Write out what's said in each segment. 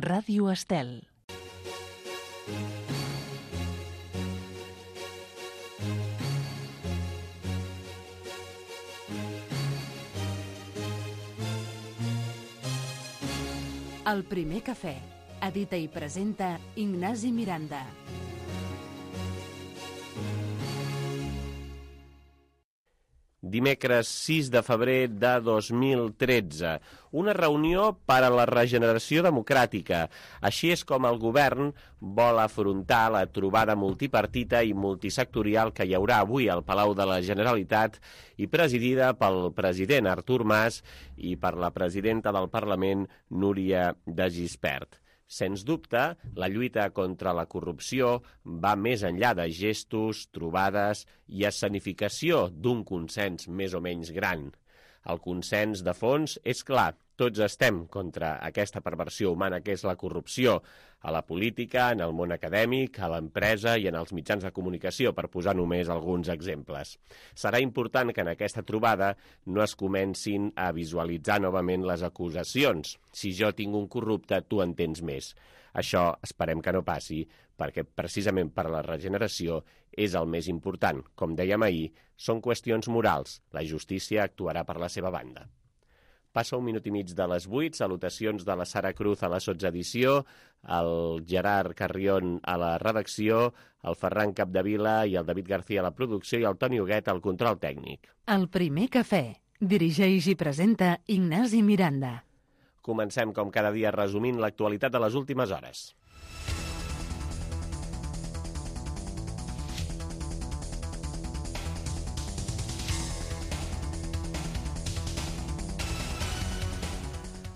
Ràdio Estel. El primer cafè. Edita i presenta Ignasi Miranda. Dimecres 6 de febrer de 2013. Una reunió per a la regeneració democràtica. Així és com el govern vol afrontar la trobada multipartita i multisectorial que hi haurà avui al Palau de la Generalitat i presidida pel president Artur Mas i per la presidenta del Parlament, Núria de Gispert. Sens dubte, la lluita contra la corrupció va més enllà de gestos, trobades i escenificació d'un consens més o menys gran. El consens de fons és clar, tots estem contra aquesta perversió humana que és la corrupció, a la política, en el món acadèmic, a l'empresa i en els mitjans de comunicació, per posar només alguns exemples. Serà important que en aquesta trobada no es comencin a visualitzar novament les acusacions. Si jo tinc un corrupte, tu en tens més. Això esperem que no passi, perquè precisament per la regeneració és el més important. Com dèiem ahir, són qüestions morals. La justícia actuarà per la seva banda. Passa 1 minut i mig de les 8, salutacions de la Sara Cruz a la sotsedició, el Gerard Carrion a la redacció, el Ferran Capdevila i el David García a la producció i el Toni Huguet al control tècnic. El primer cafè. Dirigeix i presenta Ignasi Miranda. Comencem, com cada dia, resumint l'actualitat de les últimes hores.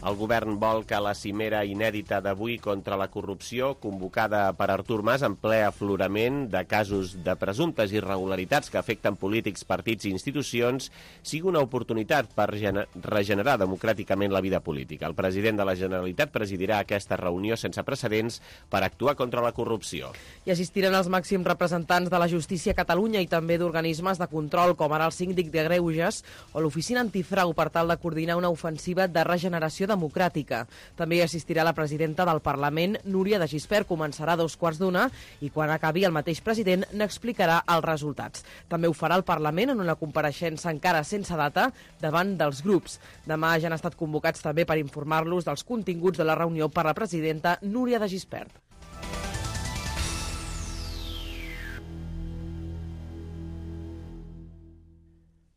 El govern vol que la cimera inèdita d'avui contra la corrupció, convocada per Artur Mas en ple aflorament de casos de presumptes irregularitats que afecten polítics, partits i institucions, sigui una oportunitat per regenerar democràticament la vida política. El president de la Generalitat presidirà aquesta reunió sense precedents per actuar contra la corrupció. Hi assistiran els màxims representants de la justícia a Catalunya i també d'organismes de control, com ara el síndic de Greuges o l'oficina antifrau, per tal de coordinar una ofensiva de regeneració democràtica. També hi assistirà la presidenta del Parlament, Núria de Gispert. Començarà a 2:15 i quan acabi el mateix president n'explicarà els resultats. També ho farà el Parlament en una compareixença encara sense data davant dels grups. Demà ja han estat convocats també per informar-los dels continguts de la reunió per la presidenta Núria de Gispert.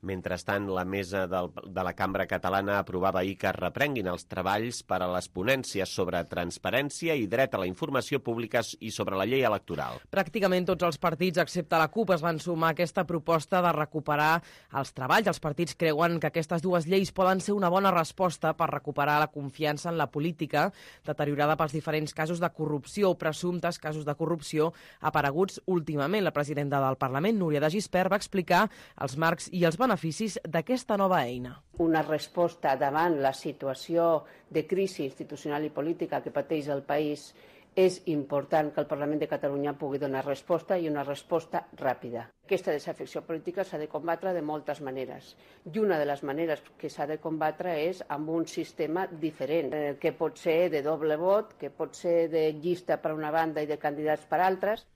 Mentrestant, la mesa de la Cambra Catalana aprovava ahir que es reprenguin els treballs per a les ponències sobre transparència i dret a la informació pública i sobre la llei electoral. Pràcticament tots els partits, excepte la CUP, es van sumar a aquesta proposta de recuperar els treballs. Els partits creuen que aquestes dues lleis poden ser una bona resposta per recuperar la confiança en la política, deteriorada pels diferents casos de corrupció o presumptes casos de corrupció apareguts últimament. La presidenta del Parlament, Núria de Gispert, va explicar els marcs i els beneficis d'aquesta nova eina. Una resposta davant la situació de crisi institucional i política que pateix el país, és important que el Parlament de Catalunya pugui donar resposta i una resposta ràpida. Aquesta desafecció política s'ha de combatre de moltes maneres i una de les maneres que s'ha de combatre és amb un sistema diferent, que pot ser de doble vot, que pot ser de llista per una banda i de candidats per altres.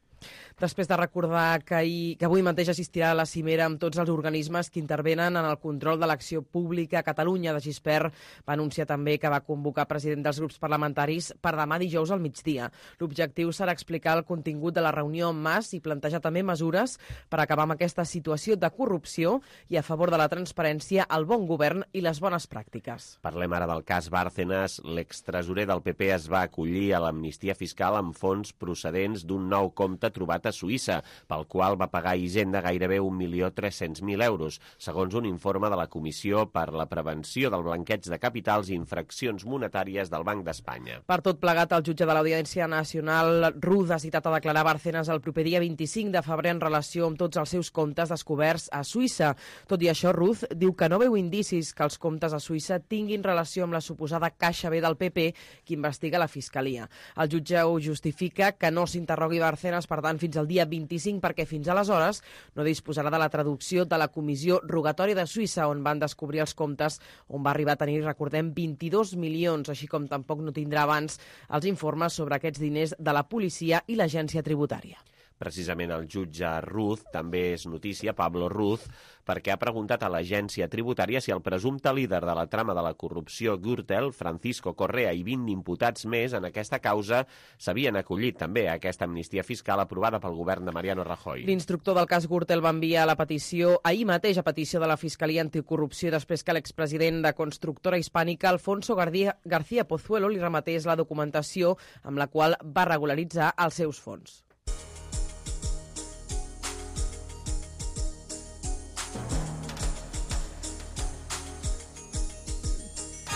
Després de recordar que avui mateix assistirà a la cimera amb tots els organismes que intervenen en el control de l'acció pública a Catalunya, de Gispert va anunciar també que va convocar president dels grups parlamentaris per demà dijous al migdia. L'objectiu serà explicar el contingut de la reunió amb Mas i plantejar també mesures per acabar amb aquesta situació de corrupció i a favor de la transparència, el bon govern i les bones pràctiques. Parlem ara del cas Bárcenas. L'extresorer del PP es va acollir a l'amnistia fiscal amb fons procedents d'un nou compte trobat a Suïssa, pel qual va pagar a Hisenda gairebé 1.300.000 euros, segons un informe de la Comissió per la Prevenció del Blanqueig de Capitals i Infraccions Monetàries del Banc d'Espanya. Per tot plegat, el jutge de l'Audiència Nacional, Ruz, ha citat a declarar Bárcenas el proper dia 25 de febrer en relació amb tots els seus comptes descoberts a Suïssa. Tot i això, Ruz diu que no veu indicis que els comptes a Suïssa tinguin relació amb la suposada caixa B del PP que investiga la Fiscalia. El jutge ho justifica que no s'interrogui Bárcenas per tant, fins al dia 25, perquè fins aleshores no disposarà de la traducció de la Comissió Rogatòria de Suïssa, on van descobrir els comptes, on va arribar a tenir, recordem, 22 milions, així com tampoc no tindrà abans els informes sobre aquests diners de la policia i l'agència tributària. Precisament el jutge Ruz, també és notícia, Pablo Ruz, perquè ha preguntat a l'agència tributària si el presumpte líder de la trama de la corrupció Gürtel, Francisco Correa, i 20 imputats més en aquesta causa s'havien acollit també a aquesta amnistia fiscal aprovada pel govern de Mariano Rajoy. L'instructor del cas Gürtel va enviar la petició ahir mateix a petició de la Fiscalia Anticorrupció després que l'expresident de Constructora Hispànica, Alfonso García Pozuelo, li remetés la documentació amb la qual va regularitzar els seus fons.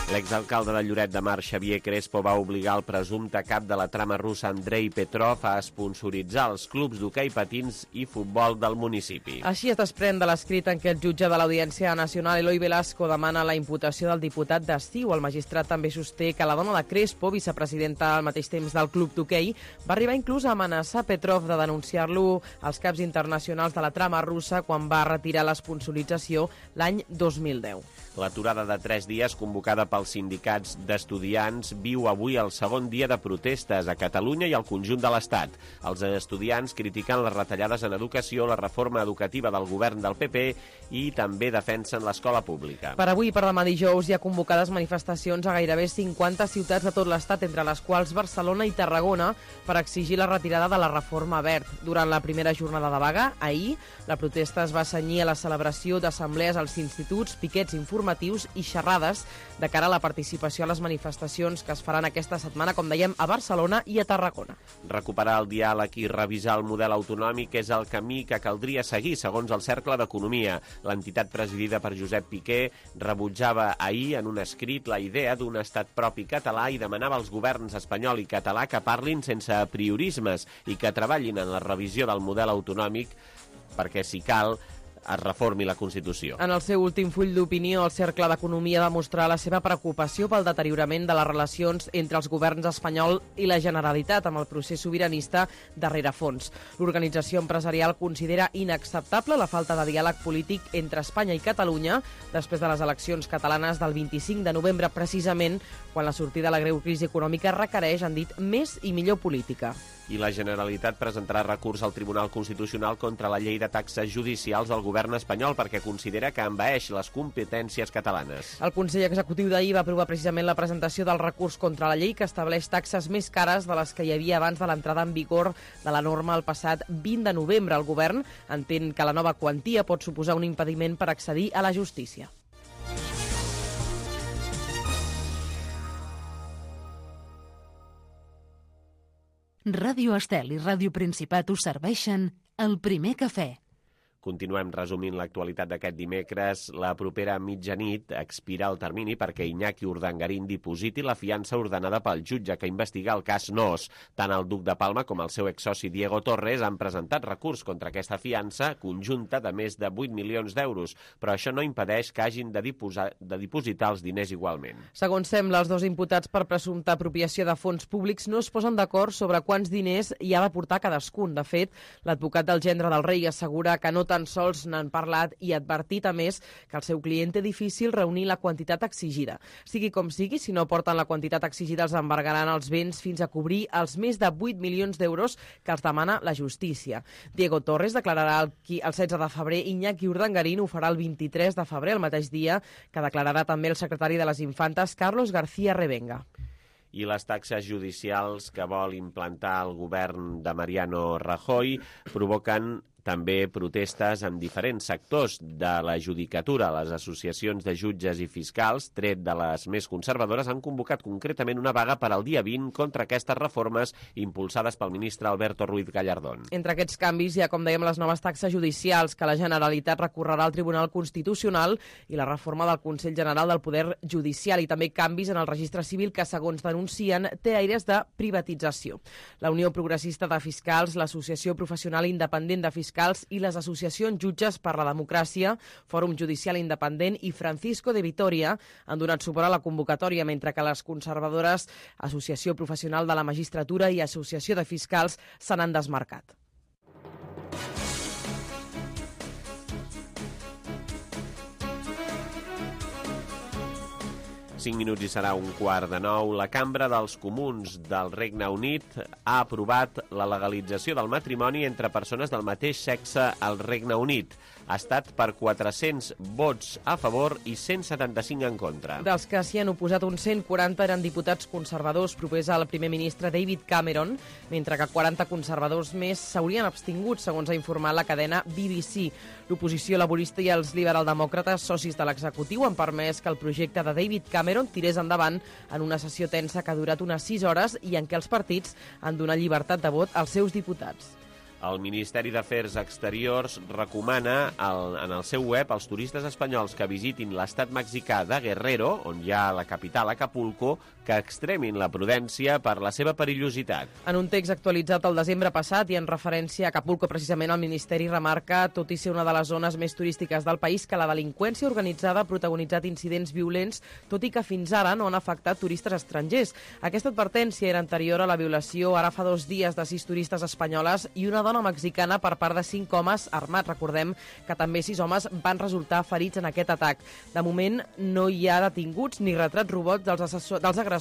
L'exalcalde de Lloret de Mar, Xavier Crespo, va obligar el presumpte cap de la trama russa Andrei Petrov a sponsoritzar els clubs d'hoquei patins i futbol del municipi. Així es desprèn de l'escrit en què el jutge de l'Audiència Nacional, Eloi Velasco, demana la imputació del diputat d'Estiu. El magistrat també sosté que la dona de Crespo, vicepresidenta al mateix temps del club d'hoquei, va arribar inclús a amenaçar Petrov de denunciar-lo als caps internacionals de la trama russa quan va retirar l'esponsorització l'any 2010. L'aturada de 3 dies convocada pels sindicats d'estudiants viu avui el segon dia de protestes a Catalunya i al conjunt de l'Estat. Els estudiants critiquen les retallades en educació, la reforma educativa del govern del PP i també defensen l'escola pública. Per avui i per demà dijous hi ha convocades manifestacions a gairebé 50 ciutats de tot l'Estat, entre les quals Barcelona i Tarragona, per exigir la retirada de la reforma Wert. Durant la primera jornada de vaga, ahir, la protesta es va cenyir a la celebració d'assemblees als instituts, piquets informatius i xerrades de cara a la participació a les manifestacions que es faran aquesta setmana, com dèiem, a Barcelona i a Tarragona. Recuperar el diàleg i revisar el model autonòmic és el camí que caldria seguir, segons el Cercle d'Economia. L'entitat presidida per Josep Piqué rebutjava ahir en un escrit la idea d'un estat propi català i demanava als governs espanyol i català que parlin sense apriorismes i que treballin en la revisió del model autonòmic perquè, si cal, es reformi la Constitució. En el seu últim full d'opinió, el Cercle d'Economia va mostrar la seva preocupació pel deteriorament de les relacions entre els governs espanyol i la Generalitat amb el procés sobiranista de rerefons. L'organització empresarial considera inacceptable la falta de diàleg polític entre Espanya i Catalunya després de les eleccions catalanes del 25 de novembre, precisament quan la sortida de la greu crisi econòmica requereix, han dit, més i millor política. I la Generalitat presentarà recurs al Tribunal Constitucional contra la llei de taxes judicials del govern espanyol perquè considera que envaeix les competències catalanes. El Consell Executiu d'ahir va aprovar precisament la presentació del recurs contra la llei que estableix taxes més cares de les que hi havia abans de l'entrada en vigor de la norma el passat 20 de novembre. El govern entén que la nova quantia pot suposar un impediment per accedir a la justícia. Ràdio Estel i Ràdio Principat us serveixen el primer cafè. Continuem resumint l'actualitat d'aquest dimecres. La propera mitjanit expira el termini perquè Iñaki Urdangarín dipositi la fiança ordenada pel jutge que investiga el cas Nóos. Tant el duc de Palma com el seu exsoci Diego Torres han presentat recurs contra aquesta fiança conjunta de més de 8 milions d'euros, però això no impedeix que hagin de dipositar els diners igualment. Segons sembla, els dos imputats per presumpta apropiació de fons públics no es posen d'acord sobre quants diners hi ha de portar cadascun. De fet, l'advocat del gendre del rei assegura que no tan sols n'han parlat i advertit, a més, que el seu client té difícil reunir la quantitat exigida. Sigui com sigui, si no porten la quantitat exigida els embargaran els béns fins a cobrir els més de 8 milions d'euros que els demana la justícia. Diego Torres declararà el 16 de febrer, Iñaki Urdangarín ho farà el 23 de febrer, el mateix dia que declararà també el secretari de les Infantes, Carlos García Revenga. I les taxes judicials que vol implantar el govern de Mariano Rajoy provoquen també protestes en diferents sectors de la judicatura. Les associacions de jutges i fiscals, tret de les més conservadores, han convocat concretament una vaga per al dia 20 contra aquestes reformes impulsades pel ministre Alberto Ruiz Gallardón. Entre aquests canvis hi ha, com dèiem, les noves taxes judicials que la Generalitat recorrerà al Tribunal Constitucional i la reforma del Consell General del Poder Judicial i també canvis en el registre civil que, segons denuncien, té aires de privatització. La Unió Progressista de Fiscals, l'Associació Professional Independent de Fiscals i les associacions Jutges per la Democràcia, Fòrum Judicial Independent i Francisco de Vitoria han donat suport a la convocatòria, mentre que les conservadores, Associació Professional de la Magistratura i Associació de Fiscals se n'han desmarcat. 5 minuts i serà 8:45. La Cambra dels Comuns del Regne Unit ha aprovat la legalització del matrimoni entre persones del mateix sexe al Regne Unit. Ha estat per 400 vots a favor i 175 en contra. Dels que s'hi han oposat, uns 140 eren diputats conservadors propers al primer ministre David Cameron, mentre que 40 conservadors més s'haurien abstingut, segons ha informat la cadena BBC. L'oposició laborista i els liberaldemòcrates, socis de l'executiu, han permès que el projecte de David Cameron tirés endavant en una sessió tensa que ha durat unes 6 hores i en què els partits han donat llibertat de vot als seus diputats. El Ministeri d'Afers Exteriors recomana en el seu web als turistes espanyols que visitin l'estat mexicà de Guerrero, on hi ha la capital Acapulco, que extremin la prudència per la seva perillositat. En un text actualitzat el desembre passat i en referència a Acapulco, precisament el Ministeri remarca, tot i ser una de les zones més turístiques del país, que la delinqüència organitzada ha protagonitzat incidents violents, tot i que fins ara no han afectat turistes estrangers. Aquesta advertència era anterior a la violació ara fa 2 dies de 6 turistes espanyoles i una dona mexicana per part de 5 homes armats. Recordem que també 6 homes van resultar ferits en aquest atac. De moment no hi ha detinguts ni retrats robots dels agressors,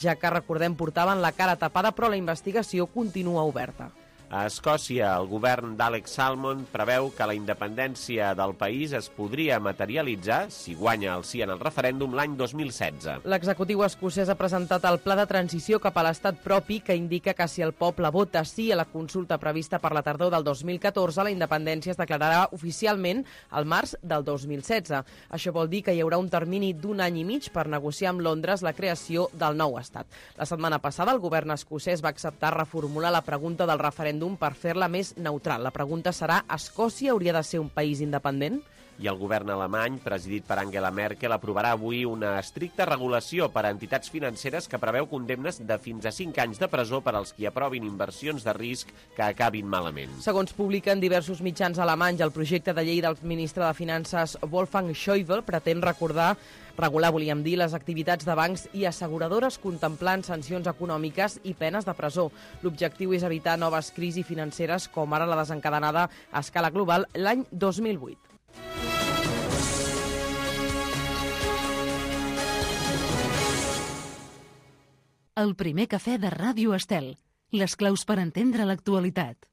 ja que, recordem, portaven la cara tapada, però la investigació continua oberta. A Escòcia, el govern d'Alex Salmond preveu que la independència del país es podria materialitzar, si guanya el sí en el referèndum, l'any 2016. L'executiu escocès ha presentat el pla de transició cap a l'estat propi, que indica que si el poble vota sí a la consulta prevista per la tardor del 2014, la independència es declararà oficialment al març del 2016. Això vol dir que hi haurà un termini d'1 any i mig per negociar amb Londres la creació del nou estat. La setmana passada, el govern escocès va acceptar reformular la pregunta del referèndum per fer-la més neutral. La pregunta serà: Escòcia hauria de ser un país independent? I el govern alemany, presidit per Angela Merkel, aprovarà avui una estricta regulació per a entitats financeres que preveu condemnes de fins a 5 anys de presó per als qui aprovin inversions de risc que acabin malament. Segons publiquen diversos mitjans alemanys, el projecte de llei del ministre de Finances Wolfgang Schäuble pretén regular, volíem dir, les activitats de bancs i asseguradores contemplant sancions econòmiques i penes de presó. L'objectiu és evitar noves crisis financeres com ara la desencadenada a escala global l'any 2008. El primer cafè de Ràdio Estel. Les claus per entendre l'actualitat.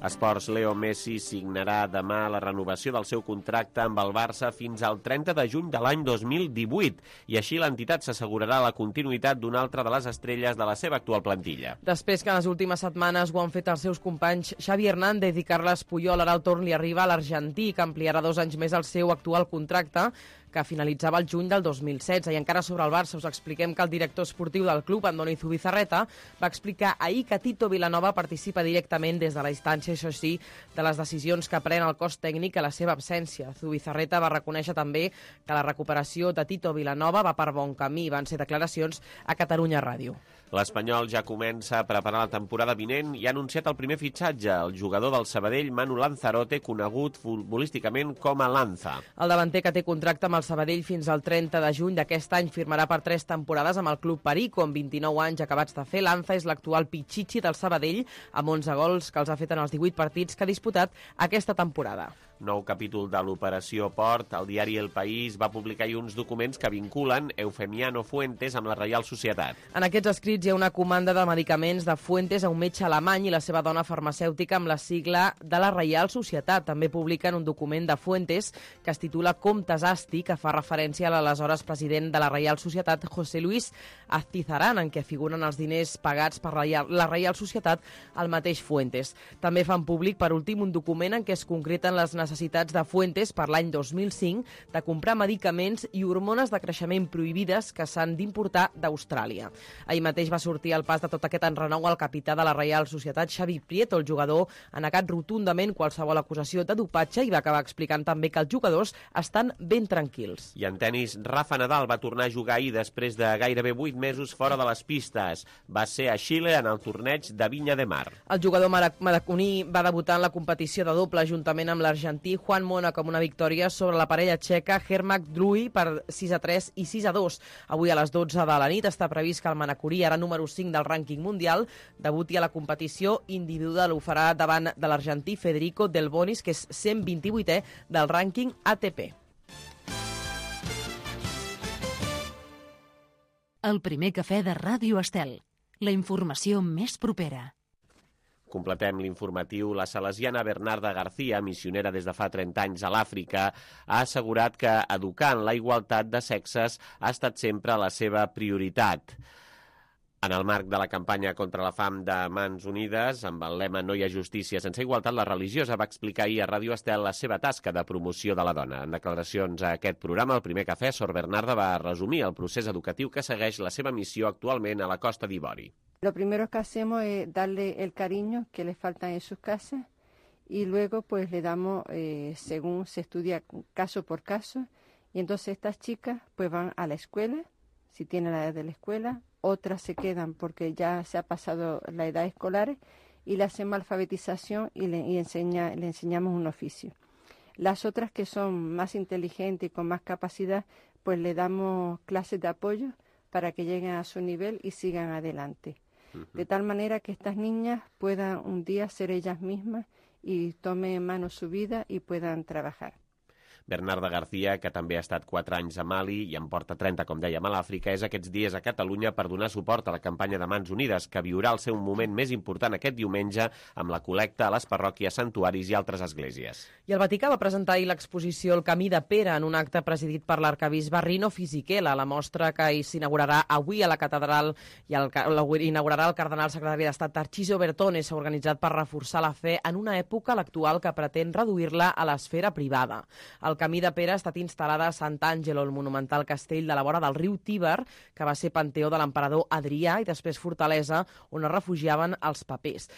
Esports, Leo Messi signarà demà la renovació del seu contracte amb el Barça fins al 30 de juny de l'any 2018 i així l'entitat s'assegurarà la continuïtat d'una altra de les estrelles de la seva actual plantilla. Després que en les últimes setmanes ho han fet els seus companys Xavi Hernández i Carles Puyol, ara el torn li arriba a l'argentí, que ampliarà 2 anys més el seu actual contracte, que finalitzava el juny del 2016. I encara sobre el Barça us expliquem que el director esportiu del club, Andoni Zubizarreta, va explicar ahir que Tito Vilanova participa directament des de la instància, això sí, de les decisions que pren el cos tècnic a la seva absència. Zubizarreta va reconèixer també que la recuperació de Tito Vilanova va per bon camí. Van ser declaracions a Catalunya Ràdio. L'Espanyol ja comença a preparar la temporada vinent i ha anunciat el primer fitxatge, el jugador del Sabadell, Manu Lanzarote, conegut futbolísticament com a Lanza. El davanter, que té contracte amb el Sabadell fins al 30 de juny d'aquest any, firmarà per 3 temporades amb el club Perico. Amb 29 anys acabats de fer, Lanza és l'actual Pichichi del Sabadell, amb 11 gols que els ha fet en els 18 partits que ha disputat aquesta temporada. Nou capítol de l'Operació Port. El diari El País va publicar uns documents que vinculen Eufemiano Fuentes amb la Reial Societat. En aquests escrits hi ha una comanda de medicaments de Fuentes a un metge alemany i la seva dona farmacèutica amb la sigla de la Reial Societat. També publiquen un document de Fuentes que es titula Comptes Asti, que fa referència a l'aleshores president de la Reial Societat, José Luis Aztizarán, en què figuren els diners pagats per la Reial Societat al mateix Fuentes. També fan públic, per últim, un document en què es concreten les necessitats de Fuentes per l'any 2005 de comprar medicaments i hormones de creixement prohibides que s'han d'importar d'Austràlia. Ahir mateix va sortir al pas de tot aquest enrenou el capità de la Reial Societat, Xavi Prieto. El jugador ha negat rotundament qualsevol acusació de dopatge i va acabar explicant també que els jugadors estan ben tranquils. I en tenis, Rafa Nadal va tornar a jugar ahir després de gairebé 8 mesos fora de les pistes. Va ser a Xile en el torneig de Vinya de Mar. El jugador maraconí va debutar en la competició de doble juntament amb l'argentí l'argentí Juan Mónaco amb una victòria sobre la parella txeca Hermak Drui per 6-3 i 6-2. Avui a les 12 de la nit està previst que el manacorí, ara número 5 del rànquing mundial, debuti a la competició individual. Ho farà davant de l'argentí Federico Del Bonis, que és 128è del rànquing ATP. El primer cafè de Ràdio Estel. La informació més propera. Completem l'informatiu. La salesiana Bernarda García, missionera des de fa 30 anys a l'Àfrica, ha assegurat que educar en la igualtat de sexes ha estat sempre la seva prioritat. En el marc de la campanya contra la fam de Mans Unides, amb el lema No hi ha justícia sense igualtat, la religiosa va explicar ahir a Ràdio Estel la seva tasca de promoció de la dona. En declaracions a aquest programa, el primer cafè, Sor Bernarda va resumir el procés educatiu que segueix la seva missió actualment a la Costa d'Ivori. Lo primero que hacemos es darle el cariño que les falta en sus casas y luego pues le damos, según se estudia caso por caso, y entonces estas chicas pues van a la escuela, si tienen la edad de la escuela, otras se quedan porque ya se ha pasado la edad escolar y le hacemos alfabetización y le enseñamos un oficio. Las otras que son más inteligentes y con más capacidad, pues le damos clases de apoyo para que lleguen a su nivel y sigan adelante. De tal manera que estas niñas puedan un día ser ellas mismas y tomen en mano su vida y puedan trabajar. Bernarda García, que també ha estat 4 anys a Mali i en porta 30, com dèiem, a l'Àfrica, és aquests dies a Catalunya per donar suport a la campanya de Mans Unides, que viurà el seu moment més important aquest diumenge amb la col·lecta a les parròquies, santuaris i altres esglésies. I el Vaticà va presentar ahir l'exposició El camí de Pere en un acte presidit per l'arcabisbe Rino Fisichella. La mostra que s'inaugurarà avui a la catedral i l'inaugurarà el cardenal secretari d'Estat Tarcísio Bertone. S'ha organitzat per reforçar la fe en una època, l'actual, que pretén reduir-la a l'esfera privada. El camí de Pere ha estat instal·lada a Sant'Angelo, el monumental castell de la vora del riu Tíber, que va ser panteó de l'emperador Adrià i després fortalesa on es refugiaven els papes.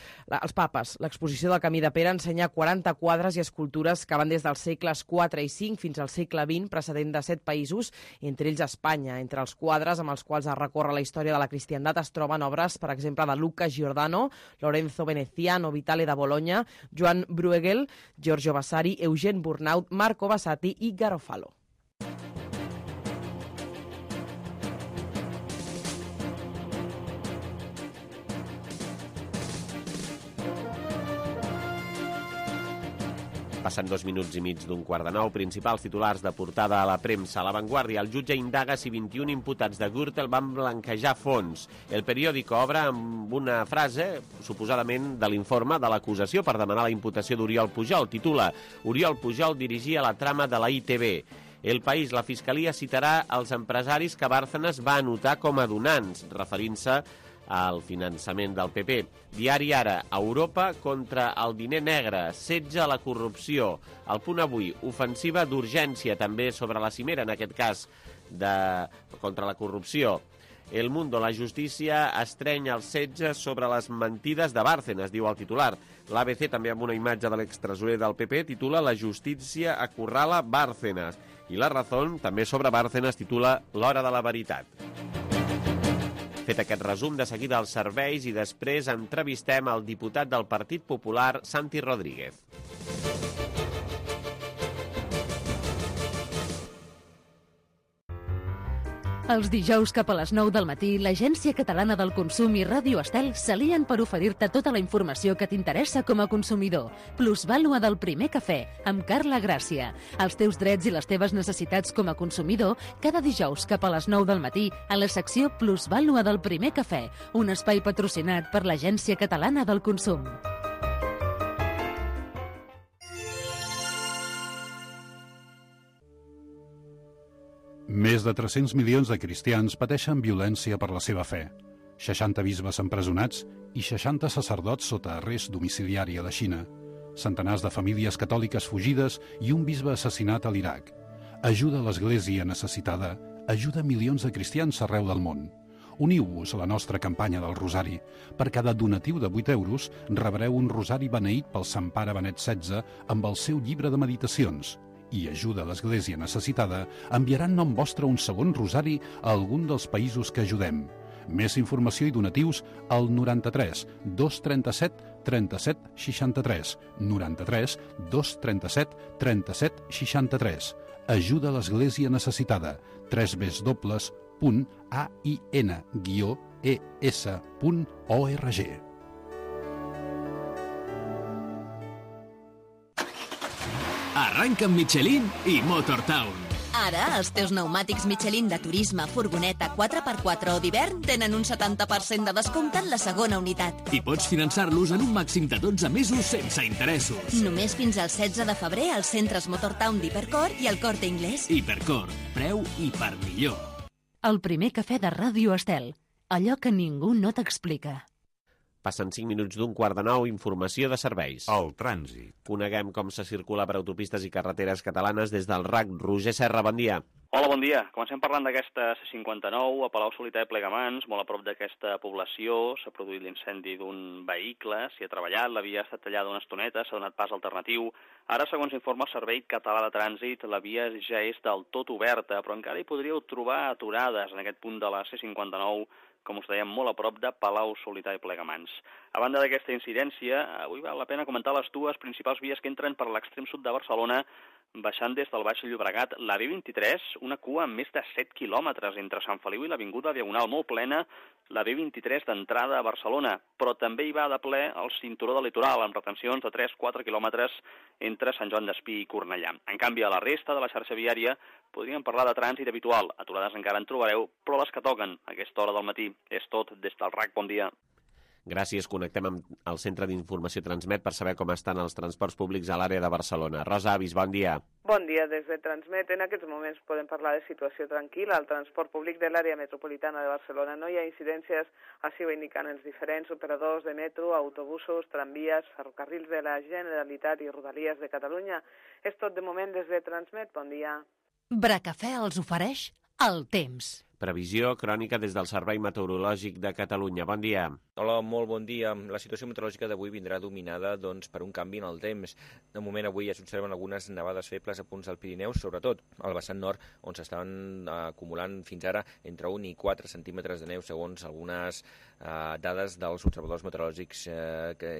L'exposició del camí de Pere ensenya 40 quadres i escultures que van des dels segles IV i V fins al segle XX, precedent de 7 països, entre ells Espanya. Entre els quadres amb els quals es recorre la història de la cristiandat es troben obres, per exemple, de Luca Giordano, Lorenzo Veneziano, Vitale de Bologna, Joan Bruegel, Giorgio Vasari, Eugene Burnaut, Marco Basati i Garofalo. Passen 2 minuts i mig d'un quart de 9. Principals titulars de portada a la premsa. A La Vanguardia, el jutge indaga si 21 imputats de Gürtel van blanquejar fons. El periòdico obre amb una frase, suposadament de l'informe de l'acusació per demanar la imputació d'Oriol Pujol. Titula: Oriol Pujol dirigia la trama de la ITV. El País, la Fiscalia citarà els empresaris que Bárcenas va anotar com a donants, referint-se al finançament del PP. Diari Ara, Europa contra el diner negre, setge a la corrupció. El Punt Avui, ofensiva d'urgència també sobre la cimera, en aquest cas contra la corrupció. El Mundo, la justícia estreny el setge sobre les mentides de Bárcenas, diu el titular. L'ABC, també amb una imatge de l'extresorer del PP, titula La justícia acorrala Bárcenas. I La Razón, també sobre Bárcenas, titula L'hora de la veritat. Fet aquest resum, de seguida als serveis i després entrevistem el diputat del Partit Popular, Santi Rodríguez. Els dijous cap a les 9 del matí, l'Agència Catalana del Consum i Ràdio Estel s'alien per oferir-te tota la informació que t'interessa com a consumidor. Plusvàlua del primer cafè, amb Carla Gràcia. Els teus drets i les teves necessitats com a consumidor, cada dijous cap a les 9 del matí, a la secció Plusvàlua del primer cafè, un espai patrocinat per l'Agència Catalana del Consum. Més de 300 milions de cristians pateixen violència per la seva fe. 60 bisbes empresonats i 60 sacerdots sota arrest domiciliari a la Xina. Centenars de famílies catòliques fugides i un bisbe assassinat a l'Iraq. Ajuda a l'Església necessitada, ajuda milions de cristians arreu del món. Uniu-vos a la nostra campanya del Rosari. Per cada donatiu de 8 euros rebreu un rosari beneït pel Sant Pare Benet XVI amb el seu llibre de meditacions. I ajuda a l'Església necessitada enviarà en nom vostre un segon rosari a algun dels països que ajudem. Més informació i donatius al 93 237 37 63. 93 237 37 63. Ajuda a l'Església Necessitada. www.ain-es.org. Arranca amb Michelin i Motortown. Ara, els teus pneumàtics Michelin de turisme, furgoneta, 4x4 o d'hivern tenen un 70% de descompte en la segona unitat. I pots finançar-los en un màxim de 12 mesos sense interessos. Només fins al 16 de febrer als centres Motortown d'Hipercor i al Corte Inglés. Hipercor, preu i per millor. El primer cafè de Ràdio Estel. Allò que ningú no t'explica. Passen 5 minuts d'un 8:45, informació de serveis. El trànsit. Coneguem com se circula per autopistes i carreteres catalanes des del RAC. Roger Serra, bon dia. Hola, bon dia. Comencem parlant d'aquesta C-59 a Palau-solità i Plegamans, molt a prop d'aquesta població. S'ha produït l'incendi d'un vehicle, s'hi ha treballat, la via ha estat tallada una estoneta, s'ha donat pas alternatiu. Ara, segons informa el Servei Català de Trànsit, la via ja és del tot oberta, però encara hi podríeu trobar aturades en aquest punt de la C-59, com us dèiem, molt a prop de Palau-solità i Plegamans. A banda d'aquesta incidència, avui val la pena comentar les dues principals vies que entren per l'extrem sud de Barcelona, baixant des del Baix Llobregat, la B23, una cua amb més de 7 quilòmetres entre Sant Feliu i l'Avinguda Diagonal, molt plena, la B23 d'entrada a Barcelona, però també hi va de ple el cinturó del litoral, amb retencions de 3-4 quilòmetres entre Sant Joan d'Espí i Cornellà. En canvi, a la resta de la xarxa viària podríem parlar de trànsit habitual. Aturades encara en trobareu, però les que toquen a aquesta hora del matí. És tot des del RAC. Bon dia. Gràcies. Connectem amb el Centre d'Informació Transmet per saber com estan els transports públics a l'àrea de Barcelona. Rosa Avis, bon dia. Bon dia. Des de Transmet, en aquests moments podem parlar de situació tranquil·la. Al transport públic de l'àrea metropolitana de Barcelona no hi ha incidències, així ho indiquen els diferents operadors de metro, autobusos, tramvies, ferrocarrils de la Generalitat i Rodalies de Catalunya. És tot de moment des de Transmet. Bon dia. Bracafè els ofereix el temps. Previsió crònica des del Servei Meteorològic de Catalunya. Bon dia. Hola, molt bon dia. La situació meteorològica d'avui vindrà dominada per un canvi en el temps. De moment avui ja s'observen algunes nevades febles a punts del Pirineu, sobretot al vessant nord, on s'estaven acumulant fins ara entre 1 i 4 centímetres de neu, segons algunes dades dels observadors meteorològics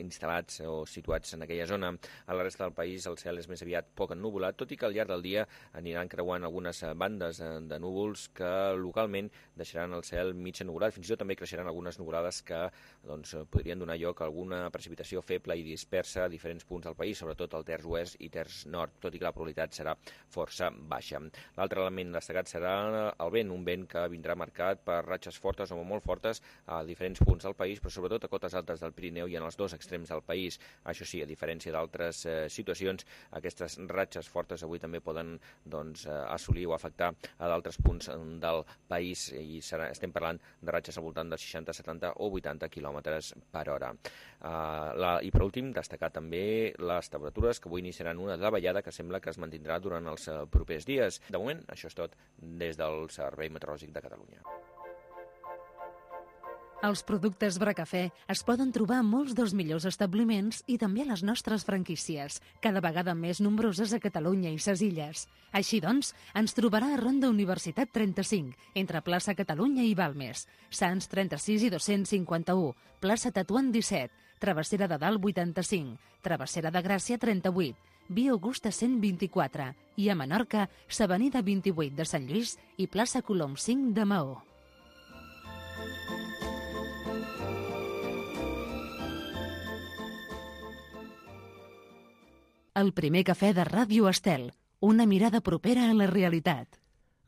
instal·lats o situats en aquella zona. A la resta del país el cel és més aviat poc ennuvolat, tot i que al llarg del dia aniran creuant algunes bandes de núvols que localment deixaran el cel mig ennuvolat. Fins i tot també creixeran algunes nuvolades que podrien donar lloc a alguna precipitació feble i dispersa a diferents punts del país, sobretot al terç oest i terç nord, tot i que la probabilitat serà força baixa. L'altre element destacat serà el vent, un vent que vindrà marcat per ratxes fortes o molt fortes a diferents punts del país, però sobretot a cotes altes del Pirineu i en els dos extrems del país. Això sí, a diferència d'altres situacions, aquestes ratxes fortes avui també poden assolir o afectar a d'altres punts del país i estem parlant de ratxes al voltant dels 60, 70 o 80 quilòmetres per hora. I per últim, destacar també les temperatures que avui iniciaran una davallada que sembla que es mantindrà durant els propers dies. De moment, això és tot des del Servei Meteorològic de Catalunya. Els productes Bracafè es poden trobar a molts dels millors establiments i també a les nostres franquícies, cada vegada més nombroses a Catalunya i ses illes. Així doncs, ens trobarà a Ronda Universitat 35, entre plaça Catalunya i Balmes, Sants 36 i 251, plaça Tetuan 17, Travessera de Dalt 85, Travessera de Gràcia 38, Via Augusta 124 i a Menorca, s'Avenida 28 de Sant Lluís i plaça Colom 5 de Maó. El primer cafè de Ràdio Estel, una mirada propera a la realitat.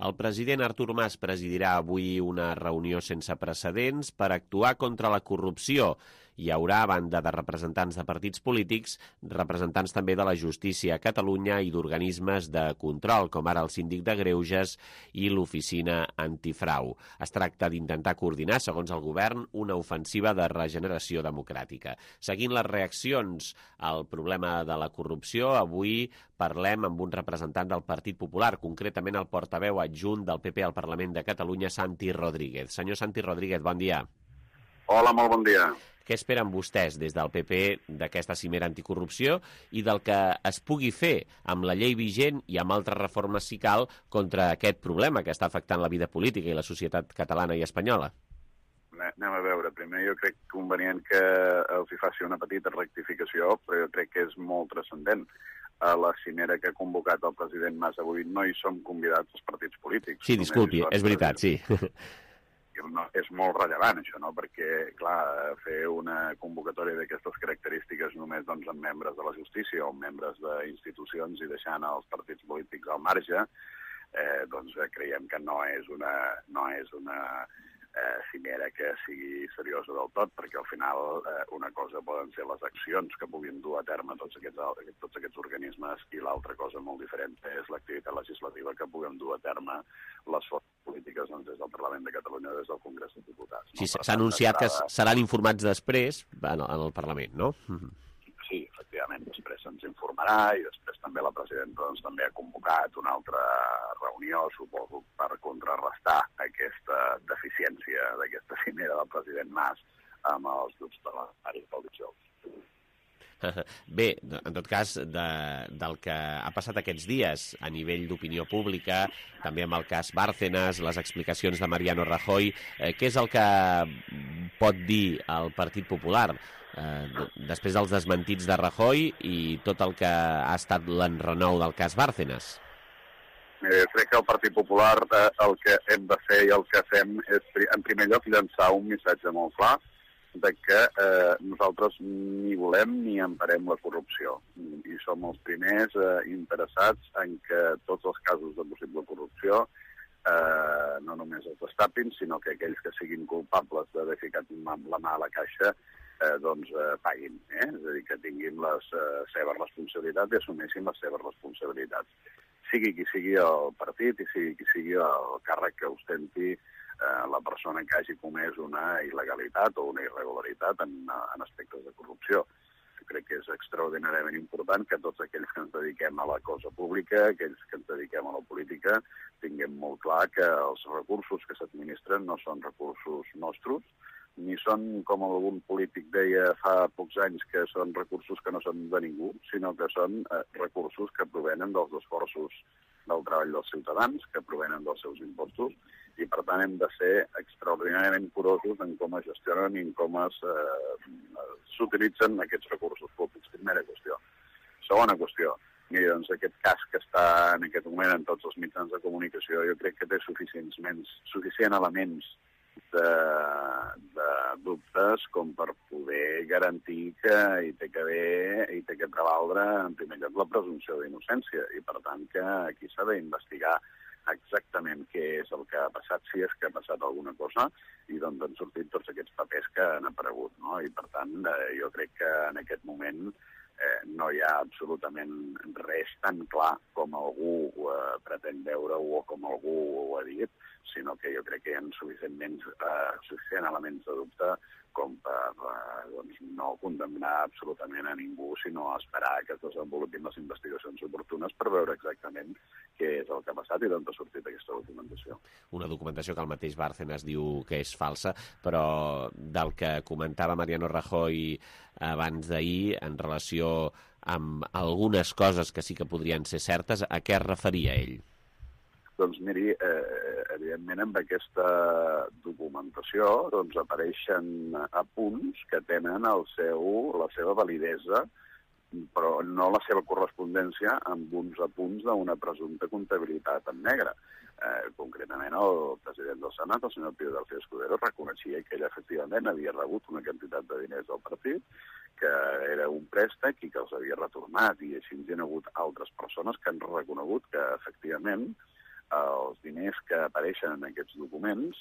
El president Artur Mas presidirà avui una reunió sense precedents per actuar contra la corrupció. Hi haurà, a banda de representants de partits polítics, representants també de la justícia a Catalunya i d'organismes de control, com ara el síndic de Greuges i l'oficina antifrau. Es tracta d'intentar coordinar, segons el govern, una ofensiva de regeneració democràtica. Seguint les reaccions al problema de la corrupció, avui parlem amb un representant del Partit Popular, concretament el portaveu adjunt del PP al Parlament de Catalunya, Santi Rodríguez. Senyor Santi Rodríguez, bon dia. Hola, molt bon dia. Què esperen vostès des del PP d'aquesta cimera anticorrupció i del que es pugui fer amb la llei vigent i amb altres reformes, si cal, contra aquest problema que està afectant la vida política i la societat catalana i espanyola? Anem a veure. Primer jo crec convenient que els hi faci una petita rectificació, però jo crec que és molt transcendent. A la cimera que ha convocat el president Mas avui no hi som convidats els partits polítics. Sí, disculpi, és veritat, sí. És molt rellevant, això, no? Perquè, clar, fer una convocatòria d'aquestes característiques només amb membres de la justícia o membres d'institucions i deixant els partits polítics al marge, creiem que no és una cimera que sigui seriosa del tot, perquè al final una cosa poden ser les accions que puguin dur a terme tots aquests organismes i l'altra cosa molt diferent és l'activitat legislativa que puguem dur a terme les forces polítiques des del Parlament de Catalunya o des del Congrés dels Diputats. Sí, s'ha anunciat que seran informats després en el Parlament, no? Sí, efectivament, després se'ns informarà i després també la presidenta també ha convocat una altra reunió, suposo, per contrarrestar aquesta deficiència d'aquesta cimera del president Mas amb els grups parlamentaris del dijous. Bé, en tot cas, del que ha passat aquests dies a nivell d'opinió pública, també amb el cas Bárcenas, les explicacions de Mariano Rajoy, què és el que pot dir el Partit Popular després dels desmentits de Rajoy i tot el que ha estat l'enrenou del cas Bárcenas? Crec que el Partit Popular el que hem de fer i el que fem és, en primer lloc, llançar un missatge molt clar de que nosaltres ni volem ni emparem la corrupció. I som els primers interessats en que tots els casos de possible corrupció no només els destapin, sinó que aquells que siguin culpables d'haver ficat la mà a la caixa paguin. És a dir, que tinguin les seves responsabilitats i assumeixin les seves responsabilitats. Sigui qui sigui el partit i sigui qui sigui el càrrec que ostenti la persona que hagi comès una il·legalitat o una irregularitat en aspectes de corrupció. Jo crec que és extraordinàriament important que tots aquells que ens dediquem a la cosa pública, aquells que ens dediquem a la política, tinguem molt clar que els recursos que s'administren no són recursos nostres, ni són, com algun polític deia fa pocs anys, que són recursos que no són de ningú, sinó que són recursos que provenen dels esforços del treball dels ciutadans, que provenen dels seus impostos, i per tant hem de ser extraordinàriament curosos en com es gestionen i en com s'utilitzen aquests recursos públics. Primera qüestió. Segona qüestió. Mira, doncs aquest cas que està en aquest moment en tots els mitjans de comunicació, jo crec que té suficient elements de dubtes com per poder garantir que hi té que prevaldre en primer lloc la presumpció d'innocència i per tant que aquí s'ha d'investigar exactament què és el que ha passat, si és que ha passat alguna cosa i d'on han sortit tots aquests papers que han aparegut, no? I per tant jo crec que en aquest moment no hi ha absolutament res tan clar com algú pretén veure-ho o com algú ho ha dit, sinó que jo crec que hi ha suficient elements de dubte com per no condemnar absolutament a ningú, sinó esperar que es desenvolupin les investigacions oportunes per veure exactament què és el que ha passat i d'on ha sortit aquesta documentació. Una documentació que el mateix Bárcenas diu que és falsa, però del que comentava Mariano Rajoy abans d'ahir en relació amb algunes coses que sí que podrien ser certes, a què es referia ell? Doncs miri, evidentment amb aquesta documentació apareixen apunts que tenen la seva validesa, però no la seva correspondència amb uns apunts d'una presumpta comptabilitat en negre. Concretament, el president del Senat, el senyor Pío García Escudero, reconeixia que ell efectivament havia rebut una quantitat de diners del partit, que era un préstec i que els havia retornat, i així hi ha hagut altres persones que han reconegut que efectivament els diners que apareixen en aquests documents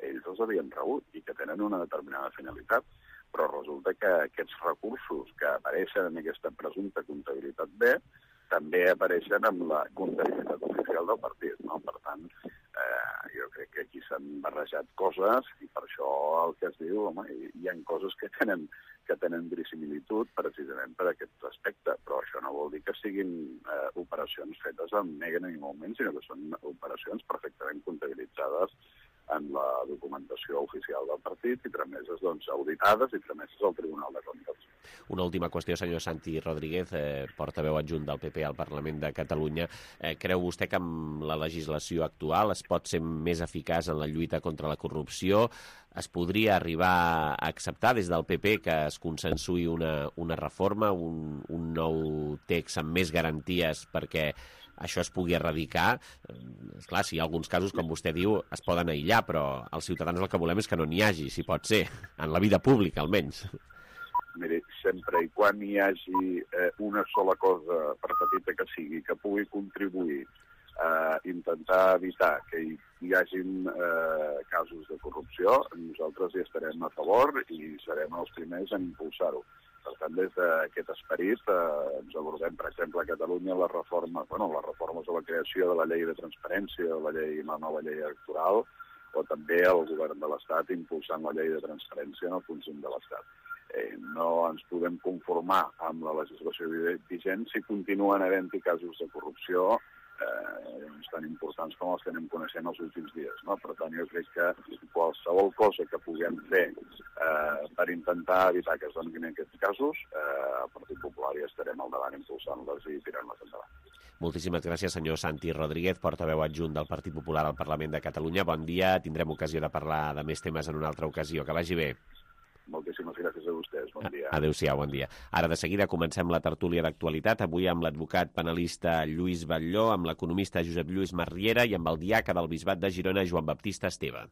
ells els havien rebut i que tenen una determinada finalitat, però resulta que aquests recursos que apareixen en aquesta presumpta comptabilitat B també apareixen amb la comptabilitat oficial del partit, no? Per tant, jo crec que aquí s'han barrejat coses i per això el que es diu, home, hi ha coses que tenen verisimilitud precisament per aquest aspecte, però això no vol dir que siguin operacions fetes en negre ni molt menys, sinó que són operacions perfectament comptabilitzades en la documentació oficial del partit i trameses auditades i trameses al Tribunal de Comptes. Una última qüestió, senyor Santi Rodríguez, portaveu adjunt del PP al Parlament de Catalunya. Creu vostè que amb la legislació actual es pot ser més eficaç en la lluita contra la corrupció? Es podria arribar a acceptar des del PP que es consensuï una reforma, un nou text amb més garanties perquè això es pugui erradicar? Esclar, si hi ha alguns casos, com vostè diu, es poden aïllar, però els ciutadans el que volem és que no n'hi hagi, si pot ser, en la vida pública almenys. Miri, sempre i quan hi hagi una sola cosa, per petita que sigui, que pugui contribuir a intentar evitar que hi hagin casos de corrupció, nosaltres hi estarem a favor i serem els primers en impulsar-ho. Per tant, des d'aquest esperit ens abordem, per exemple, a Catalunya les reformes o la creació de la llei de transparència, la nova llei electoral, o també el govern de l'Estat impulsant la llei de transparència en el conjunt de l'Estat. No ens podem conformar amb la legislació vigent si continuen havent-hi casos de corrupció tan importants com els que anem coneixent els últims dies. No? Per tant, jo crec que qualsevol cosa que puguem fer per intentar evitar que es donin aquests casos, el Partit Popular hi estarem al davant impulsant-les i tirant-les endavant. Moltíssimes gràcies, senyor Santi Rodríguez, portaveu adjunt del Partit Popular al Parlament de Catalunya. Bon dia, tindrem ocasió de parlar de més temes en una altra ocasió. Que vagi bé. Moltíssimes gràcies a vostès. Bon dia. Adéu-siau, bon dia. Ara de seguida comencem la tertúlia d'actualitat, avui amb l'advocat penalista Lluís Batlló, amb l'economista Josep Lluís Marriera i amb el diaca del Bisbat de Girona, Joan Baptista Esteve.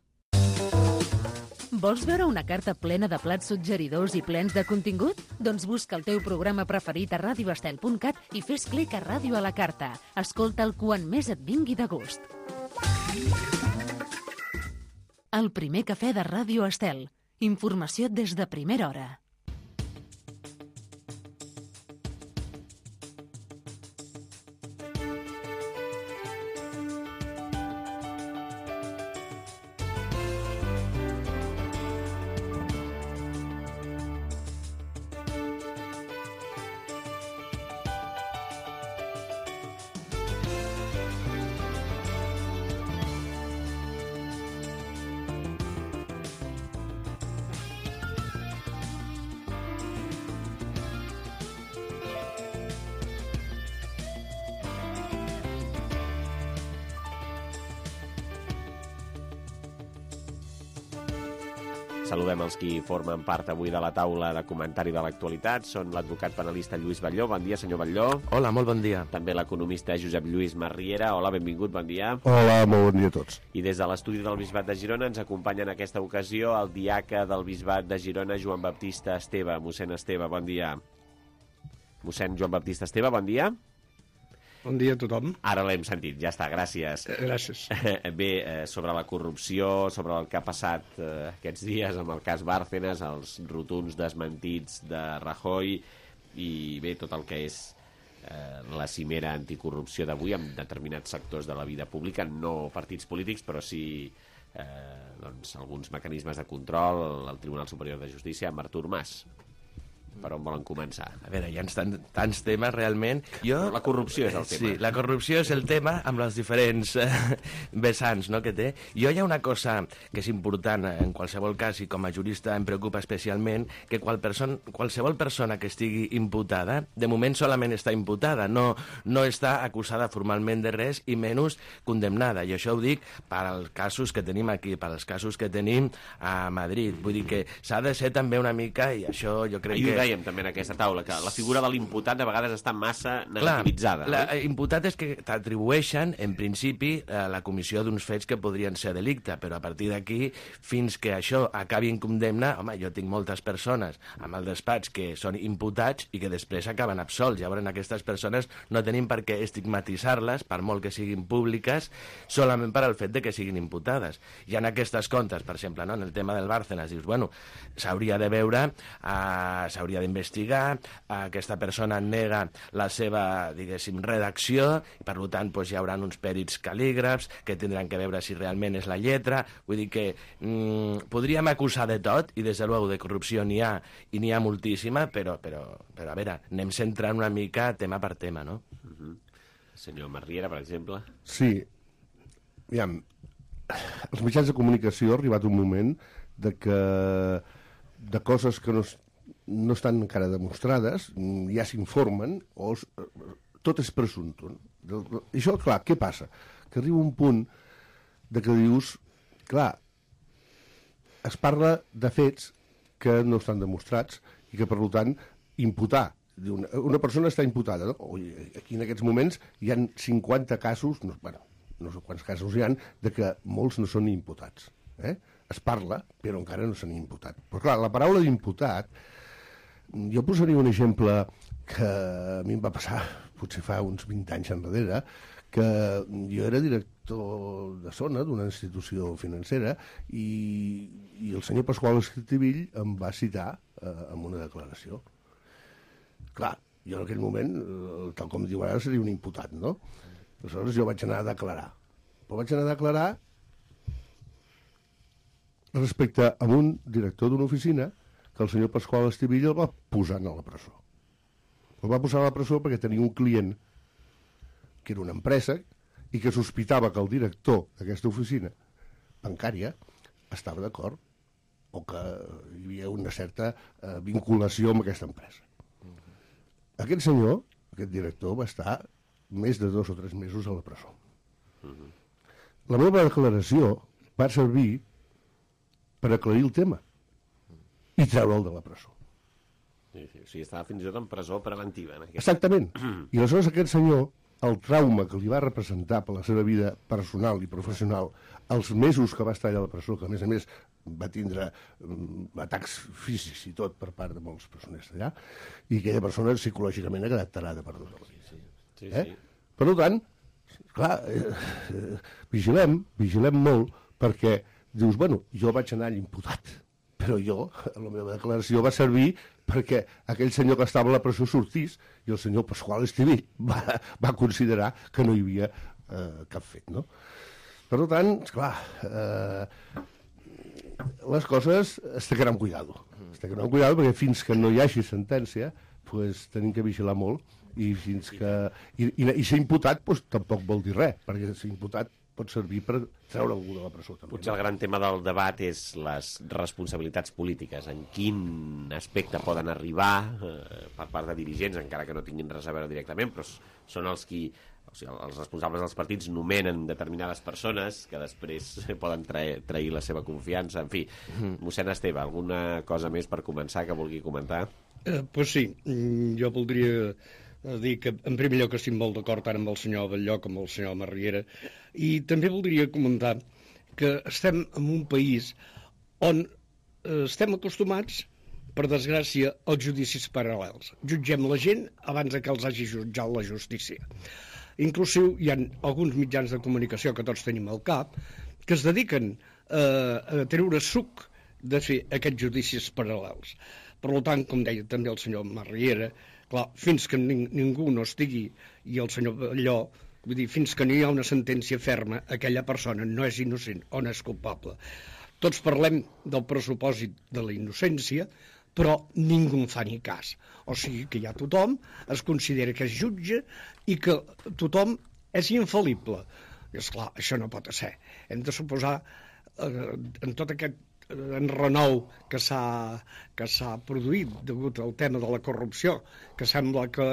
Vols veure una carta plena de plats suggeridors i plens de contingut? Doncs busca el teu programa preferit a radioestel.cat i fes clic a Ràdio a la Carta. Escolta'l quan més et vingui de gust. El primer cafè de Ràdio Estel. Informació des de primera hora. Saludem els qui formen part avui de la taula de comentari de l'actualitat. Són l'advocat penalista Lluís Batlló. Bon dia, senyor Batlló. Hola, molt bon dia. També l'economista Josep Lluís Marriera. Hola, benvingut, bon dia. Hola, molt bon dia a tots. I des de l'estudi del Bisbat de Girona ens acompanya en aquesta ocasió el diaca del Bisbat de Girona, Joan Baptista Esteve. Mossèn Esteve, bon dia. Mossèn Joan Baptista Esteve, bon dia. Bon dia a tothom. Ara l'hem sentit, ja està, gràcies. Gràcies. Bé, sobre la corrupció, sobre el que ha passat aquests dies amb el cas Bárcenas, els rotunds desmentits de Rajoy i bé, tot el que és la cimera anticorrupció d'avui amb determinats sectors de la vida pública, no partits polítics, però sí alguns mecanismes de control, el Tribunal Superior de Justícia, amb Artur Mas. Per on volen començar? A veure, hi ha tants temes, realment. Però la corrupció és el tema. Sí, la corrupció és el tema amb les diferents vessants que té. Jo hi ha una cosa que és important en qualsevol cas, i com a jurista em preocupa especialment, que qualsevol persona que estigui imputada, de moment solament està imputada, no està acusada formalment de res i menys condemnada. I això ho dic per als casos que tenim aquí, per als casos que tenim a Madrid. Vull dir que s'ha de ser també una mica, i això jo crec que dèiem també en aquesta taula, que la figura de l'imputat de vegades està massa negativitzada. L'imputat és que t'atribueixen, en principi, la comissió d'uns fets que podrien ser delicte, però a partir d'aquí, fins que això acabi en condemna, home, jo tinc moltes persones amb el despatx que són imputats i que després acaben absolts. Llavors, aquestes persones no tenim per què estigmatitzar-les, per molt que siguin públiques, solament per al fet de que siguin imputades. I en aquestes comptes, per exemple, en el tema del Bárcenas, dius, bueno, s'hauria de veure, s'hauria d'investigar, aquesta persona nega la seva, diguéssim, redacció, i per tant hi haurà uns pèrits cal·lígrafs que tindran que veure si realment és la lletra. Vull dir que podríem acusar de tot, i des de luego de corrupció n'hi ha, i n'hi ha moltíssima, però a veure, anem centrant una mica tema per tema, no? Senyor Marriera, per exemple. Sí, aviam, els mitjans de comunicació ha arribat un moment de coses que no no estan encara demostrades, ja s'informen, o tot és presumpte. I això, clar, què passa? Que arriba un punt de que dius, clar, es parla de fets que no estan demostrats i que, per tant, imputar. Una persona està imputada, no? Aquí en aquests moments hi ha 50 casos, no sé quants casos hi ha, de que molts no són imputats. Es parla, però encara no s'han imputat. Però clar, la paraula d'imputat, jo posaria un exemple que a mi em va passar potser fa uns 20 anys enrere, que jo era director de zona d'una institució financera i el senyor Pasqual Estivill em va citar en una declaració. Clar, jo en aquell moment, tal com diu ara, seria un imputat, no? Aleshores jo vaig anar a declarar. Però vaig anar a declarar respecte a un director d'una oficina que el senyor Pasqual Estivill el va posar a la presó. El va posar a la presó perquè tenia un client que era una empresa i que sospitava que el director d'aquesta oficina bancària estava d'acord o que hi havia una certa vinculació amb aquesta empresa. Aquest senyor, aquest director, va estar més de 2 o 3 mesos a la presó. La meva declaració va servir per aclarir el tema i treure'l de la presó. Sí, o sigui, estava fins i tot en presó preventiva. Exactament. I aleshores aquest senyor, el trauma que li va representar per la seva vida personal i professional, els mesos que va estar allà a la presó, que a més va tindre atacs físics i tot per part de molts presoners d'allà, i aquella persona psicològicament ha quedat tarada per tota la vida. Sí. Per tant, clar, vigilem molt, perquè dius, bueno, jo vaig anar allà imputat, però jo, la meva declaració va servir perquè aquell senyor que estava a la presó sortís i el senyor Pasqual Estivill va considerar que no hi havia cap fet, no? Per tant, esclar, les coses es té que anar amb cuidado. Perquè fins que no hi hagi sentència, pues, tenim que vigilar molt i fins que... I ser imputat pues, tampoc vol dir res, perquè ser imputat pot servir per treure algú de la presó. També. Potser el gran tema del debat és les responsabilitats polítiques, en quin aspecte poden arribar per part de dirigents, encara que no tinguin res a veure directament, però són els qui... O sigui, els responsables dels partits nomenen determinades persones que després poden trair la seva confiança. En fi, mossèn Esteve, alguna cosa més per començar que vulgui comentar? Pues sí, jo voldria dir que en primer lloc estic molt d'acord tant amb el senyor Batlló com amb el senyor Marriera, i també voldria comentar que estem en un país on estem acostumats, per desgràcia, als judicis paral·lels. Jutgem la gent abans que els hagi jutjat la justícia. Inclusive hi ha alguns mitjans de comunicació que tots tenim al cap que es dediquen a treure suc de fer aquests judicis paral·lels. Per tant, com deia també el senyor Marriera, clar, fins que ningú no estigui, i el senyor Batlló, vull dir, fins que no hi ha una sentència ferma, aquella persona no és innocent o no és culpable. Tots parlem del pressupòsit de la innocència, però ningú en fa ni cas. O sigui que ja tothom es considera que és jutge i que tothom és infal·lible. I esclar, això no pot ser. Hem de suposar, en tot aquest enrenou que s'ha produït degut al tema de la corrupció, que sembla que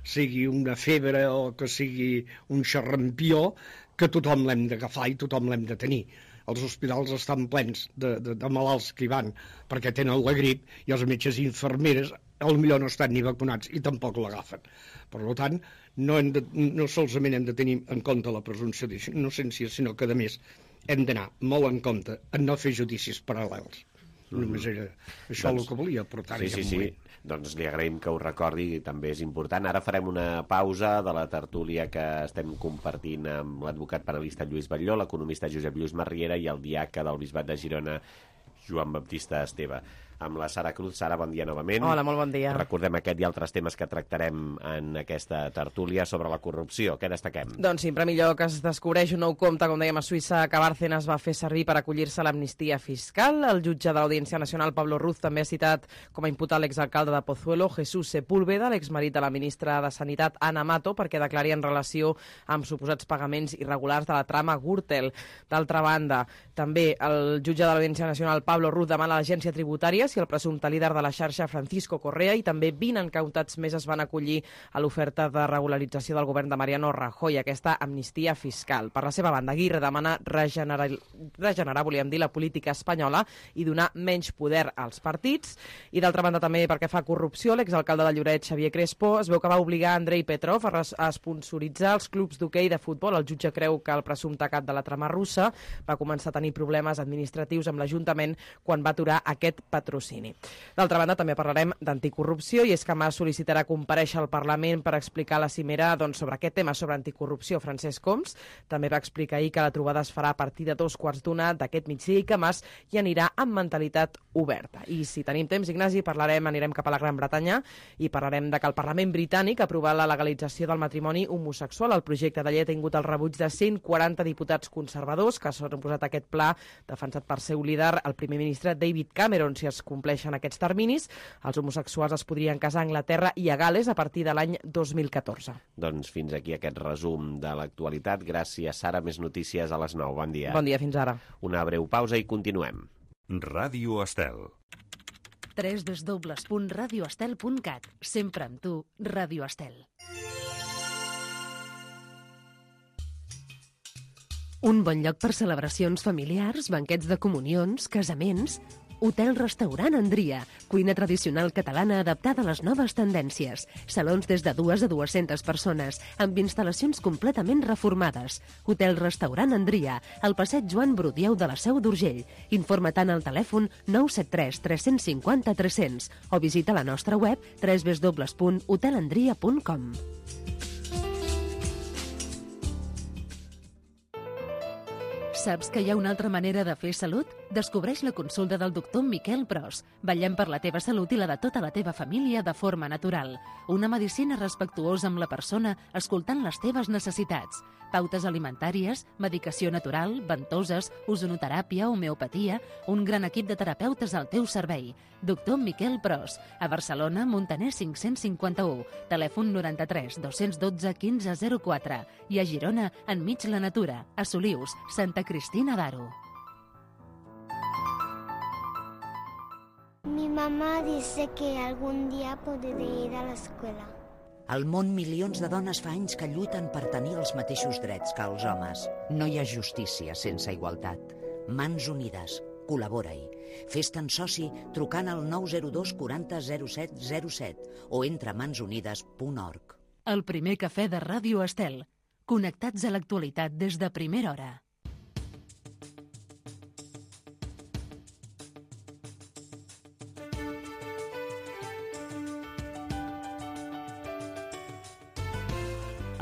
sigui una febre o que sigui un xarrampió, que tothom l'hem d'agafar i tothom l'hem de tenir. Els hospitals estan plens de malalts que hi van perquè tenen la grip i els metges i infermeres potser no estan ni vacunats i tampoc l'agafen. Per tant, no solament hem de tenir en compte la presumpció d'innocència, sinó que, a més, hem d'anar molt en compte en no fer judicis paral·lels. Només era això el que volia aportar-hi. Sí. Doncs li agraïm que ho recordi, també és important. Ara farem una pausa de la tertúlia que estem compartint amb l'advocat penalista Lluís Batlló, l'economista Josep Lluís Marriera i el diaca del Bisbat de Girona, Joan Baptista Esteve. Amb la Sara Cruz. Sara, bon dia novament. Hola, molt bon dia. Recordem aquest i altres temes que tractarem en aquesta tertúlia sobre la corrupció. Què destaquem? Doncs sí, en primer lloc es descobreix un nou compte, com dèiem, a Suïssa, que Bárcenas va fer servir per acollir-se a l'amnistia fiscal. El jutge de l'Audiència Nacional, Pablo Ruz, també ha citat com a imputat l'exalcalde de Pozuelo, Jesús Sepúlveda, l'exmarit de la ministra de Sanitat, Ana Mato, perquè declari en relació amb suposats pagaments irregulars de la trama Gürtel. D'altra banda, també el jutge de l'Audiència Nacional, Pablo Ruz, demana a l'agència tributària i el presumpte líder de la xarxa Francisco Correa, i també 20 encautats més es van acollir a l'oferta de regularització del govern de Mariano Rajoy, aquesta amnistia fiscal. Per la seva banda, Aguirre demana regenerar, volíem dir, la política espanyola i donar menys poder als partits. I d'altra banda també, perquè fa corrupció, l'exalcalde de Lloret, Xavier Crespo, es veu que va obligar Andrei Petrov a sponsoritzar els clubs d'hoquei de futbol. El jutge creu que el presumpte cap de la trama russa va començar a tenir problemes administratius amb l'Ajuntament quan va aturar aquest patrocini. D'altra banda, també parlarem d'anticorrupció, i és que Mas sol·licitarà comparèixer al Parlament per explicar la cimera sobre aquest tema, sobre anticorrupció. Francesc Homs també va explicar ahir que la trobada es farà a partir de 2:15 d'aquest migdia i que Mas hi anirà amb mentalitat oberta. I si tenim temps, Ignasi, anirem cap a la Gran Bretanya i parlarem de que el Parlament britànic ha aprovat la legalització del matrimoni homosexual. El projecte de llei ha tingut el rebuig de 140 diputats conservadors que s'han oposat a aquest pla defensat per seu líder, el primer ministre David Cameron. Si es compleixen aquests terminis, els homosexuals es podrien casar a Anglaterra i a Gales a partir de l'any 2014. Doncs fins aquí aquest resum de l'actualitat. Gràcies, Sara. Més notícies a les 9. Bon dia. Bon dia, fins ara. Una breu pausa i continuem. Ràdio Estel. www.radioestel.cat. Sempre amb tu, Ràdio Estel. Un bon lloc per celebracions familiars, banquets de comunions, casaments... Hotel-restaurant Andria, cuina tradicional catalana adaptada a les noves tendències. Salons des de 2 a 200 persones, amb instal·lacions completament reformades. Hotel-restaurant Andria, al passeig Joan Brudieu de la Seu d'Urgell. Informa-te'n al telèfon 973 350 300 o visita la nostra web www.hotelandria.com. Saps que hi ha una altra manera de fer salut? Descobreix la consulta del doctor Miquel Pros. Vetllem per la teva salut i la de tota la teva família de forma natural. Una medicina respectuosa amb la persona, escoltant les teves necessitats. Pautes alimentàries, medicació natural, ventoses, ozonoteràpia, homeopatia... Un gran equip de terapeutes al teu servei. Doctor Miquel Pros. A Barcelona, Montaner 551. Telèfon 93 212 1504. I a Girona, enmig la natura. A Solius, Santa Cristina d'Aro. Mi mamá dice que algún día podré ir a la escuela. Al món, milions de dones fa anys que lluiten per tenir els mateixos drets que els homes. No hi ha justícia sense igualtat. Mans Unides. Col·labora-hi. Fes-te'n soci trucant al 902 40 07 07 o entra a mansunides.org. El primer cafè de Ràdio Estel. Connectats a l'actualitat des de primera hora.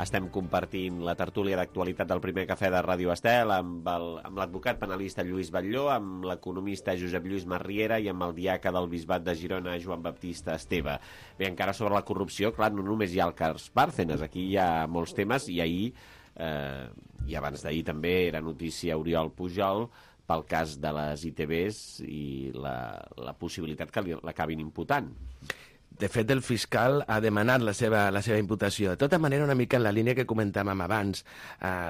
Estem compartint la tertúlia d'actualitat del primer cafè de Ràdio Estel amb l'advocat penalista Lluís Batlló, amb l'economista Josep Lluís Marriera i amb el diaca del Bisbat de Girona, Joan Baptista Esteve. Bé, encara sobre la corrupció, clar, no només hi ha el cas Bárcenas, aquí hi ha molts temes, i ahir, i abans d'ahir també, era notícia Oriol Pujol pel cas de les ITVs i la possibilitat que l'acabin imputant. De fet, el fiscal ha demanat la seva imputació. De tota manera, una mica en la línia que comentàvem abans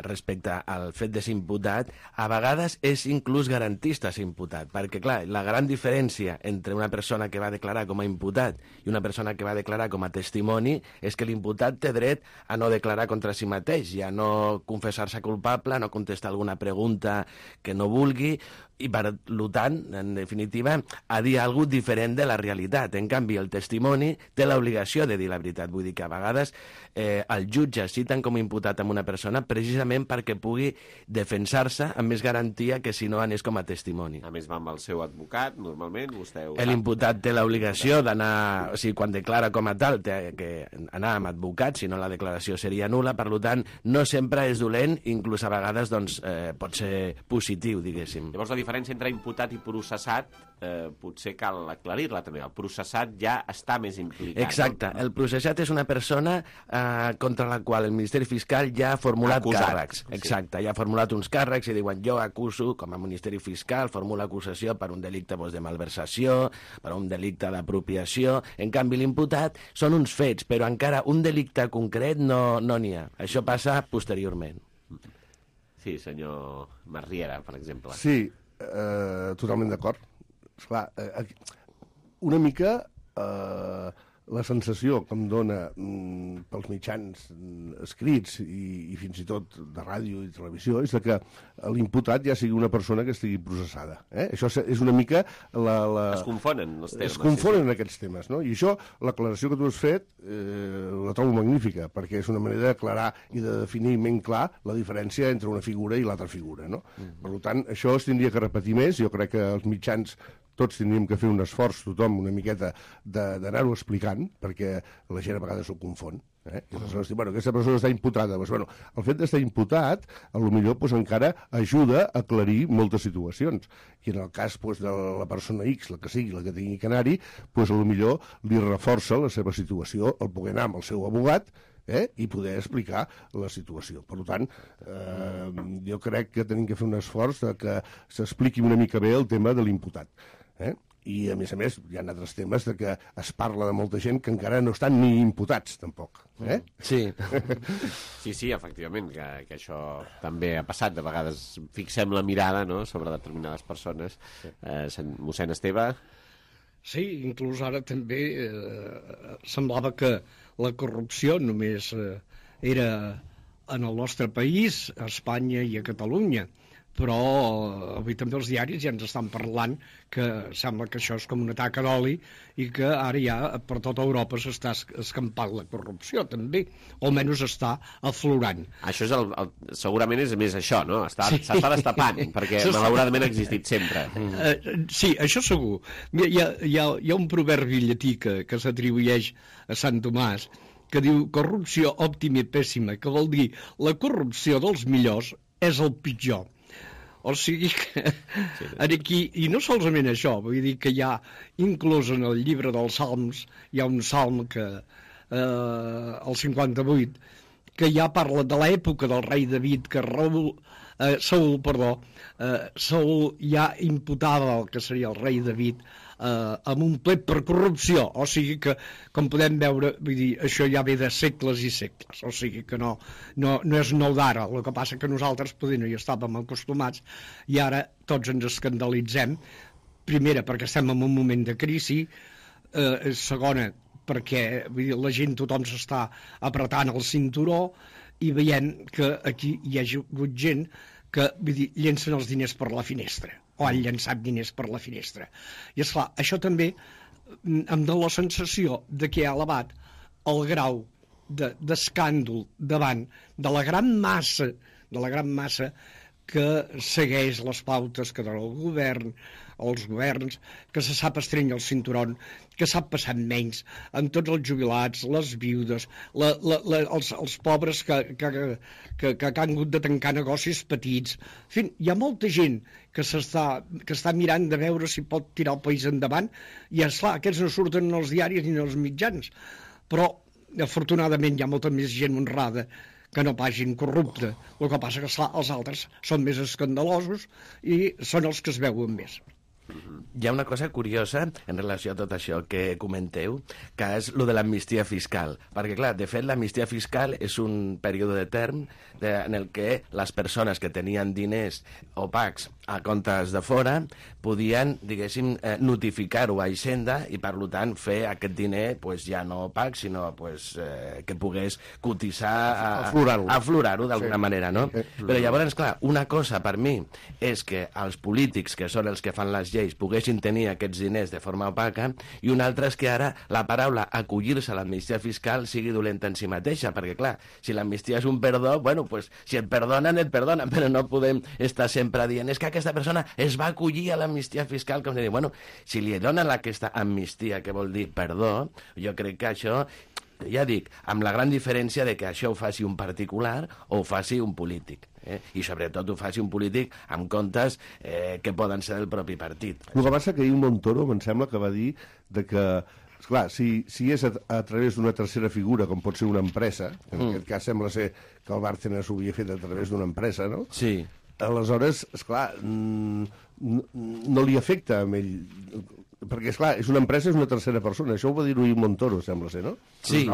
respecte al fet de ser imputat, a vegades és inclús garantista ser imputat, perquè, clar, la gran diferència entre una persona que va declarar com a imputat i una persona que va declarar com a testimoni és que l'imputat té dret a no declarar contra si mateix, i a no confessar-se culpable, a no contestar alguna pregunta que no vulgui, i per tant, en definitiva, a dir alguna cosa diferent de la realitat. En canvi, el testimoni té l'obligació de dir la veritat. Vull dir que a vegades el jutge citen com a imputat amb una persona precisament perquè pugui defensar-se amb més garantia que si no anés com a testimoni. A més, va amb el seu advocat, normalment, vostè ho sap. L'imputat té l'obligació d'anar, o sigui, quan declara com a tal, té que anar amb advocat, si no la declaració seria nul·la, per tant, no sempre és dolent, inclús a vegades doncs, pot ser positiu, diguéssim. Llavors, la diferència entre imputat i processat potser cal aclarir-la també. El processat ja està més implicat. Exacte. No? El processat és una persona contra la qual el Ministeri Fiscal ja ha formulat càrrecs. Exacte. Ja ha formulat uns càrrecs i diuen jo acuso, com a Ministeri Fiscal, formula acusació per un delicte de malversació, per un delicte d'apropiació. En canvi, l'imputat són uns fets, però encara un delicte concret no n'hi ha. Això passa posteriorment. Sí, senyor Marriera, per exemple. Sí, totalment d'acord. Esclar, una mica la sensació que em dona pels mitjans escrits i fins i tot de ràdio i televisió és que l'imputat ja sigui una persona que estigui processada. Això és una mica Es confonen els termes. Es confonen aquests temes, no? I això, l'aclaració que tu has fet, la trobo magnífica, perquè és una manera d'aclarar i de definir ben clar la diferència entre una figura i l'altra figura, no? Per tant, això es tindria que repetir més. Jo crec que els mitjans tots tindríem que fer un esforç, tothom, una miqueta, d'anar-ho explicant, perquè la gent a vegades s'ho confon. I aleshores diu, aquesta persona està imputada. Doncs, el fet d'estar imputat, potser encara ajuda a aclarir moltes situacions. I en el cas de la persona X, la que sigui, la que tingui que anar-hi, potser li reforça la seva situació el poder anar amb el seu abogat i poder explicar la situació. Per tant, jo crec que tenim que fer un esforç que s'expliqui una mica bé el tema de l'imputat. I, a més, hi ha altres temes de que es parla de molta gent que encara no estan ni imputats, tampoc. Sí, efectivament, que això també ha passat. De vegades fixem la mirada sobre determinades persones. Mossèn Esteve? Sí, inclús ara també semblava que la corrupció només era en el nostre país, a Espanya i a Catalunya, però avui també els diaris ja ens estan parlant que sembla que això és com un atac d'oli i que ara ja per tota Europa s'està escampant la corrupció també, o almenys està aflorant. Això segurament és més això, no? S'està destapant, perquè malauradament ha existit sempre. Sí, això segur. Hi ha un proverbi llatí que s'atribueix a Sant Tomàs que diu corrupció òptima i pèssima, que vol dir la corrupció dels millors és el pitjor. O sigui que aquí, i no solament això, vull dir que hi ha, inclús en el llibre dels Salms, hi ha un salm que, el 58, que ja parla de l'època del rei David, que Saúl ja imputava el que seria el rei David amb un plet per corrupció, o sigui que, com podem veure, vull dir, això ja ve de segles i segles, o sigui que no és nou d'ara, el que passa que nosaltres poder no hi estàvem acostumats i ara tots ens escandalitzem, primera perquè estem en un moment de crisi, segona perquè vull dir, la gent, tothom s'està apretant el cinturó i veiem que aquí hi ha hagut gent que vull dir, llencen els diners per la finestra o han llançat diners per la finestra. I esclar, això també em dona la sensació de que ha elevat el grau d'escàndol davant de la gran massa que segueix les pautes que dona el govern, els governs, que se sap estrènyer el cinturon, que sap passar menys amb tots els jubilats, les viudes, els pobres que han hagut de tancar negocis petits. En fi, hi ha molta gent que està mirant de veure si pot tirar el país endavant i, esclar, aquests no surten en els diaris ni en els mitjans. Però, afortunadament, hi ha molta més gent honrada que no pagin corrupte. El que passa que, esclar, els altres són més escandalosos i són els que es veuen més. Hi ha una cosa curiosa en relació a tot això que comenteu, que és lo de l'amnistia fiscal. Perquè, clar, de fet, l'amnistia fiscal és un període de term en el que les persones que tenien diners opacs a comptes de fora podien, diguéssim, notificar-ho a Hisenda i, per tant, fer aquest diner ja no opac, sinó que pogués cotitzar, aflorar-ho d'alguna manera, no? Però llavors, clar, una cosa per mi és que els polítics, que són els que fan les lleis, poguessin tenir aquests diners de forma opaca, i una altra és que ara la paraula acollir-se a l'amnistia fiscal sigui dolenta en si mateixa, perquè, clar, si l'amnistia és un perdó, bueno, si et perdonen, però no podem estar sempre dient és que aquesta persona es va acollir a l'amnistia fiscal, com de dir, bueno, si li donen aquesta amnistia, que vol dir perdó, jo crec que això, ja dic, amb la gran diferència de que això ho faci un particular o ho faci un polític. I sobretot ho faci un polític amb comptes que poden ser del propi partit. El que passa que ahir Montoro em sembla que va dir que, esclar, si és a través d'una tercera figura, com pot ser una empresa, en aquest cas sembla ser que el Bárcenas ho havia fet a través d'una empresa, no? Sí. Aleshores, esclar, no li afecta a ell, perquè, esclar, és una empresa, és una tercera persona. Això ho va dir-ho ahir Montoro, sembla ser, no? Sí.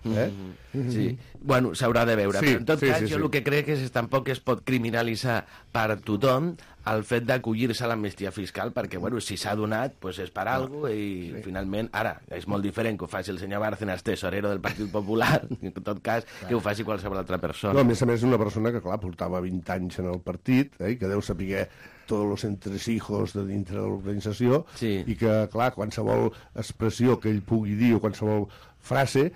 Sí. Bueno, s'haurà de veure. Però en tot cas, jo el que crec és que tampoc es pot criminalitzar per tothom el fet d'acollir-se a l'amnistia fiscal, perquè, bueno, si s'ha donat, doncs és per alguna cosa, i finalment, ara, és molt diferent que ho faci el senyor Bárcenas, tesorero del Partit Popular, en tot cas, que ho faci qualsevol altra persona. No, a més és una persona que, clar, portava 20 anys en el partit, i que deu saber tots els entresijos de dintre de l'organització, i que, clar, qualsevol expressió que ell pugui dir o qualsevol frase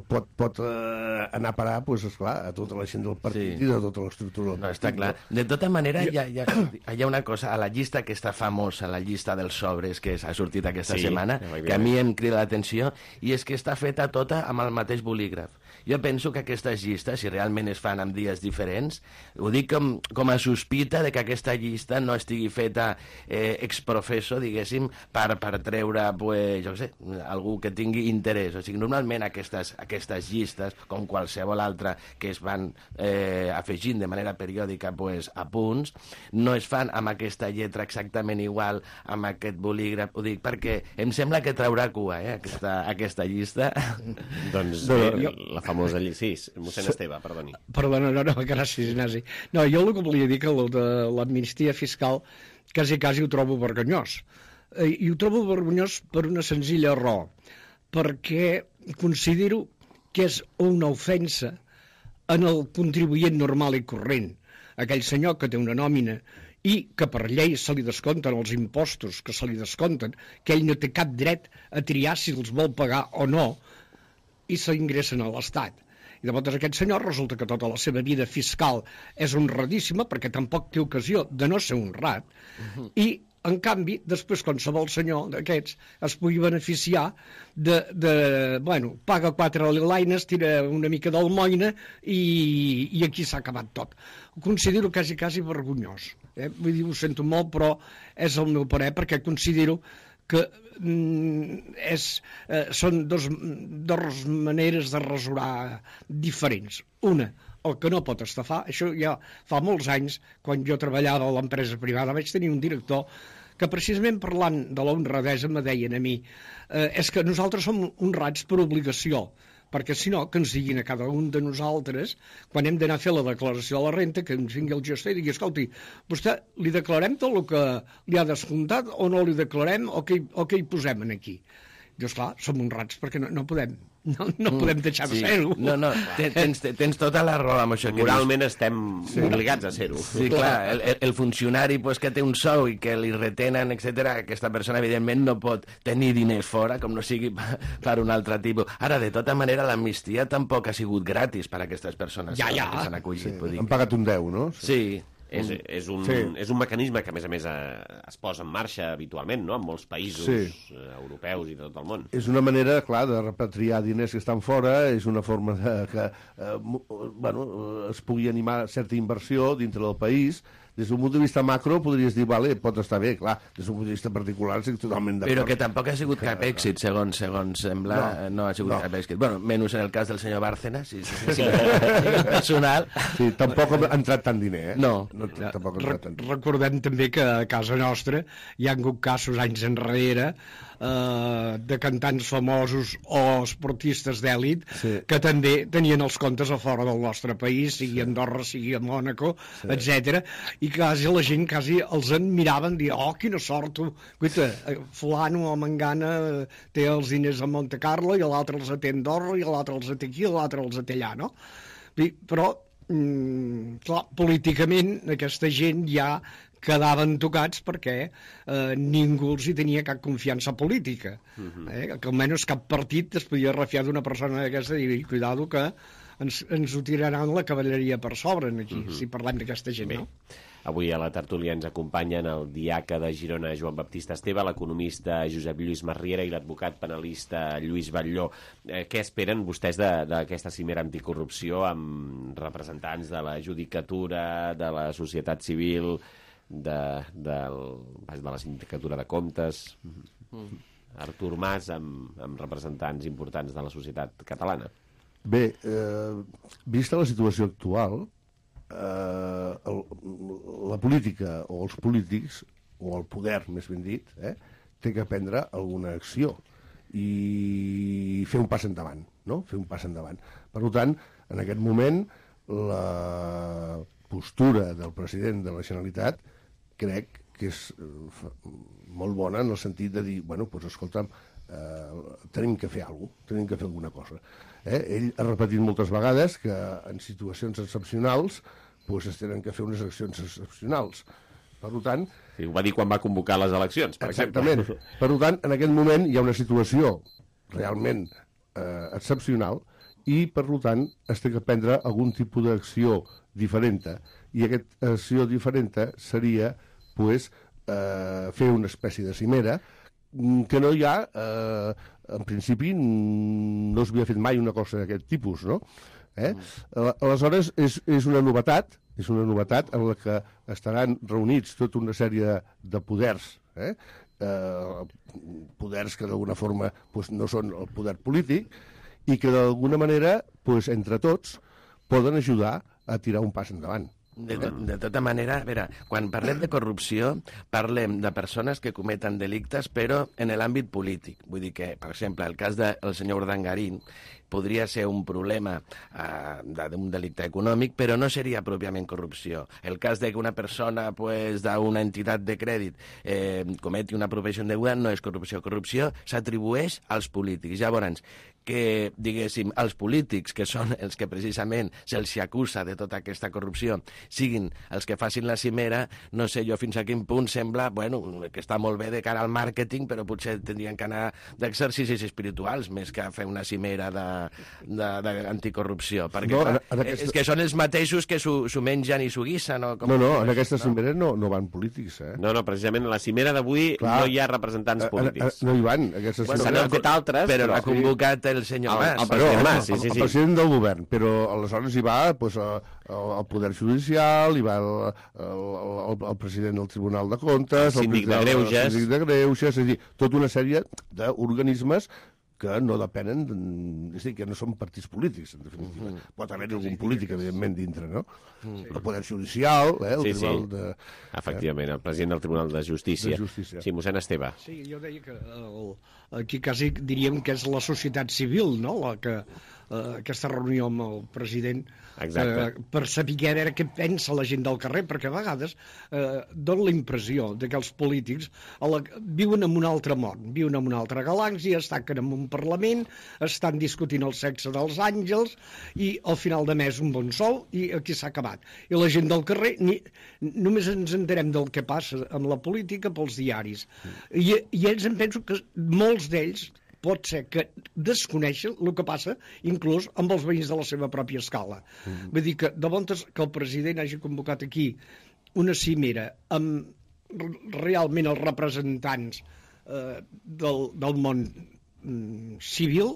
pot anar a parar, doncs, esclar, a tota la gent del partit i de tota l'estructura del partit. No, està clar. De tota manera, hi ha una cosa, a la llista aquesta famosa, la llista dels sobres que ha sortit aquesta setmana, que a mi em crida l'atenció, i és que està feta tota amb el mateix bolígraf. Jo penso que aquestes llistes, si realment es fan en dies diferents, ho dic com a sospita de que aquesta llista no estigui feta ex professo, diguéssim, per treure, pues, jo què sé, algú que tingui interès. O sigui, normalment aquestes llistes, com qualsevol altra que es van afegint de manera periòdica pues, a punts, no es fan amb aquesta lletra exactament igual, amb aquest bolígraf. Ho dic perquè em sembla que traurà cua, aquesta llista. Doncs la famosa llista. Sí, mossèn Esteve, perdoni. Perdona, no, gràcies, Ignasi. No, jo el que volia dir que el de l'amnistia fiscal quasi ho trobo vergonyós. I ho trobo vergonyós per una senzilla raó, perquè considero que és una ofensa en el contribuent normal i corrent, aquell senyor que té una nòmina i que per llei se li descompten els impostos que se li descompten, que ell no té cap dret a triar si els vol pagar o no, i s'ingressen a l'Estat. I llavors aquest senyor resulta que tota la seva vida fiscal és honradíssima, perquè tampoc té ocasió de no ser honrat, i en canvi, després qualsevol senyor d'aquests es pugui beneficiar bueno, paga 4 lilaines, tira una mica d'almoina i aquí s'ha acabat tot. Ho considero quasi vergonyós. Vull dir, ho sento molt, però és el meu parer, perquè considero que són dos maneres de rasurar diferents. Una, el que no pot estafar, això ja fa molts anys, quan jo treballava a l'empresa privada, vaig tenir un director que precisament parlant de la honradesa me deien a mi és que nosaltres som honrats per obligació, perquè si no, que ens diguin a cada un de nosaltres, quan hem d'anar a fer la declaració de la renta, que ens vingui el gestor i digui, escolti, vostè li declarem tot el que li ha descomptat o no li declarem o què hi posem aquí? Dius, clar, som honrats perquè no podem deixar de ser-ho. No, tens tota la raó amb això. Moralment estem obligats a ser-ho. Sí, clar, el funcionari que té un sou i que li retenen, etc., aquesta persona, evidentment, no pot tenir diners fora, com no sigui per un altre tipus. Ara, de tota manera, l'amnistia tampoc ha sigut gratis per a aquestes persones que s'han acollit. Han pagat un 10, no? Sí. És un mecanisme que, a més, es posa en marxa habitualment, no?, en molts països europeus i de tot el món. És una manera, clar, de repatriar diners que estan fora, és una forma que es pugui animar certa inversió dintre del país. Des d'un punt de vista macro podries dir, vale, pot estar bé, clar, des d'un punt de vista particular estic totalment d'acord. Però que tampoc ha sigut cap èxit, segons sembla, no ha sigut cap èxit. Bueno, menys en el cas del senyor Bárcenas, si personal. Sí, tampoc ha entrat tant diner, No. Tampoc ha entrat tant diner. Recordem també que a casa nostra hi ha hagut casos anys enrere de cantants famosos o esportistes d'èlit que també tenien els comptes a fora del nostre país, sigui a Andorra, sigui a Mònaco, etc. I quasi la gent els admiraven, dir, oh, quina sort, tu, guaita, fulano o mangana té els diners a Monte Carlo i l'altre els té a Andorra i l'altre els té aquí i l'altre els té allà, no? Però, clar, políticament aquesta gent ja quedaven tocats perquè ningú els hi tenia cap confiança política. Que almenys cap partit es podia refiar d'una persona d'aquesta i dir, cuidado que ens ho tiraran la cavalleria per sobre aquí, si parlem d'aquesta gent, no? Avui a la tertúlia ens acompanyen el diaca de Girona, Joan Baptista Esteve, l'economista Josep Lluís Masriera i l'advocat penalista Lluís Batlló. Què esperen vostès d'aquesta cimera anticorrupció amb representants de la judicatura, de la societat civil, de la sindicatura de comptes, Artur Mas amb representants importants de la societat catalana? Bé, vista la situació actual, la política o els polítics, o el poder, més ben dit, té que prendre alguna acció i fer un pas endavant, no? Fer un pas endavant. Per tant, en aquest moment, la postura del president de la Generalitat crec que és molt bona en el sentit de dir, bueno, doncs escolta'm, tenim que fer alguna cosa, tenim que fer alguna cosa. Ell ha repetit moltes vegades que en situacions excepcionals doncs es tenen que fer unes accions excepcionals. Per tant... Sí, ho va dir quan va convocar les eleccions, per exactament. exemple. Per tant, en aquest moment hi ha una situació realment excepcional i, per tant, es té que prendre algun tipus d'acció diferent. I aquesta acció diferent seria pues, fer una espècie de cimera que no hi ha, en principi, no s'havia fet mai una cosa d'aquest tipus, no? Aleshores, és una novetat en la que estaran reunits tota una sèrie de poders, poders que d'alguna forma pues, no són el poder polític i que d'alguna manera, pues, entre tots, poden ajudar a tirar un pas endavant. De tota manera, a veure, quan parlem de corrupció, parlem de persones que cometen delictes, però en l'àmbit polític. Vull dir que, per exemple, el cas del senyor Urdangarín podria ser un problema d'un delicte econòmic, però no seria pròpiament corrupció. El cas de que una persona pues, d'una entitat de crèdit cometi una apropiació de govern no és corrupció. Corrupció s'atribueix als polítics. Llavors, que, diguéssim, els polítics, que són els que precisament se'ls acusa de tota aquesta corrupció, siguin els que facin la cimera, no sé jo fins a quin punt sembla, bueno, que està molt bé de cara al màrqueting, però potser tindrien que anar d'exercicis espirituals més que fer una cimera d'anticorrupció, perquè no, és que són els mateixos que s'ho mengen i s'ho guissen. No, en aquesta cimera no van polítics. No, precisament a la cimera d'avui no hi ha representants polítics. No hi van. Se n'han fet altres, però l'ha convocat el senyor Mas. El president del govern, però aleshores hi va el Poder Judicial, hi va el president del Tribunal de Comptes, el síndic de Greuges, és a dir, tota una sèrie d'organismes que no depenen, és a dir, que no són partits polítics, en definitiva. Pot haver algun polític, evidentment, dintre, no? El Poder Judicial, el Tribunal de... Efectivament, el president del Tribunal de Justícia. Sí, mossèn Esteve. Sí, jo deia que aquí quasi diríem que és la societat civil, no?, la que aquesta reunió amb el president per saber què pensa la gent del carrer, perquè a vegades dona la impressió que els polítics viuen en un altre món, viuen en una altra galàxia, estan en un Parlament, estan discutint el sexe dels àngels i al final de mes un bon sou i aquí s'ha acabat. I la gent del carrer només ens enterem del que passa amb la política pels diaris. I ells em penso que molts d'ells pot ser que desconeixen el que passa inclús amb els veïns de la seva pròpia escala. Vull dir que de voltes que el president hagi convocat aquí una cimera amb realment els representants del món civil,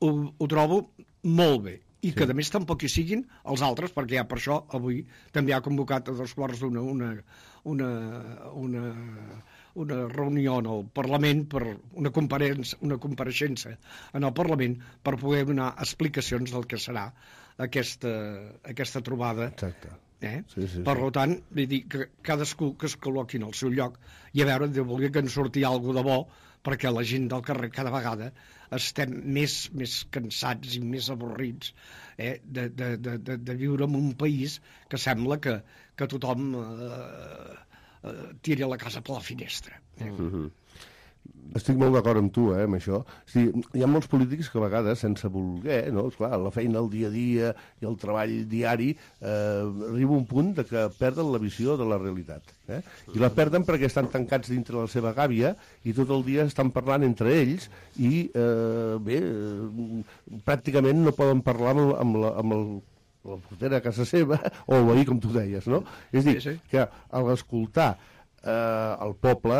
ho trobo molt bé. I que a més tampoc hi siguin els altres, perquè ja per això avui també ha convocat a 2:15 una reunió en el Parlament, per una compareixença en el Parlament per poder donar explicacions del que serà aquesta trobada. Exacte. Per tant, vull dir que cadascú que es col·loqui en el seu lloc i a veure, de voler que en surti alguna de bo, perquè la gent del carrer cada vegada estem més cansats i més avorrits de viure en un país que sembla que tothom tira la casa per la finestra. Estic molt d'acord amb tu, amb això. Hi ha molts polítics que a vegades, sense voler, no? Esclar, la feina, el dia a dia i el treball diari, arriba un punt de que perden la visió de la realitat. I la perden perquè estan tancats dintre la seva gàbia i tot el dia estan parlant entre ells i, pràcticament no poden parlar amb la portera a casa seva o el veí, com tu deies, no? És a dir, que a l'escoltar el poble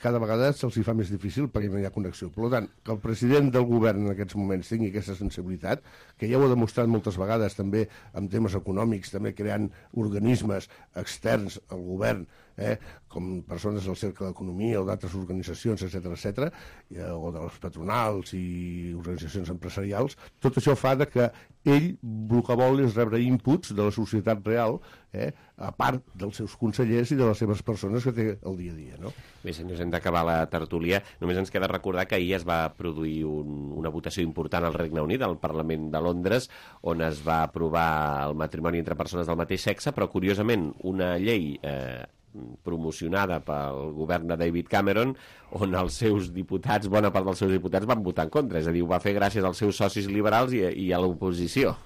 cada vegada se'ls fa més difícil perquè no hi ha connexió. Per tant, que el president del govern en aquests moments tingui aquesta sensibilitat, que ja ho ha demostrat moltes vegades també en temes econòmics, també creant organismes externs al govern, com persones del Cercle d'Economia o d'altres organitzacions, etc., o de les patronals i organitzacions empresarials, tot això fa que ell el que vol és rebre inputs de la societat real, a part dels seus consellers i de les seves persones que té el dia a dia, no? Bé, senyors, hem d'acabar la tertúlia. Només ens queda recordar que ahir es va produir una votació important al Regne Unit, al Parlament de Londres, on es va aprovar el matrimoni entre persones del mateix sexe, però curiosament una llei promocionada pel govern de David Cameron, on els seus diputats, bona part dels seus diputats van votar en contra, és a dir, ho va fer gràcies als seus socis liberals i a l'oposició.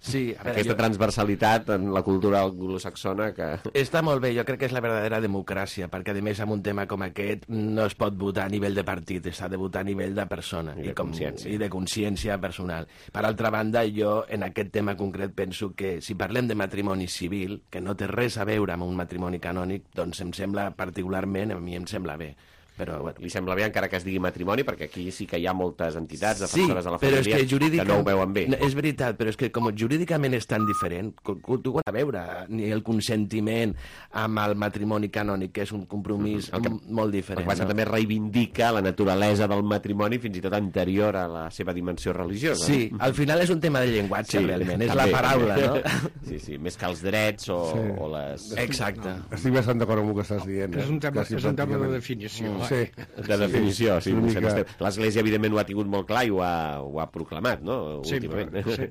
Sí, a veure, aquesta transversalitat en la cultura anglosaxona que... Està molt bé, jo crec que és la verdadera democràcia, perquè a més amb un tema com aquest no es pot votar a nivell de partit, s'ha de votar a nivell de persona I de consciència personal. Per altra banda, jo en aquest tema concret penso que si parlem de matrimoni civil, que no té res a veure amb un matrimoni canònic, doncs em sembla particularment, a mi em sembla bé. Però, bueno, li sembla bé encara que es digui matrimoni, perquè aquí sí que hi ha moltes entitats defensores de la família que no ho veuen bé. És veritat, però és que com jurídicament és tan diferent, tu ho has a veure, ni el consentiment amb el matrimoni canònic, que és un compromís molt diferent. El que passa també reivindica la naturalesa del matrimoni fins i tot anterior a la seva dimensió religiosa. Sí, al final és un tema de llenguatge, realment, és la paraula, no? Sí, més que els drets o les... Exacte. Estic bastant d'acord amb el que estàs dient. És un tema de definició. Sí, de definició, sí. L'Església, evidentment, ho ha tingut molt clar i ho ha proclamat, no?, últimament. Sí.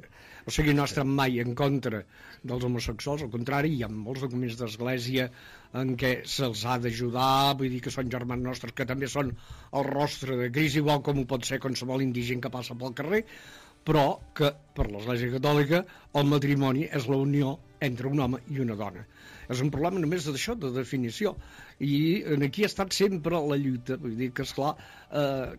O sigui, no estem mai en contra dels homosexuals, al contrari, hi ha molts documents d'Església en què se'ls ha d'ajudar, vull dir que són germans nostres, que també són el rostre de Crist, igual com ho pot ser qualsevol indigent que passa pel carrer, però que per l'Església Catòlica el matrimoni és la unió entre un home i una dona. És un problema només d'això, de definició. I aquí ha estat sempre la lluita. Vull dir que, esclar,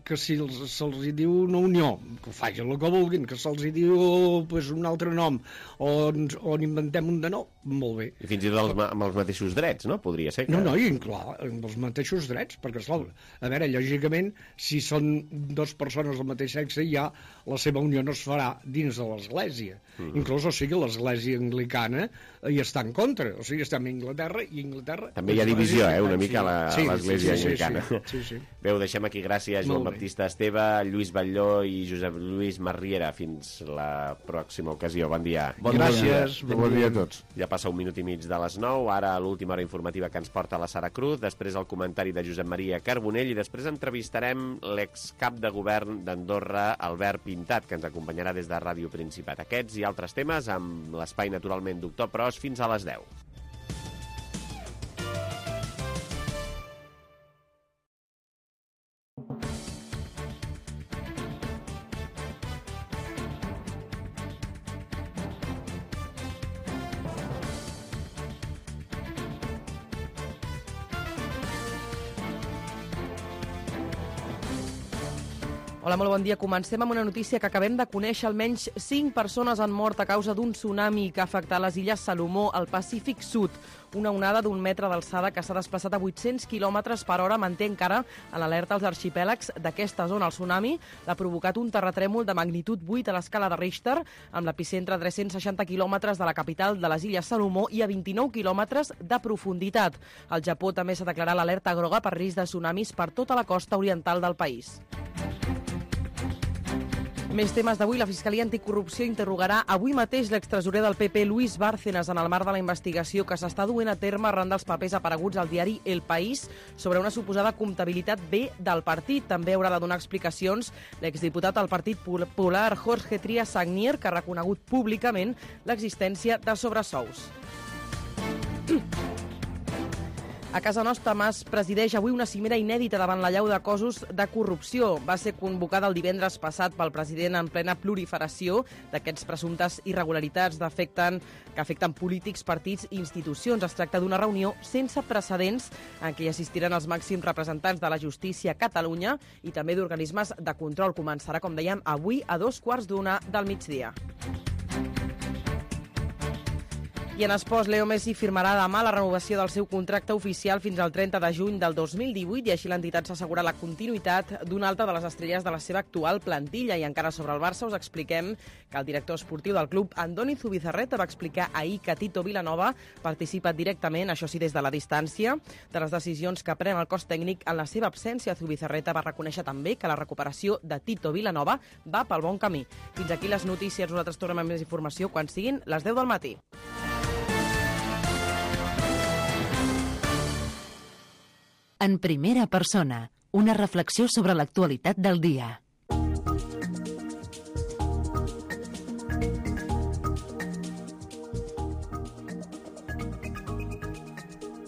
que si se'ls diu una unió, que facin el que vulguin, que se'ls diu pues, un altre nom, o inventem un de nou, molt bé. I fins i tot amb els mateixos drets, no? Podria ser que... No, i clar, amb els mateixos drets, perquè, esclar, a veure, lògicament, si són dues persones del mateix sexe, ja la seva unió no es farà dins de l'Església. Inclús, o sigui, l'Església anglicana hi està en contra. O sigui, estem a Anglaterra i Anglaterra... També hi ha divisió, una mica a l'Església anglicana. Sí. Bé, ho deixem aquí. Gràcies, Joan Baptista Esteve, Lluís Batlló i Josep Lluís Marriera. Fins la pròxima ocasió. Bon dia. Gràcies. Bon dia a tots. Ja passa 1 minut i mig de les 9. Ara l'última hora informativa que ens porta la Sara Cruz. Després el comentari de Josep Maria Carbonell. I després entrevistarem l'excap de govern d'Andorra, Albert Pintat, que ens acompanyarà des de Ràdio Principat. Aquests i altres temes amb l'espai, naturalment, Doctor Pros, fins a les 10. Hola, molt bon dia. Comencem amb una notícia que acabem de conèixer. Almenys 5 persones han mort a causa d'un tsunami que ha afectat les illes Salomó, al Pacífic Sud. Una onada d'1 metre d'alçada que s'ha desplaçat a 800 km per hora manté encara en alerta als arxipèlags d'aquesta zona. El tsunami l'ha provocat un terratrèmol de magnitud 8 a l'escala de Richter, amb l'epicentre a 360 quilòmetres de la capital de les illes Salomó i a 29 quilòmetres de profunditat. Al Japó també s'ha declarat l'alerta groga per risc de tsunamis per tota la costa oriental del país. Més temes d'avui. La Fiscalia Anticorrupció interrogarà avui mateix l'extresorer del PP, Luis Bárcenas, en el marc de la investigació que s'està duent a terme arran dels papers apareguts al diari El País sobre una suposada comptabilitat B del partit. També haurà de donar explicacions l'exdiputat del Partit Popular, Jorge Trias Sagnier, que ha reconegut públicament l'existència de sobresous. A casa nostra, Mas presideix avui una cimera inèdita davant la llau de casos de corrupció. Va ser convocada el divendres passat pel president en plena proliferació d'aquests presumptes irregularitats que afecten polítics, partits i institucions. Es tracta d'una reunió sense precedents en què hi assistiran els màxims representants de la justícia a Catalunya i també d'organismes de control. Començarà, com dèiem, avui a 2:15 del migdia. I en esports, Leo Messi firmarà demà la renovació del seu contracte oficial fins al 30 de juny del 2018 i així l'entitat s'assegura la continuïtat d'una altra de les estrelles de la seva actual plantilla. I encara sobre el Barça us expliquem que el director esportiu del club, Andoni Zubizarreta, va explicar ahir que Tito Vilanova participa directament, això sí des de la distància, de les decisions que pren el cos tècnic en la seva absència. Zubizarreta va reconèixer també que la recuperació de Tito Vilanova va pel bon camí. Fins aquí les notícies. Nosaltres tornem amb més informació quan siguin les 10 del matí. En primera persona, una reflexió sobre l'actualitat del dia.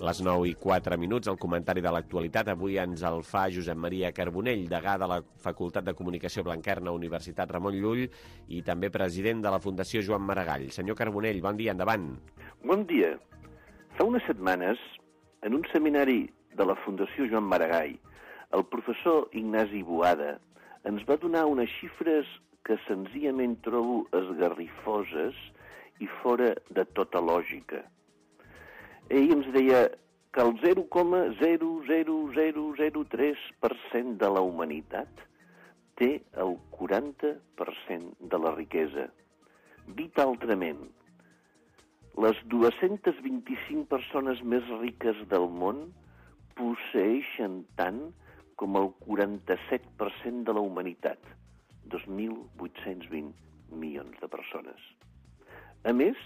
Les 9:04, el comentari de l'actualitat. Avui ens el fa Josep Maria Carbonell, degà de la Facultat de Comunicació Blanquerna, Universitat Ramon Llull, i també president de la Fundació Joan Maragall. Senyor Carbonell, bon dia, endavant. Bon dia. Fa unes setmanes, en un seminari de la Fundació Joan Maragall, el professor Ignasi Boada ens va donar unes xifres que senzillament trobo esgarrifoses i fora de tota lògica. Ell ens deia que el 0,00003% de la humanitat té el 40% de la riquesa. Dit altrament, les 225 persones més riques del món posseeixen tant com el 47% de la humanitat, 2.820 milions de persones. A més,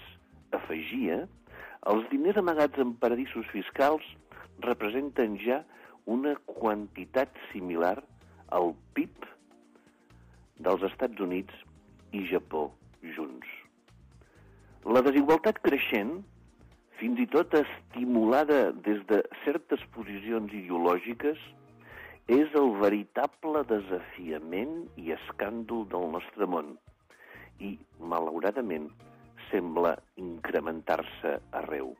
afegia, els diners amagats en paradisos fiscals representen ja una quantitat similar al PIB dels Estats Units i Japó junts. La desigualtat creixent, fins i tot estimulada des de certes posicions ideològiques, és el veritable desafiament i escàndol del nostre món i, malauradament, sembla incrementar-se arreu.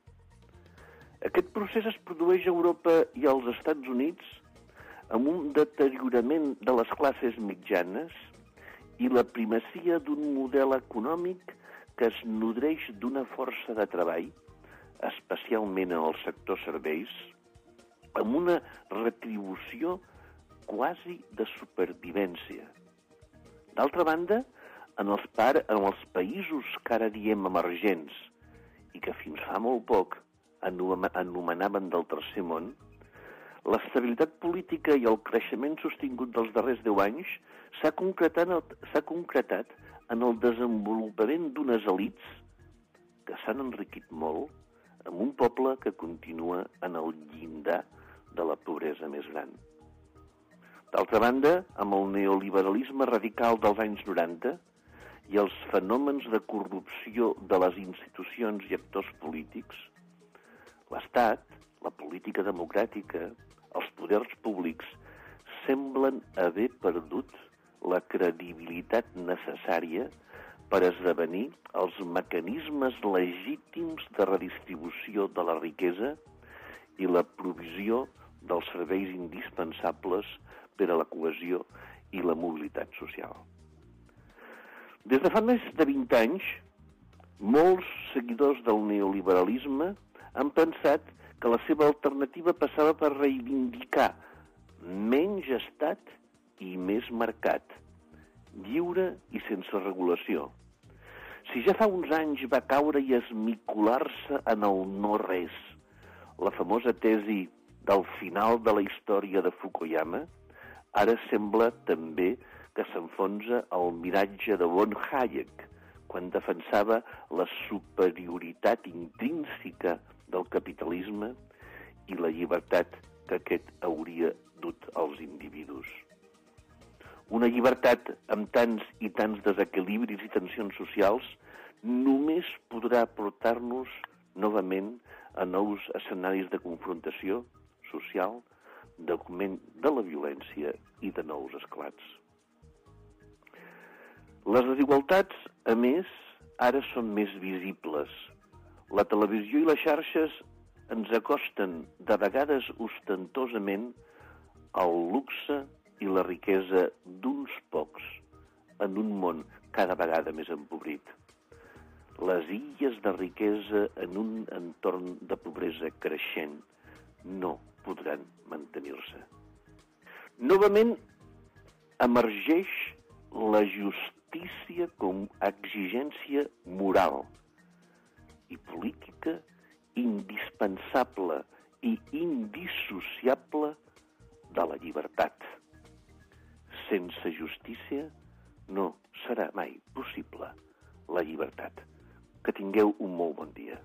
Aquest procés es produeix a Europa i als Estats Units amb un deteriorament de les classes mitjanes i la primacia d'un model econòmic que es nodreix d'una força de treball, especialment en el sector serveis, amb una retribució quasi de supervivència. D'altra banda, en els països que ara diem emergents i que fins fa molt poc anomenaven del tercer món, l'estabilitat política i el creixement sostingut dels darrers 10 anys s'ha concretat en el desenvolupament d'unes elits que s'han enriquit molt amb un poble que continua en el llindar de la pobresa més gran. D'altra banda, amb el neoliberalisme radical dels anys 90 i els fenòmens de corrupció de les institucions i actors polítics, l'Estat, la política democràtica, els poders públics semblen haver perdut la credibilitat necessària per esdevenir els mecanismes legítims de redistribució de la riquesa i la provisió dels serveis indispensables per a la cohesió i la mobilitat social. Des de fa més de 20 anys, molts seguidors del neoliberalisme han pensat que la seva alternativa passava per reivindicar menys estat i més mercat, lliure i sense regulació. Si ja fa uns anys va caure i esmicolar-se en el no-res, la famosa tesi del final de la història de Fukuyama, ara sembla també que s'enfonsa el miratge de von Hayek, quan defensava la superioritat intrínseca del capitalisme i la llibertat que aquest hauria dut als individus. Una llibertat amb tants i tants desequilibris i tensions socials només podrà portar-nos novament a nous escenaris de confrontació social, d'augment de la violència i de nous esclats. Les desigualtats, a més, ara són més visibles. La televisió i les xarxes ens acosten, de vegades ostentosament, al luxe i la riquesa d'uns pocs en un món cada vegada més empobrit. Les illes de riquesa en un entorn de pobresa creixent no podran mantenir-se. Novament emergeix la justícia com a exigència moral i política indispensable i indissociable de la llibertat. Sense justícia no serà mai possible la llibertat. Que tingueu un molt bon dia.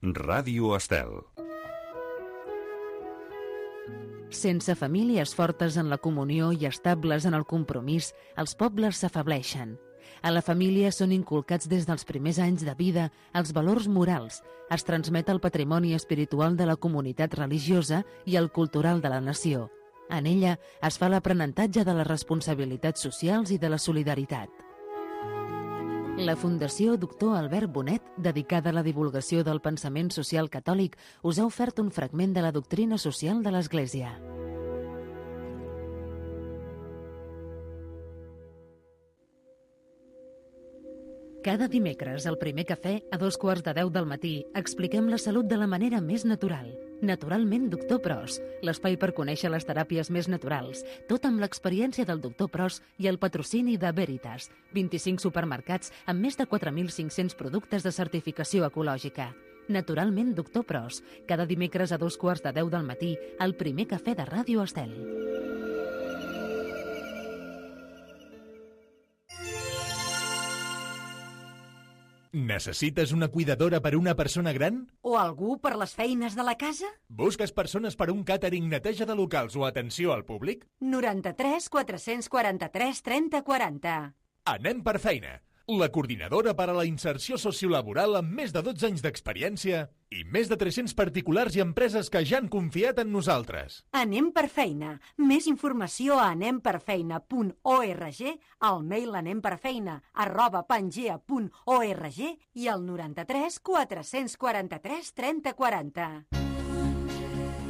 Ràdio Estel. Sense famílies fortes en la comunió i estables en el compromís, els pobles s'afableixen. A la família són inculcats des dels primers anys de vida els valors morals, es transmet el patrimoni espiritual de la comunitat religiosa i el cultural de la nació. En ella es fa l'aprenentatge de les responsabilitats socials i de la solidaritat. La Fundació Doctor Albert Bonet, dedicada a la divulgació del pensament social catòlic, us ha ofert un fragment de la doctrina social de l'Església. Cada dimecres, al Primer Cafè, a 2:15 del matí, expliquem la salut de la manera més natural. Naturalment, Doctor Pros, l'espai per conèixer les teràpies més naturals, tot amb l'experiència del Doctor Pros i el patrocini de Veritas, 25 supermercats amb més de 4.500 productes de certificació ecològica. Naturalment, Doctor Pros, cada dimecres a 2:15 del matí, al Primer Cafè de Ràdio Estel. Necessites una cuidadora per a una persona gran? O algú per les feines de la casa? Busques persones per a un càtering, neteja de locals o atenció al públic? 93 443 30 40. Anem per feina. La coordinadora per a la inserció sociolaboral amb més de 12 anys d'experiència i més de 300 particulars i empreses que ja han confiat en nosaltres. Anem per feina. Més informació a anemperfeina.org, al mail anemperfeina@pangea.org i al 93 443 30 40.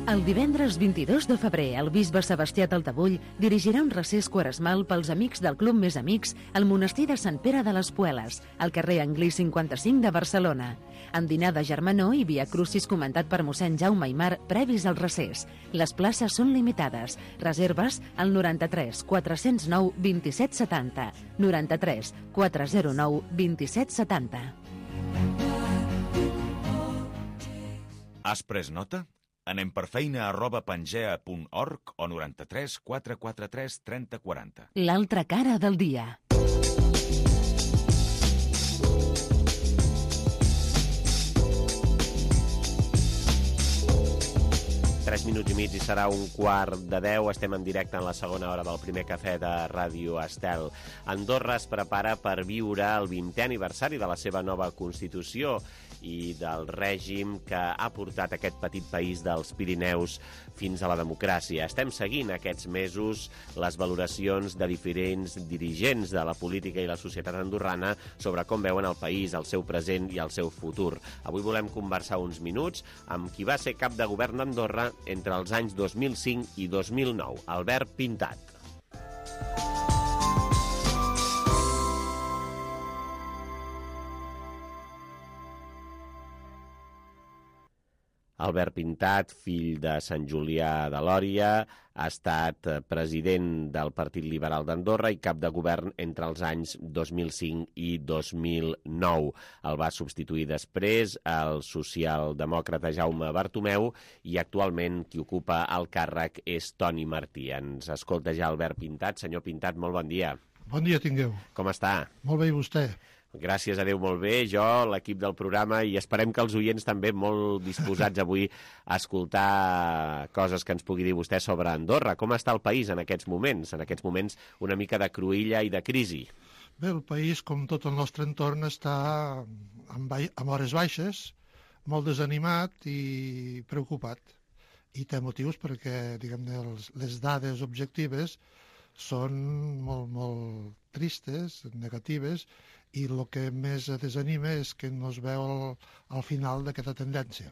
El divendres 22 de febrer, el bisbe Sebastià Taltabull dirigirà un recés quaresmal pels amics del Club Més Amics al monestir de Sant Pere de les Pueles, al carrer Anglí 55 de Barcelona. En dinar de germanor i via crucis comentat per mossèn Jaume Aimar previs al recés. Les places són limitades. Reserves al 93 409 27 70. 93 409 27 70. Has pres nota? anemperfeina@pangea.org o 93 443 30 40. L'altra cara del dia. Tres minuts i mig i serà 9:15. Estem en directe en la segona hora del Primer Cafè de Ràdio Estel. Andorra es prepara per viure el 20è aniversari de la seva nova Constitució i del règim que ha portat aquest petit país dels Pirineus fins a la democràcia. Estem seguint aquests mesos les valoracions de diferents dirigents de la política i la societat andorrana sobre com veuen el país, el seu present i el seu futur. Avui volem conversar uns minuts amb qui va ser cap de govern d'Andorra entre els anys 2005 i 2009, Albert Pintat. Albert Pintat, fill de Sant Julià de Lòria, ha estat president del Partit Liberal d'Andorra i cap de govern entre els anys 2005 i 2009. El va substituir després el socialdemòcrata Jaume Bartomeu i actualment qui ocupa el càrrec és Toni Martí. Ens escolta ja Albert Pintat. Senyor Pintat, molt bon dia. Bon dia tingueu. Com està? Molt bé, i vostè? Gràcies a Déu, molt bé. Jo, l'equip del programa, i esperem que els oients també molt disposats avui a escoltar coses que ens pugui dir vostè sobre Andorra. Com està el país en aquests moments? En aquests moments una mica de cruïlla i de crisi. Bé, el país, com tot el nostre entorn, està amb hores baixes, molt desanimat i preocupat. I té motius perquè, diguem-ne, les dades objectives són molt tristes, negatives, i el que més desanima és que no es veu al final d'aquesta tendència.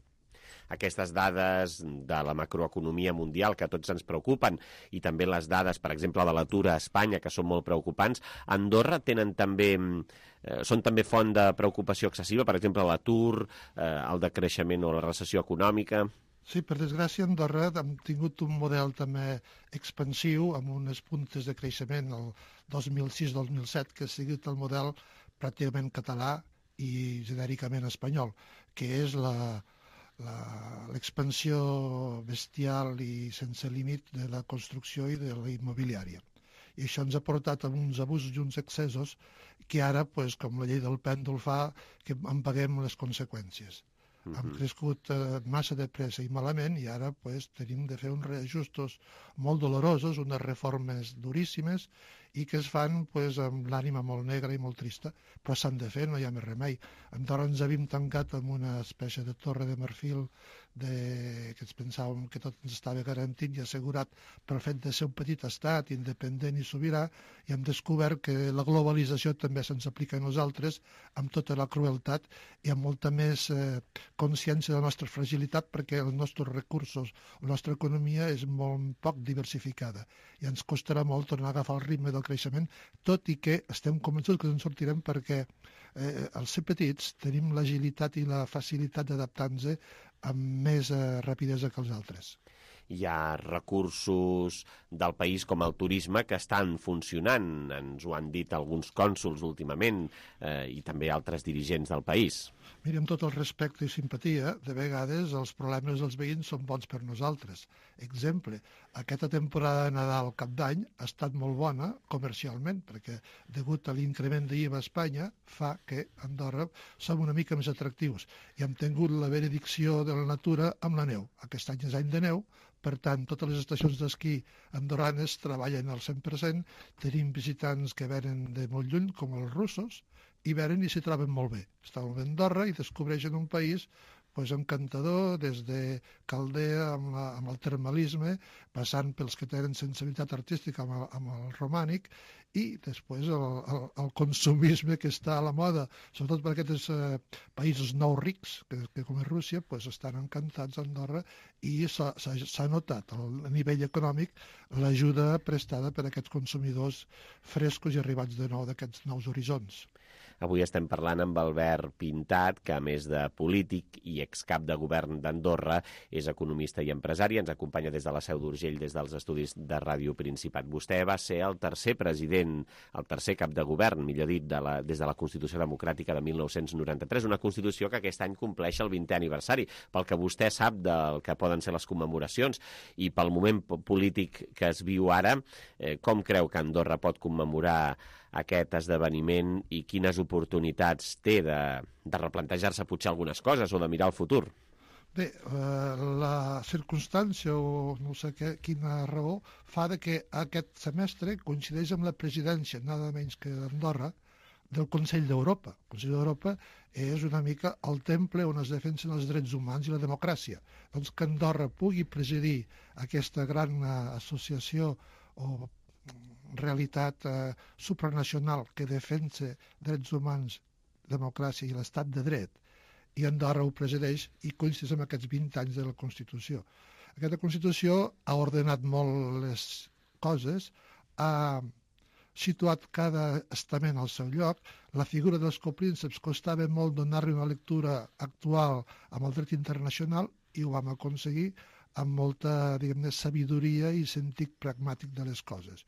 Aquestes dades de la macroeconomia mundial que a tots ens preocupen i també les dades, per exemple, de l'atur a Espanya, que són molt preocupants, a Andorra són també font de preocupació excessiva, per exemple, l'atur, el decreixement o la recessió econòmica. Sí, per desgràcia, a Andorra hem tingut un model també expansiu amb unes puntes de creixement el 2006-2007, que ha sigut el model pràcticament català i genèricament espanyol, que és l'expansió bestial i sense límit de la construcció i de la immobiliària. I això ens ha portat a uns abusos i uns excessos que ara, com la llei del pèndol fa, que en paguem les conseqüències. Hem crescut massa de pressa i malament i ara tenim de fer uns reajustos molt dolorosos, unes reformes duríssimes i que es fan pues, amb l'ànima molt negra i molt trista, però s'han de fer, no hi ha més remei. A Andorra ens havíem tancat amb una espècie de torre de marfil que ens pensàvem que tot ens estava garantit i assegurat pel fet de ser un petit estat independent i sobirà, i hem descobert que la globalització també se'ns aplica a nosaltres amb tota la crueltat i amb molta més consciència de la nostra fragilitat, perquè els nostres recursos, la nostra economia és molt poc diversificada i ens costarà molt tornar a agafar el ritme del creixement, tot i que estem convençuts que ens en sortirem perquè al ser petits tenim l'agilitat i la facilitat d'adaptar-nos amb més rapidesa que els altres. Hi ha recursos del país com el turisme que estan funcionant, ens ho han dit alguns cònsols últimament i també altres dirigents del país. Mira, amb tot el respecte i simpatia, de vegades els problemes dels veïns són bons per nosaltres. Exemple, aquesta temporada de Nadal Cap d'Any ha estat molt bona comercialment, perquè degut a l'increment d'IVA a Espanya fa que a Andorra som una mica més atractius i hem tingut la benedicció de la natura amb la neu. Aquest any és any de neu, per tant, totes les estacions d'esquí andorranes treballen al 100%, tenim visitants que venen de molt lluny, com els russos, i venen i s'hi troben molt bé. Estan a Andorra i descobreixen un país encantador, des de Caldea amb el termalisme, passant pels que tenen sensibilitat artística amb el romànic, i després el consumisme que està a la moda, sobretot per aquests països nous rics, que com és Rússia, estan encantats a Andorra, i s'ha notat a nivell econòmic l'ajuda prestada per aquests consumidors frescos i arribats de nou d'aquests nous horitzons. Avui estem parlant amb Albert Pintat, que a més de polític i excap de govern d'Andorra, és economista i empresari. Ens acompanya des de la Seu d'Urgell, des dels estudis de Ràdio Principat. Vostè va ser el tercer president, el tercer cap de govern, millor dit, des de la Constitució Democràtica de 1993, una Constitució que aquest any compleix el 20è aniversari. Pel que vostè sap del que poden ser les commemoracions i pel moment polític que es viu ara, com creu que Andorra pot commemorar aquest esdeveniment i quines oportunitats té de replantejar-se potser algunes coses o de mirar al futur? Bé, la circumstància o no sé quina raó fa que aquest semestre coincideix amb la presidència, nada menys que d'Andorra, del Consell d'Europa. El Consell d'Europa és una mica el temple on es defensen els drets humans i la democràcia. Doncs que Andorra pugui presidir aquesta gran associació o realitat supranacional que defensa drets humans, democràcia i l'estat de dret, i Andorra ho presideix i coincideix amb aquests 20 anys de la Constitució. Aquesta Constitució ha ordenat molt les coses, ha situat cada estament al seu lloc. La figura dels coprínceps costava molt donar-li una lectura actual amb el dret internacional i ho vam aconseguir amb molta, diguem-ne, sabidoria i sentit pragmàtic de les coses.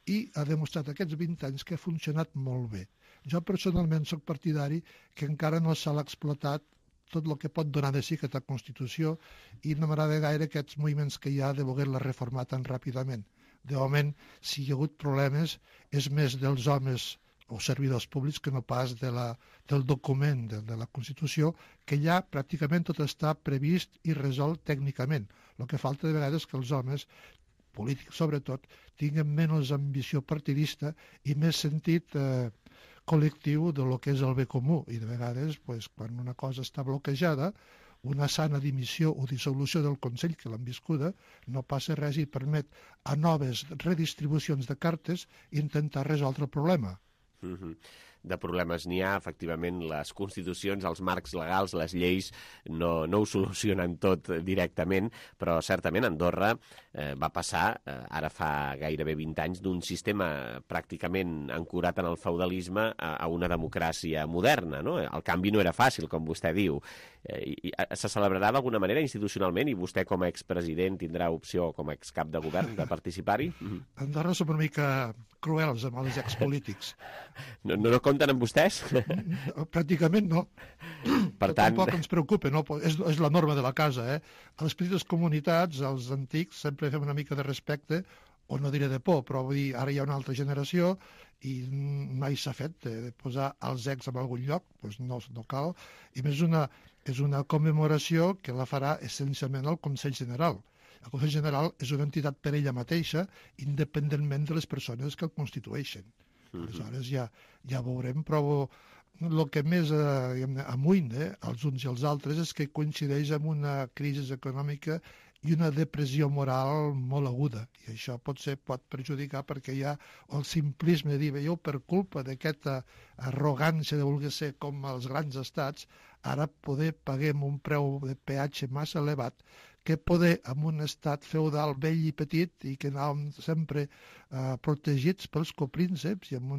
I ha demostrat aquests 20 anys que ha funcionat molt bé. Jo personalment soc partidari que encara no s'ha explotat tot el que pot donar de si aquesta Constitució i no m'agrada gaire aquests moviments que hi ha de voler-la reformar tan ràpidament. De moment, si hi ha hagut problemes, és més dels homes o servidors públics que no pas del document de la Constitució, que ja pràcticament tot està previst i resolt tècnicament. El que falta de vegades és que els homes polítics sobretot, tinguin menys ambició partidista i més sentit col·lectiu de lo que és el bé comú. I de vegades, quan una cosa està bloquejada, una sana dimissió o dissolució del Consell, que l'han viscuda, no passa res i permet a noves redistribucions de cartes intentar resoldre el problema. De problemes n'hi ha, efectivament, les constitucions, els marcs legals, les lleis no ho solucionen tot directament, però certament Andorra va passar, ara fa gairebé 20 anys, d'un sistema pràcticament ancorat en el feudalisme a una democràcia moderna, no? El canvi no era fàcil, com vostè diu. Se celebrarà d'alguna manera institucionalment i vostè com a expresident tindrà opció com a excap de govern de participar-hi? Andorra som una mica cruels amb els expolítics. No compten amb vostès? Pràcticament no. Per tant... Tampoc ens preocupa, no? És la norma de la casa. A les petites comunitats, als antics, sempre fem una mica de respecte, o no diré de por, però vull dir, ara hi ha una altra generació i mai s'ha fet de posar els ex en algun lloc, doncs no cal. I més és una commemoració que la farà essencialment el Consell General. El Consell General és una entitat per ella mateixa, independentment de les persones que el constitueixen. Aleshores ja veurem, però el que més amoïna els uns i els altres és que coincideix amb una crisi econòmica i una depressió moral molt aguda. I això pot perjudicar perquè hi ha el simplisme de dir, veieu, per culpa d'aquesta arrogància de voler ser com els grans estats, ara paguem un preu de peatge massa elevat que poder, en un estat feudal vell i petit i que anàvem sempre protegits pels coprínceps i amb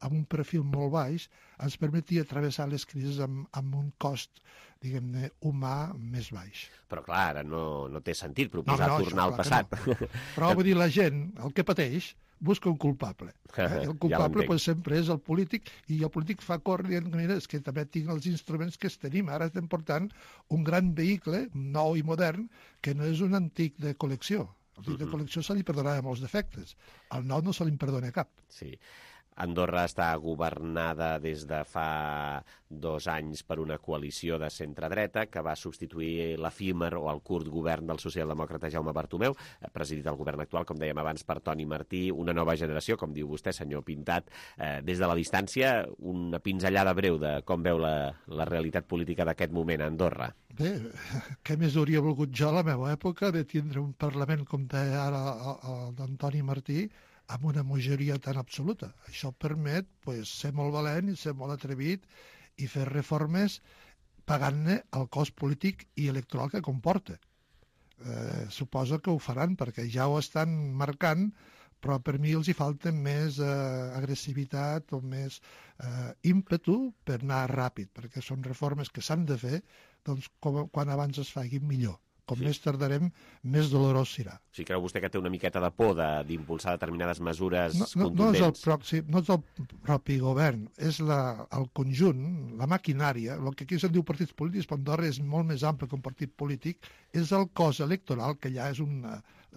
un perfil molt baix, ens permetia travessar les crisis amb un cost, diguem-ne, humà més baix. Però clar, ara no té sentit proposar tornar al passat. No. Però vull dir, la gent, el que pateix, busca un culpable. El culpable sempre és el polític, i el polític fa córrer dient, mira, és que també tinc els instruments que tenim. Ara estem portant un gran vehicle, nou i modern, que no és un antic de col·lecció. El antic de col·lecció se li perdonava molts defectes. Al nou no se li perdona cap. Sí. Andorra està governada des de fa 2 anys per una coalició de centre-dreta que va substituir l'efímer o el curt govern del socialdemòcrata Jaume Bartomeu, presidit el govern actual, com dèiem abans, per Toni Martí, una nova generació, com diu vostè, senyor Pintat. Des de la distància, una pinzellada breu de com veu la realitat política d'aquest moment a Andorra. Bé, què més hauria volgut jo a la meva època de tindre un Parlament, com deia ara el d'Antoni Martí, amb una majoria tan absoluta. Això permet ser molt valent i ser molt atrevit i fer reformes pagant-ne el cost polític i electoral que comporta. Suposo que ho faran perquè ja ho estan marcant, però per mi els hi falta més agressivitat o més ímpetu per anar ràpid, perquè són reformes que s'han de fer, doncs quan abans es facin millor. Com més tardarem, més dolorós serà. Sí, creu vostè que té una miqueta de por d'impulsar determinades mesures contundents? No és el propi govern, és el conjunt, la maquinària. El que aquí se'n diu partits polítics, però Andorra és molt més ample que un partit polític, és el cos electoral, que ja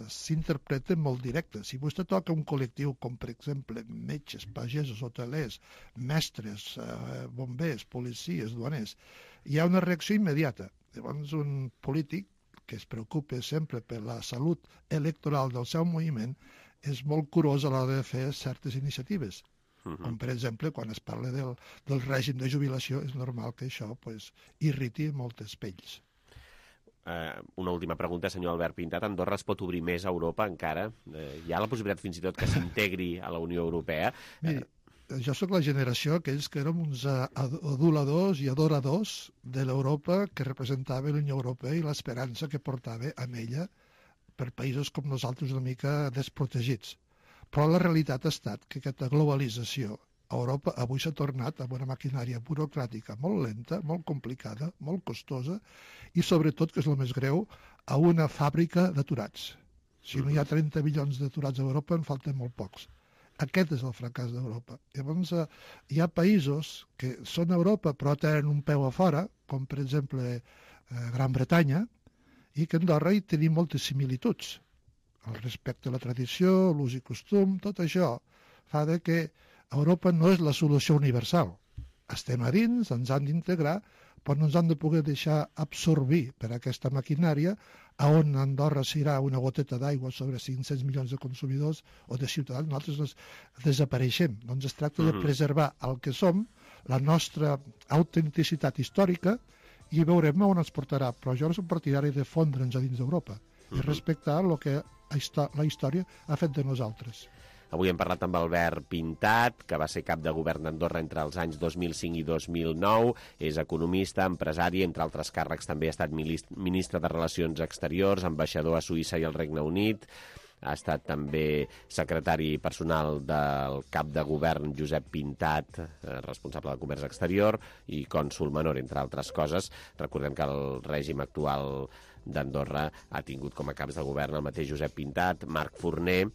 s'interpreta molt directe. Si vostè toca un col·lectiu com, per exemple, metges, pagesos, hotelers, mestres, bombers, policies, duaners, hi ha una reacció immediata. Llavors, un polític que es preocupa sempre per la salut electoral del seu moviment, és molt curós a l'hora de fer certes iniciatives. Com, per exemple, quan es parla del règim de jubilació, és normal que això irriti moltes pells. Una última pregunta, senyor Albert Pintat. Andorra es pot obrir més a Europa encara? Hi ha la possibilitat fins i tot que s'integri a la Unió Europea? Miri, jo sóc la generació aquells que érem uns aduladors i adoradors de l'Europa que representava la Unió Europea i l'esperança que portava amb ella per països com nosaltres una mica desprotegits. Però la realitat ha estat que aquesta globalització a Europa avui s'ha tornat amb una maquinària burocràtica molt lenta, molt complicada, molt costosa i sobretot, que és el més greu, a una fàbrica d'aturats. Si no hi ha 30 milions d'aturats a Europa, en falten molt pocs. Aquest és el fracàs d'Europa. Llavors, hi ha països que són a Europa però tenen un peu a fora, com per exemple Gran Bretanya, i que a Andorra hi tenim moltes similituds. El respecte a la tradició, l'ús i costum, tot això fa que Europa no és la solució universal. Estem a dins, ens han d'integrar, però no ens han de poder deixar absorbir per aquesta maquinària on Andorra serà una goteta d'aigua sobre 500 milions de consumidors o de ciutadans, nosaltres desapareixem. Doncs es tracta de preservar el que som, la nostra autenticitat històrica, i veurem on ens portarà. Però jo no soc partidari de fondre'ns a dins d'Europa i respectar el que la història ha fet de nosaltres. Avui hem parlat amb Albert Pintat, que va ser cap de govern d'Andorra entre els anys 2005 i 2009. És economista, empresari, entre altres càrrecs també ha estat ministre de Relacions Exteriors, ambaixador a Suïssa i al Regne Unit. Ha estat també secretari personal del cap de govern Josep Pintat, responsable de Comerç Exterior, i cònsol menor, entre altres coses. Recordem que el règim actual d'Andorra ha tingut com a caps de govern el mateix Josep Pintat, Marc Forner,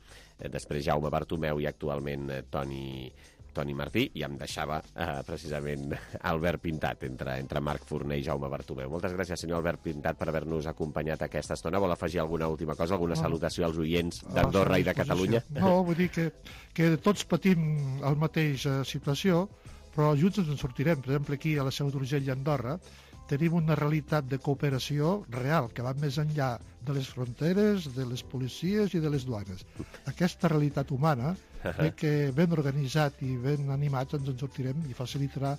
després Jaume Bartomeu i actualment Toni Martí, i em deixava precisament Albert Pintat entre Marc Forner i Jaume Bartomeu. Moltes gràcies, senyor Albert Pintat, per haver-nos acompanyat aquesta estona. Vol afegir alguna última cosa, alguna salutació als oients d'Andorra i de Catalunya? No, vull dir que tots patim la mateixa situació, però junts ens en sortirem. Per exemple, aquí a la Seu d'Urgell i Andorra tenim una realitat de cooperació real, que va més enllà de les fronteres, de les policies i de les duanes. Aquesta realitat humana, que ben organitzat i ben animats ens en sortirem i facilitarà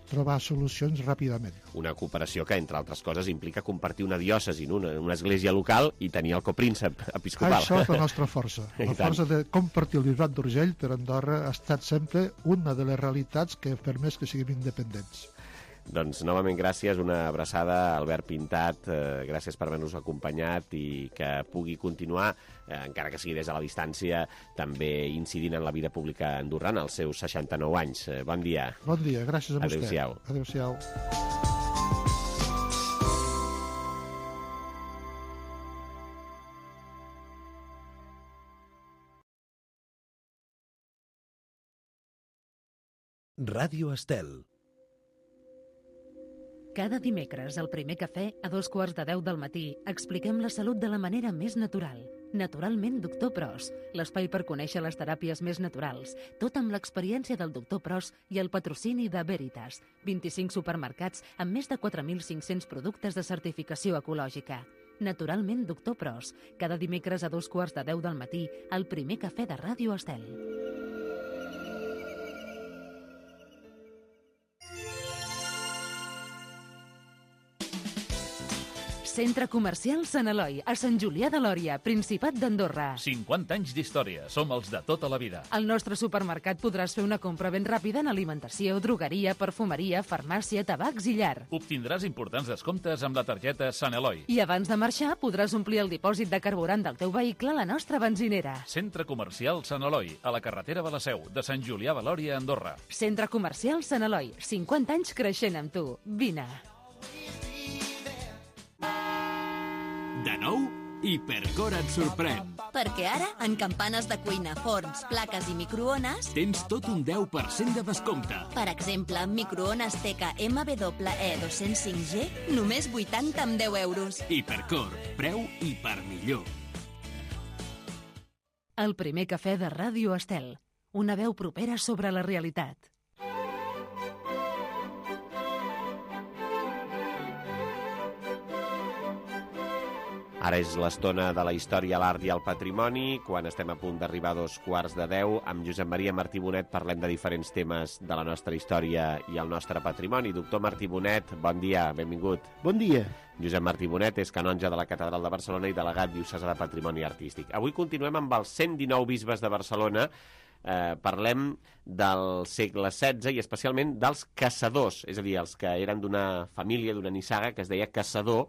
trobar solucions ràpidament. Una cooperació que, entre altres coses, implica compartir una diòcesi, una església local i tenir el copríncep episcopal. Això és la nostra força. La força de compartir el Bisbat d'Urgell per Andorra ha estat sempre una de les realitats que ha permès que siguem independents. Doncs, novament, gràcies, una abraçada, Albert Pintat, gràcies per haver-nos acompanyat i que pugui continuar, encara que sigui des de la distància, també incidint en la vida pública andorrana als seus 69 anys. Bon dia. Bon dia, gràcies a vostè. Adéu-siau. Adéu-siau. Ràdio Estel. Cada dimecres, al primer cafè, a 2:15 del matí, expliquem la salut de la manera més natural. Naturalment, Doctor Pros, l'espai per conèixer les teràpies més naturals, tot amb l'experiència del Doctor Pros i el patrocini de Veritas, 25 supermercats amb més de 4.500 productes de certificació ecològica. Naturalment, Doctor Pros, cada dimecres a 2:15 del matí, al primer cafè de Ràdio Estel. Centre Comercial Sant Eloi, a Sant Julià de Lòria, Principat d'Andorra. 50 anys d'història, som els de tota la vida. Al nostre supermercat podràs fer una compra ben ràpida en alimentació, drogueria, perfumeria, farmàcia, tabacs i llar. Obtindràs importants descomptes amb la targeta Sant Eloi. I abans de marxar podràs omplir el dipòsit de carburant del teu vehicle a la nostra benzinera. Centre Comercial Sant Eloi, a la carretera de la Seu, de Sant Julià de Lòria, Andorra. Centre Comercial Sant Eloi, 50 anys creixent amb tu. Vine. De nou, Hipercor et sorprèn. Perquè ara, en campanes de cuina, forns, plaques i microones, tens tot un 10% de descompte. Per exemple, microones TK MWE 205G, només 80 amb 10 euros. Hipercor, preu i per millor. El primer cafè de Ràdio Estel, una veu propera sobre la realitat. Ara és l'estona de la història, l'art i el patrimoni, quan estem a punt d'arribar a 2:15. Amb Josep Maria Martí Bonet parlem de diferents temes de la nostra història i el nostre patrimoni. Doctor Martí Bonet, bon dia, benvingut. Bon dia. Josep Martí Bonet és canonge de la Catedral de Barcelona i delegat diocesà de Patrimoni Artístic. Avui continuem amb els 119 bisbes de Barcelona. Parlem del segle XVI i especialment dels caçadors, és a dir, els que eren d'una família, d'una nissaga que es deia Caçador,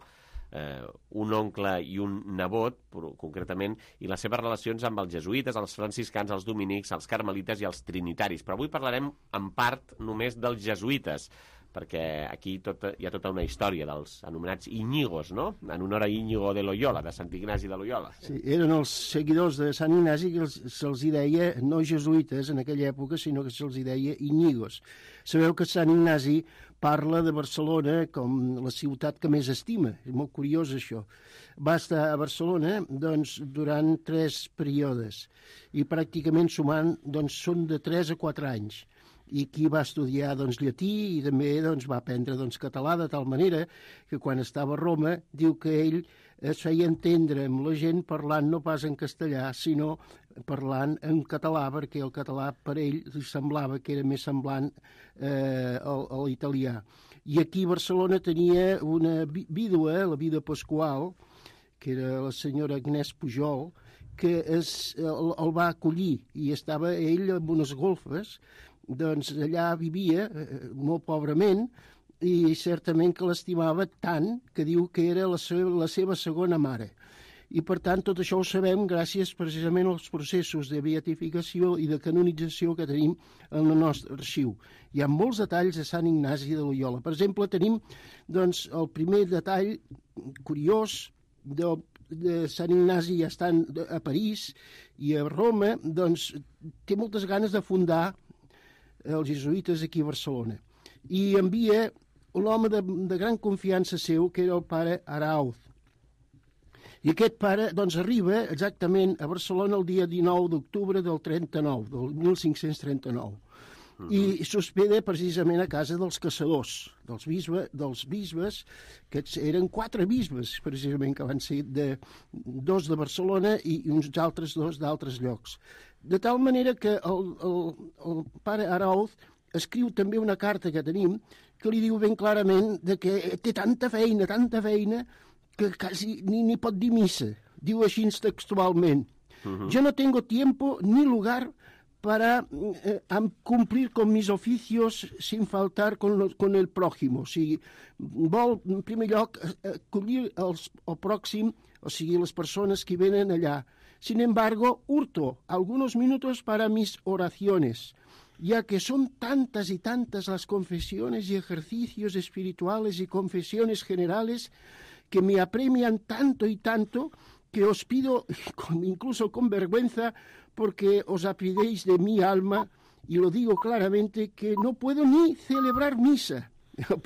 un oncle i un nebot, concretament, i les seves relacions amb els jesuïtes, els franciscans, els dominics, els carmelites i els trinitaris. Però avui parlarem en part només dels jesuïtes, perquè aquí hi ha tota una història dels anomenats Íñigos, no? En honor a Íñigo de Loyola, de Sant Ignasi de Loyola. Sí, eren els seguidors de Sant Ignasi que se'ls deia no jesuïtes en aquella època, sinó que se'ls deia Íñigos. Sabeu que Sant Ignasi parla de Barcelona com la ciutat que més estima. És molt curiós, això. Va estar a Barcelona doncs, durant 3 períodes i pràcticament sumant doncs, són de 3 a 4 anys. I aquí va estudiar doncs, llatí i també doncs, va aprendre doncs, català, de tal manera que quan estava a Roma diu que ell es feia entendre amb la gent parlant no pas en castellà, sinó parlant en català, perquè el català per ell li semblava que era més semblant a l'italià. I aquí a Barcelona tenia una vídua, la vídua Pasqual, que era la senyora Agnès Pujol, que el va acollir i estava ell amb unes golfes, doncs allà vivia molt pobrament i certament que l'estimava tant que diu que era la seva segona mare. I per tant tot això ho sabem gràcies precisament als processos de beatificació i de canonització que tenim en el nostre arxiu. Hi ha molts detalls de Sant Ignasi de Loyola. Per exemple, tenim doncs, el primer detall curiós de Sant Ignasi, ja estant a París i a Roma, doncs té moltes ganes de fundar els jesuïtes aquí a Barcelona. I envia un home de gran confiança seu, que era el pare Arauz. I aquest pare doncs, arriba exactament a Barcelona el dia 19 d'octubre del 39, del 1539. i s'hospeda precisament a casa dels caçadors, dels bisbes, que eren 4 bisbes, precisament, que van ser 2 de Barcelona i uns altres 2 d'altres llocs. De tal manera que el pare Arauz escriu també una carta que tenim que li diu ben clarament que té tanta feina, que quasi ni pot dir missa. Diu així textualment: yo no tengo tiempo ni lugar para cumplir con mis oficios sin faltar con el prójimo. O sigui, vol, en primer lloc, acollir el pròxim, o sigui, les persones que venen allà. Sin embargo, hurto algunos minutos para mis oraciones, ya que son tantas y tantas las confesiones y ejercicios espirituales y confesiones generales que me apremian tanto y tanto que os pido, incluso con vergüenza, porque os apidéis de mi alma, y lo digo claramente, que no puedo ni celebrar misa.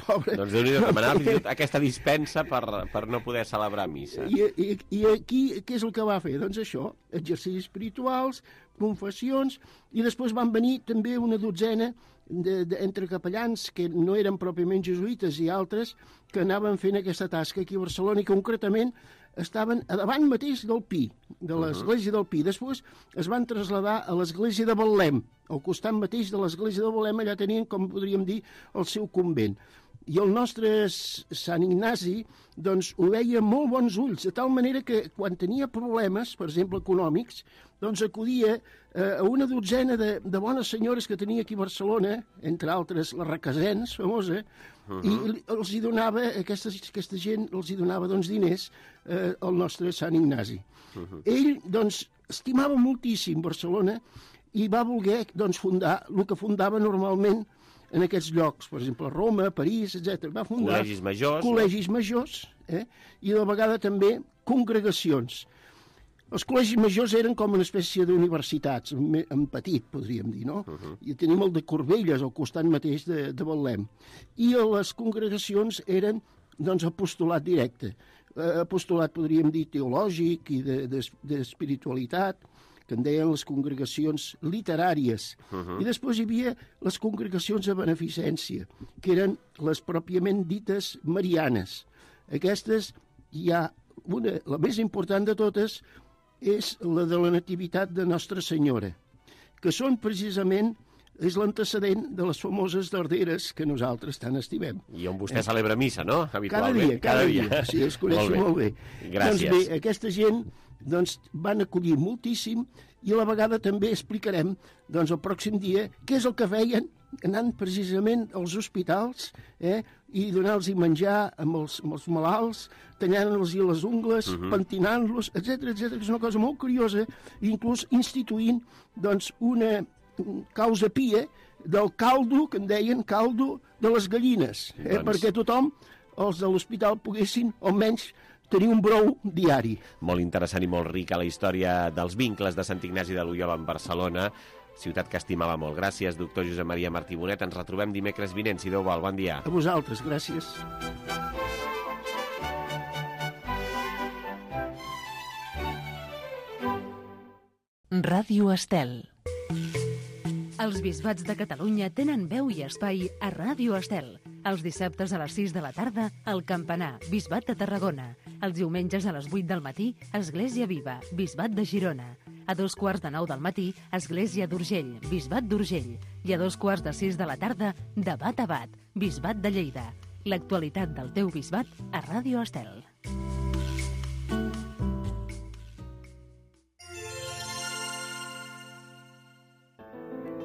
Pobre. Doncs Déu-n'hi-do, demanar aquesta dispensa per no poder celebrar missa. I aquí què és el que va fer? Doncs això, exercicis espirituals, confessions, i després van venir també una dotzena entre capellans que no eren pròpiament jesuïtes i altres que anaven fent aquesta tasca aquí a Barcelona i concretament estaven a davant mateix del Pi, de l'església del Pi. Després es van traslladar a l'església de Betlem, al costat mateix de l'església de Betlem, allà tenien, com podríem dir, el seu convent. I el nostre Sant Ignasi, doncs, ho veia amb molt bons ulls, de tal manera que quan tenia problemes, per exemple, econòmics, doncs acudia a una dotzena de bones senyores que tenia aquí a Barcelona, entre altres la Requesens, famosa, i els hi donava, aquesta gent els hi donava doncs, diners al nostre Sant Ignasi. Ell, doncs, estimava moltíssim Barcelona i va voler doncs, fundar el que fundava normalment en aquests llocs, per exemple, Roma, París, etc. Va fundar col·legis majors, i de vegada també congregacions. Els col·legis majors eren com una espècie d'universitats, en petit, podríem dir, no? I tenim el de Corbelles, al costat mateix de Betlem. I les congregacions eren, doncs, apostolat directe. Apostolat, podríem dir, teològic i d'espiritualitat, que en deien les congregacions literàries. I després hi havia les congregacions de beneficència, que eren les pròpiament dites marianes. Aquestes hi ha una, la més important de totes, és la de la Nativitat de Nostra Senyora, que són precisament, és l'antecedent de les famoses darderes que nosaltres tant estimem. I on vostè celebra missa, no? Habitualment. Cada dia. Sí, es coneix molt bé. Gràcies. Doncs bé, aquesta gent van acollir moltíssim i a la vegada també explicarem el pròxim dia què és el que feien anant precisament als hospitals i donar-los menjar amb els malalts, tallant-los les ungles, pentinant-los, etc. És una cosa molt curiosa, inclús instituint una causa pia del caldo, que en deien caldo de les gallines, perquè tothom, els de l'hospital, poguessin almenys tenir un brou diari. Molt interessant i molt rica la història dels vincles de Sant Ignasi de Loiola amb Barcelona, ciutat que estimava molt. Gràcies, doctor Josep Maria Martí Bonet. Ens retrobem dimecres vinent, si Déu vol. Bon dia. A vosaltres, gràcies. Ràdio Estel. Els bisbats de Catalunya tenen veu i espai a Ràdio Estel. Els dissabtes a les 6 de la tarda, el Campanar, Bisbat de Tarragona. Els diumenges a les 8 del matí, Església Viva, Bisbat de Girona. A 2:45 del matí, Església d'Urgell, Bisbat d'Urgell. I a 2:45 de la tarda, Debat a Bat, Bisbat de Lleida. L'actualitat del teu bisbat a Ràdio Estel.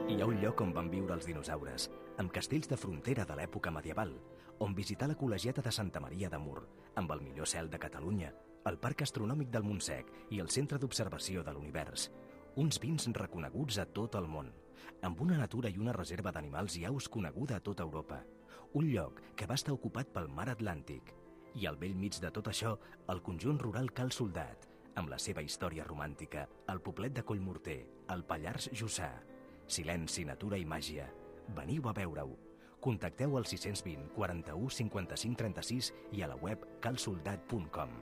Hi ha un lloc on van viure els dinosaures, amb castells de frontera de l'època medieval, on visitar la col·legiata de Santa Maria de Mur, amb el millor cel de Catalunya, el Parc Astronòmic del Montsec i el Centre d'Observació de l'Univers. Uns vins reconeguts a tot el món, amb una natura i una reserva d'animals i aus coneguda a tota Europa. Un lloc que va estar ocupat pel mar Atlàntic. I al bell mig de tot això, el conjunt rural Cal Soldat, amb la seva història romàntica, el poblet de Collmorter, el Pallars Jussà. Silenci, natura i màgia. Veniu a veure-ho. Contacteu al 620 41 55 36 i a la web calsoldat.com.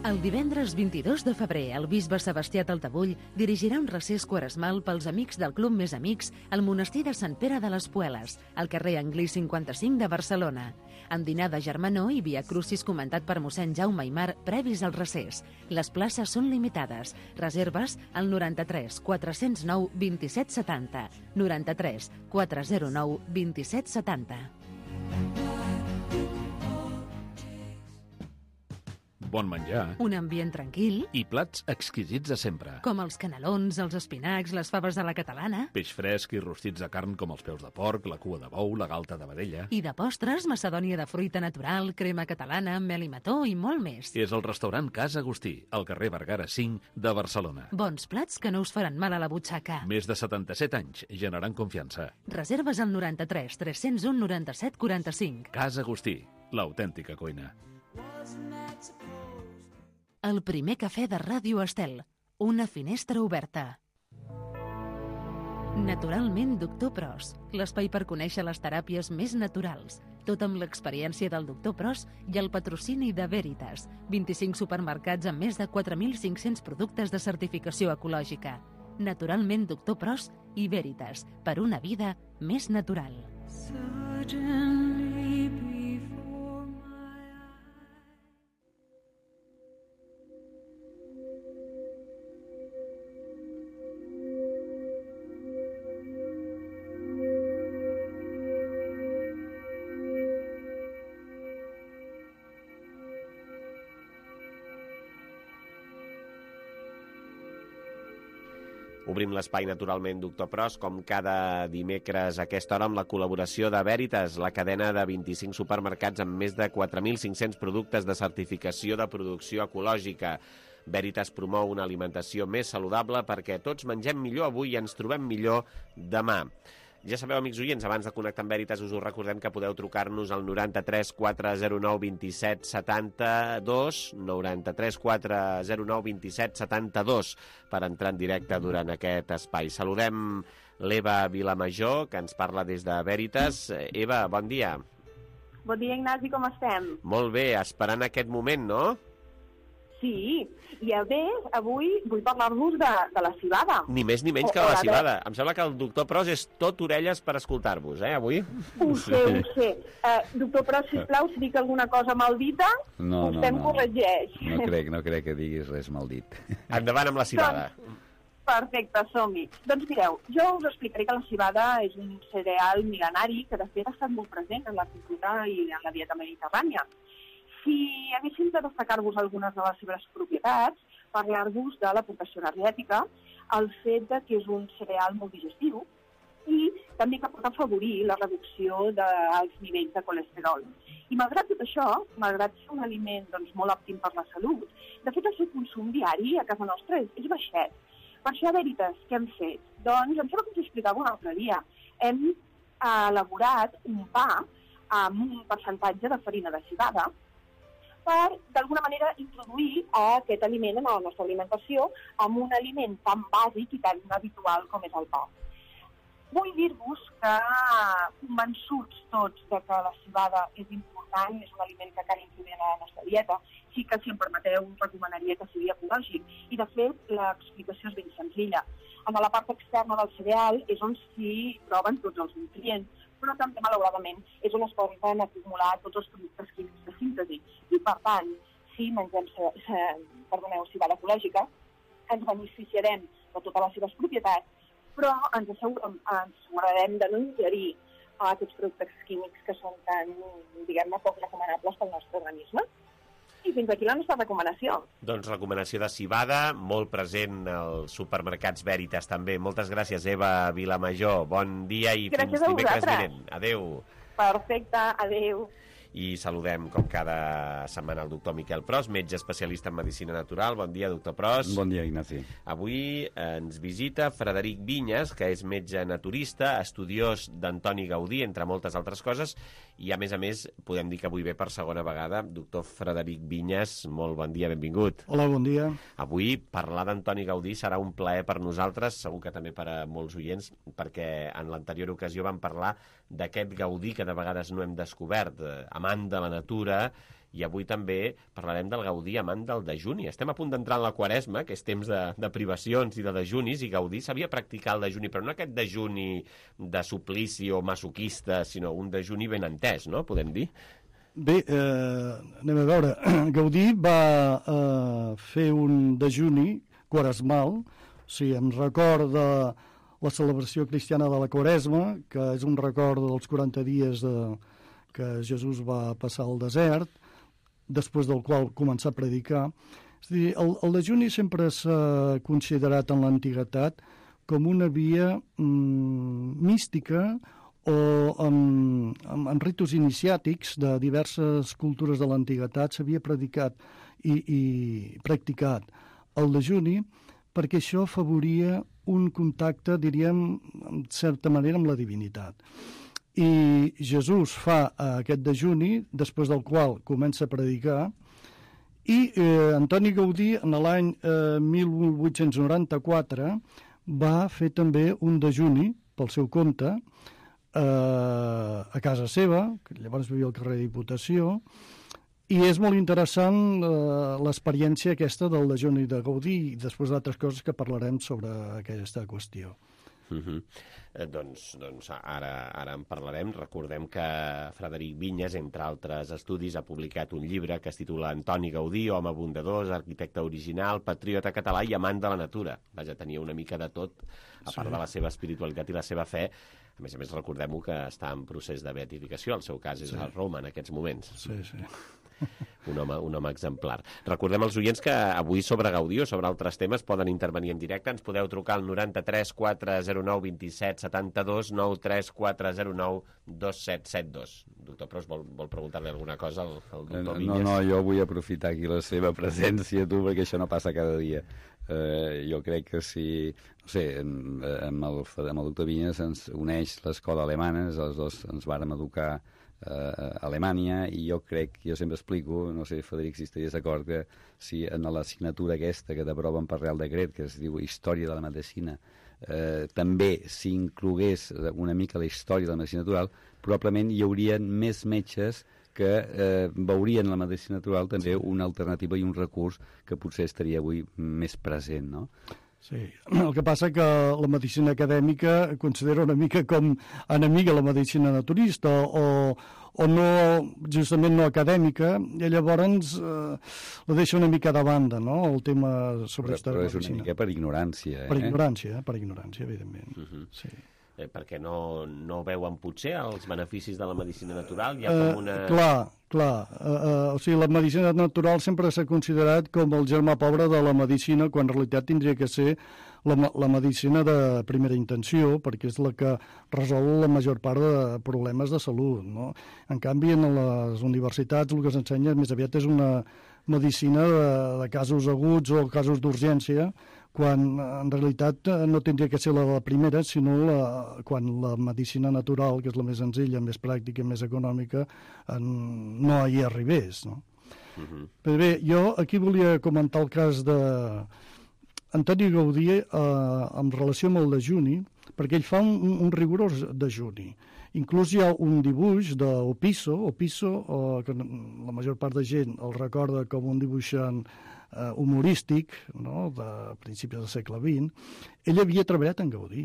El divendres 22 de febrer, el bisbe Sebastià Taltabull dirigirà un recés quaresmal pels amics del Club Més Amics al monestir de Sant Pere de les Pueles, al carrer Anglí 55 de Barcelona. Amb dinar de germanor i via crucis comentat per mossèn Jaume Aimar previs al recés. Les places són limitades. Reserves al 93 409 27 70. 93 409 27 70. Bon menjar. Un ambient tranquil, I plats exquisits de sempre. com els canelons, els espinacs, les faves de la catalana. Peix fresc i rostits de carn com els peus de porc, la cua de bou, la galta de vedella. I de postres, macedònia de fruita natural, crema catalana, mel i mató i molt més. És el restaurant Casa Agustí, al carrer Vergara 5 de Barcelona. Bons plats que no us faran mal a la butxaca. Més de 77 anys, generant confiança. Reserves al 93 301 97 45. Casa Agustí, l'autèntica cuina. El primer cafè de Ràdio Estel. Una finestra oberta. Naturalment, Doctor Pros. L'espai per conèixer les teràpies més naturals. Tot amb l'experiència del Doctor Pros i el patrocini de Veritas. 25 supermercats amb més de 4.500 productes de certificació ecològica. Naturalment, Doctor Pros i Veritas. Per una vida més natural. Obrim l'espai naturalment, Doctor Pros, com cada dimecres a aquesta hora amb la col·laboració de Veritas, la cadena de 25 supermercats amb més de 4.500 productes de certificació de producció ecològica. Veritas promou una alimentació més saludable perquè tots mengem millor avui i ens trobem millor demà. Ja sabeu, amics oients, abans de connectar amb Veritas us ho recordem que podeu trucar-nos al 93 409 27 72, 93 409 27 72 per entrar en directe durant aquest espai. Saludem l'Eva Vilamajor, que ens parla des de Veritas. Eva, bon dia. Bon dia, Ignasi, com estem? Molt bé, esperant aquest moment, no? Sí, i a més, avui vull parlar-vos de la cibada. Ni més ni menys que la cibada. Em sembla que el doctor Pros és tot orelles per escoltar-vos, avui? Ho sé. Doctor Pros, sisplau, si dic alguna cosa maldita, vostè em corregeix. No crec que diguis res maldit. Endavant amb la cibada. Perfecte, som-hi. Doncs mireu, jo us explicaré que la cibada és un cereal mil·lenari que de fet ha estat molt present en la cultura i en la dieta mediterrània. Si haguéssim de destacar-vos algunes de les seves propietats, parlar-vos de l'aportació energètica, el fet de que és un cereal molt digestiu i també que pot afavorir la reducció dels nivells de colesterol. I malgrat tot això, malgrat ser un aliment molt òptim per la salut, de fet el seu consum diari a casa nostra és baixet. Per això, Veritas, què hem fet? Doncs, em sembla que us ho explicava un altre dia. Hem elaborat un pa amb un percentatge de farina de civada per, d'alguna manera, introduir aquest aliment en la nostra alimentació amb un aliment tan bàsic i tan habitual com és el pa. Vull dir-vos que, convençuts tots de que la civada és important, és un aliment que cal introduir a la nostra dieta, sí que, si em permeteu, recomanaria que sigui ecològic. I, de fet, l'explicació és ben senzilla. En la part externa del cereal és on s'hi troben tots els nutrients, però també, malauradament, és on es poden acumular tots els productes químics de síntesi. I, per tant, si mengem civada ecològica, ens beneficiarem de totes les seves propietats, però ens assegurarem de no ingerir aquests productes químics que són tan, diguem-ne, poc recomanables pel nostre organisme. I fins aquí la nostra recomanació. Doncs recomanació de civada, molt present als supermercats Veritas també. Moltes gràcies, Eva Vilamajor. Bon dia i fins dimecres vinent. Adéu. Perfecte, adéu. I saludem, com cada setmana, el doctor Miquel Pros, metge especialista en medicina natural. Bon dia, doctor Pros. Bon dia, Ignasi. Avui ens visita Frederic Vinyes, que és metge naturista, estudiós d'Antoni Gaudí, entre moltes altres coses, i a més, podem dir que avui ve per segona vegada. Doctor Frederic Vinyes, molt bon dia, benvingut. Hola, bon dia. Avui parlar d'Antoni Gaudí serà un plaer per nosaltres, segur que també per a molts oients, perquè en l'anterior ocasió vam parlar d'aquest Gaudí que de vegades no hem descobert, amant de la natura, i avui també parlarem del Gaudí amant del dejuni. Estem a punt d'entrar en la Quaresma, que és temps de privacions i de dejunis, i Gaudí sabia practicar el dejuni, però no aquest dejuni de suplici o masoquista, sinó un dejuni ben entès, no?, podem dir? Bé, anem a veure. Gaudí va fer un dejuni quaresmal, em recorda la celebració cristiana de la Quaresma, que és un record dels 40 dies que Jesús va passar al desert, després del qual començar a predicar. És a dir, el dejuni sempre s'ha considerat en l'antiguitat com una via mística o en ritus iniciàtics de diverses cultures de l'antiguitat s'havia predicat i practicat el dejuni perquè això afavoria un contacte, diríem, en certa manera, amb la divinitat. I Jesús fa aquest dejuni, després del qual comença a predicar, i Antoni Gaudí, en l'any 1894, va fer també un dejuni pel seu compte a casa seva, que llavors vivia al carrer Diputació, i és molt interessant l'experiència aquesta del dejuni de Gaudí i després d'altres coses que parlarem sobre aquesta qüestió. Doncs ara en parlarem. Recordem que Frederic Vinyes, entre altres estudis, ha publicat un llibre que es titula Antoni Gaudí, home bondadós, arquitecte original, patriota català i amant de la natura. Vaja, tenia una mica de tot, a part de la seva espiritualitat i la seva fe. A més, recordem-ho que està en procés de beatificació. El seu cas és a Roma en aquests moments. Sí. Un home exemplar. Recordem als oients que avui sobre Gaudí o sobre altres temes poden intervenir en directe. Ens podeu trucar al 93 409 27 72 93 409 2772. Doctor Pros, vol preguntar-li alguna cosa al doctor Vinyes? No, jo vull aprofitar aquí la seva presència, perquè això no passa cada dia. Jo crec que si... No sé, amb el doctor Vinyes ens uneix l'escola alemana, els dos ens vàrem educar a Alemanya, i jo sempre explico, no sé, Frederic, si estaries d'acord, que si en l'assignatura aquesta que t'aproven per Real Decret, que es diu Història de la Medicina, també s'inclogués una mica la història de la medicina natural, probablement hi haurien més metges que veurien la medicina natural també una alternativa i un recurs que potser estaria avui més present, no? Sí, el que passa que la medicina acadèmica considera una mica com enemiga la medicina naturista o no, justament no acadèmica, i llavors la deixa una mica de banda, no?, el tema sobre però és una mica per ignorància. Per ignorància, evidentment. Sí. Perquè no veuen potser els beneficis de la medicina natural? Hi ha com una... Clar. O sigui, la medicina natural sempre s'ha considerat com el germà pobre de la medicina, quan en realitat tindria que ser la medicina de primera intenció, perquè és la que resol la major part de problemes de salut, no? En canvi, en les universitats el que s'ensenya més aviat és una medicina de casos aguts o casos d'urgència, quan en realitat no tindria que ser la primera, sinó quan la medicina natural, que és la més senzilla, més pràctica i més econòmica, no hi arribés, no? Però bé, jo aquí volia comentar el cas d'Antoni Gaudí en relació amb el dejuni, perquè ell fa un rigorós dejuni. Inclús hi ha un dibuix d'Opisso, que la major part de gent el recorda com un dibuixant humorístic, no?, de principis del segle XX. Ell havia treballat en Gaudí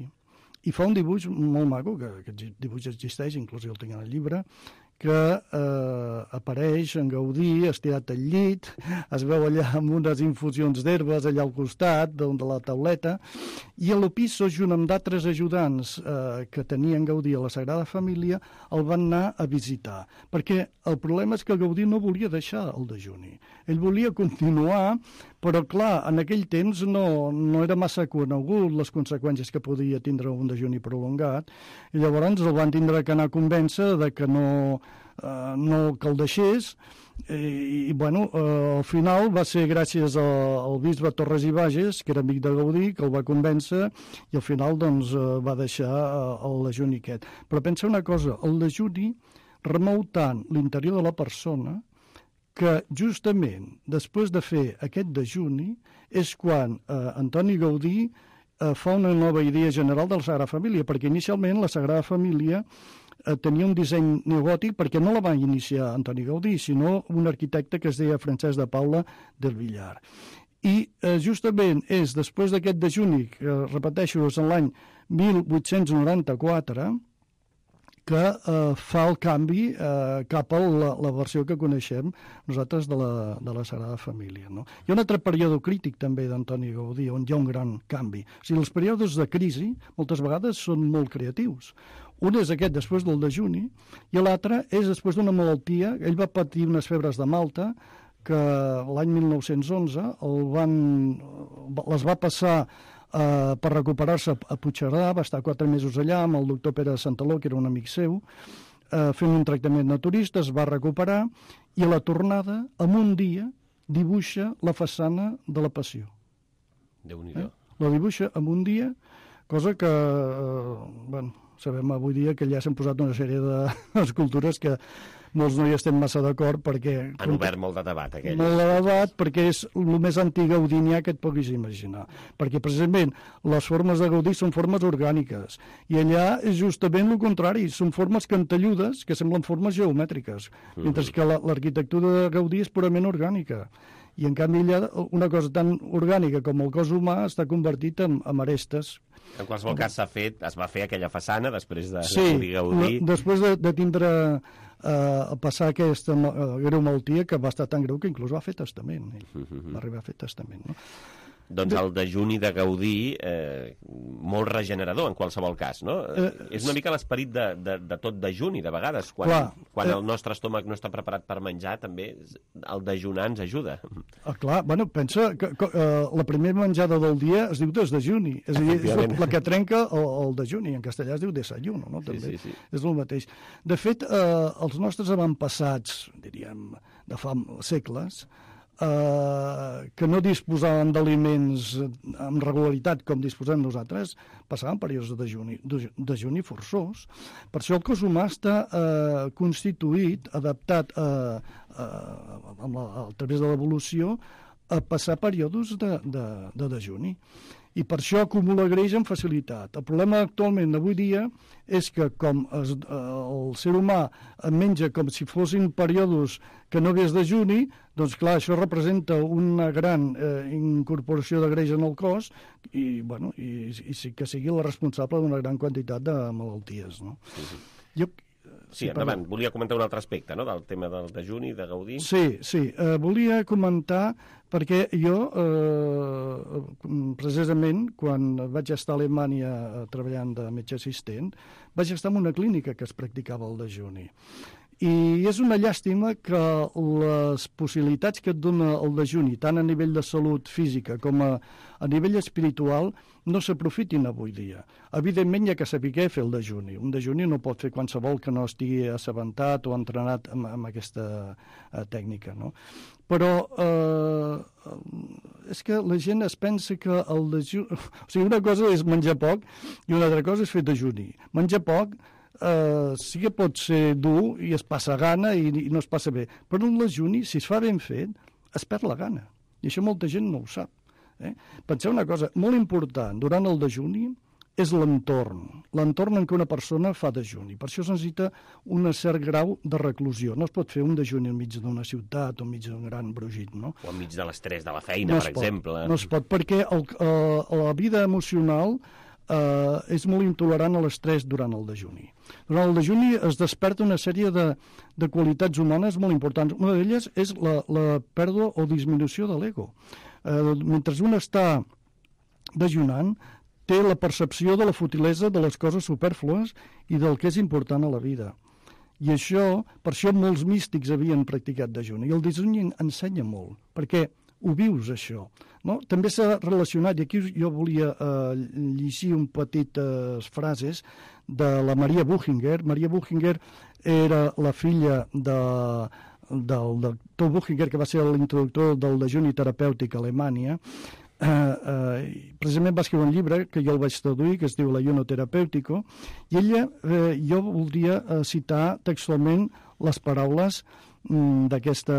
i fa un dibuix molt maco, que aquest dibuix existeix, inclús el tinc en el llibre, que apareix en Gaudí estirat al llit, es veu allà amb unes infusions d'herbes allà al costat de la tauleta, i l'Opisso, junt amb d'altres ajudants que tenien Gaudí a la Sagrada Família, el van anar a visitar, perquè el problema és que Gaudí no volia deixar el dejuni. Ell volia continuar, però clar, en aquell temps no era massa conegut les conseqüències que podia tindre un dejuni prolongat, i llavors el van tindre que anar a convèncer de que no que el deixés, i bueno, al final va ser gràcies al bisbe Torres i Bages, que era amic de Gaudí, que el va convèncer, i al final doncs va deixar el dejuni aquest. Però pensa una cosa, el dejuni remou tant l'interior de la persona que justament després de fer aquest dejuni és quan Antoni Gaudí fa una nova idea general de la Sagrada Família, perquè inicialment la Sagrada Família tenia un disseny neogòtic perquè no la va iniciar Antoni Gaudí, sinó un arquitecte que es deia Francesc de Paula del Villar. I justament és després d'aquest dejuni, que repeteixo, és en l'any 1894, que fa el canvi cap a la versió que coneixem nosaltres de la Sagrada Família. No? Hi ha un altre període crític també d'Antoni Gaudí, on hi ha un gran canvi. O sigui, els períodes de crisi moltes vegades són molt creatius. Un és aquest després del dejuni i l'altre és després d'una malaltia. Ell va patir unes febres de Malta que l'any 1911 les va passar per recuperar-se a Puigcerdà, va estar 4 mesos allà amb el doctor Pere de Santaló, que era un amic seu, fent un tractament naturista, es va recuperar i a la tornada, en un dia, dibuixa la façana de la Passió. Déu-n'hi-do. La dibuixa en un dia, cosa que, sabem avui dia que ja s'han posat una sèrie d'escultures que molts no hi estem massa d'acord perquè... Han obert molt de debat, aquell. Molt de debat perquè és el més antigaudinià que et puguis imaginar. Perquè precisament les formes de Gaudí són formes orgàniques i allà és justament el contrari, són formes cantelludes que semblen formes geomètriques, mentre que l'arquitectura de Gaudí és purament orgànica. I en canvi allà una cosa tan orgànica com el cos humà està convertit en arestes. En qualsevol cas es va fer aquella façana després de Sí, Gaudí. després de tindre a passar aquesta greu malaltia que va estar tan greu que inclús va fer testament. Va arribar a fer testament, no? Doncs el dejuni de Gaudí, molt regenerador en qualsevol cas, no? És una mica l'esperit de tot dejuni, de vegades. Quan el nostre estómac no està preparat per menjar, també el dejunar ens ajuda. Clar, bueno, pensa que la primera menjada del dia es diu desdejuni, és a dir, és la que trenca el dejuni, en castellà es diu desayuno, no? També és el mateix. De fet, els nostres avantpassats, diríem, de fa segles, que no disposaven d'aliments amb regularitat com disposem nosaltres, passaven períodes de dejuni forçós. Per això el cos humà està constituït, adaptat a través de l'evolució, a passar períodes de dejuni. I per això acumula greix amb facilitat. El problema actualment avui dia és que com el ser humà menja com si fossin períodes que no hagués dejuni, doncs clar, això representa una gran incorporació de greix en el cos i que sigui la responsable d'una gran quantitat de malalties. No? Sí, endavant. Volia comentar un altre aspecte, no?, del tema del dejuni, de Gaudí. Sí. Volia comentar perquè jo, precisament, quan vaig estar a Alemanya treballant de metge assistent, vaig estar en una clínica que es practicava el dejuni. I és una llàstima que les possibilitats que et dona el dejuni, tant a nivell de salut física com a nivell espiritual, no s'aprofitin avui dia. Evidentment hi ha que saber fer el dejuni. Un dejuni no pot fer qualsevol que no estigui assabentat o entrenat amb aquesta tècnica, no? Però és que la gent es pensa que el dejuni... O sigui, una cosa és menjar poc i una altra cosa és fer dejuni. Menjar poc sí que pot ser dur i es passa gana i no es passa bé. Però en el dejuni, si es fa ben fet, es perd la gana. I això molta gent no ho sap. Penseu una cosa molt important durant el dejuni és l'entorn en què una persona fa dejuni. Per això es necessita un cert grau de reclusió. No es pot fer un dejuni enmig d'una ciutat o enmig d'un gran brogit, no? O enmig de l'estrès de la feina, per exemple. No es pot, perquè la vida emocional és molt intolerant a l'estrès durant el dejuni. Durant el dejuni es desperta una sèrie de qualitats humanes molt importants. Una d'elles és la pèrdua o disminució de l'ego. Mentre un està dejunant, té la percepció de la futilesa de les coses supèrflues i del que és important a la vida. I això, per això molts místics havien practicat dejuni. I el dejuni ensenya molt, perquè ho vius, això. No? També s'ha relacionat, i aquí jo volia llegir un petites frases de la Maria Buchinger. Maria Buchinger era la filla del doctor Buchinger, que va ser l'introductor del dejuni terapèutic a Alemanya. Precisament va escriure un llibre que jo el vaig traduir, que es diu L'ayuno terapèutico, i ella, jo voldria citar textualment les paraules d'aquesta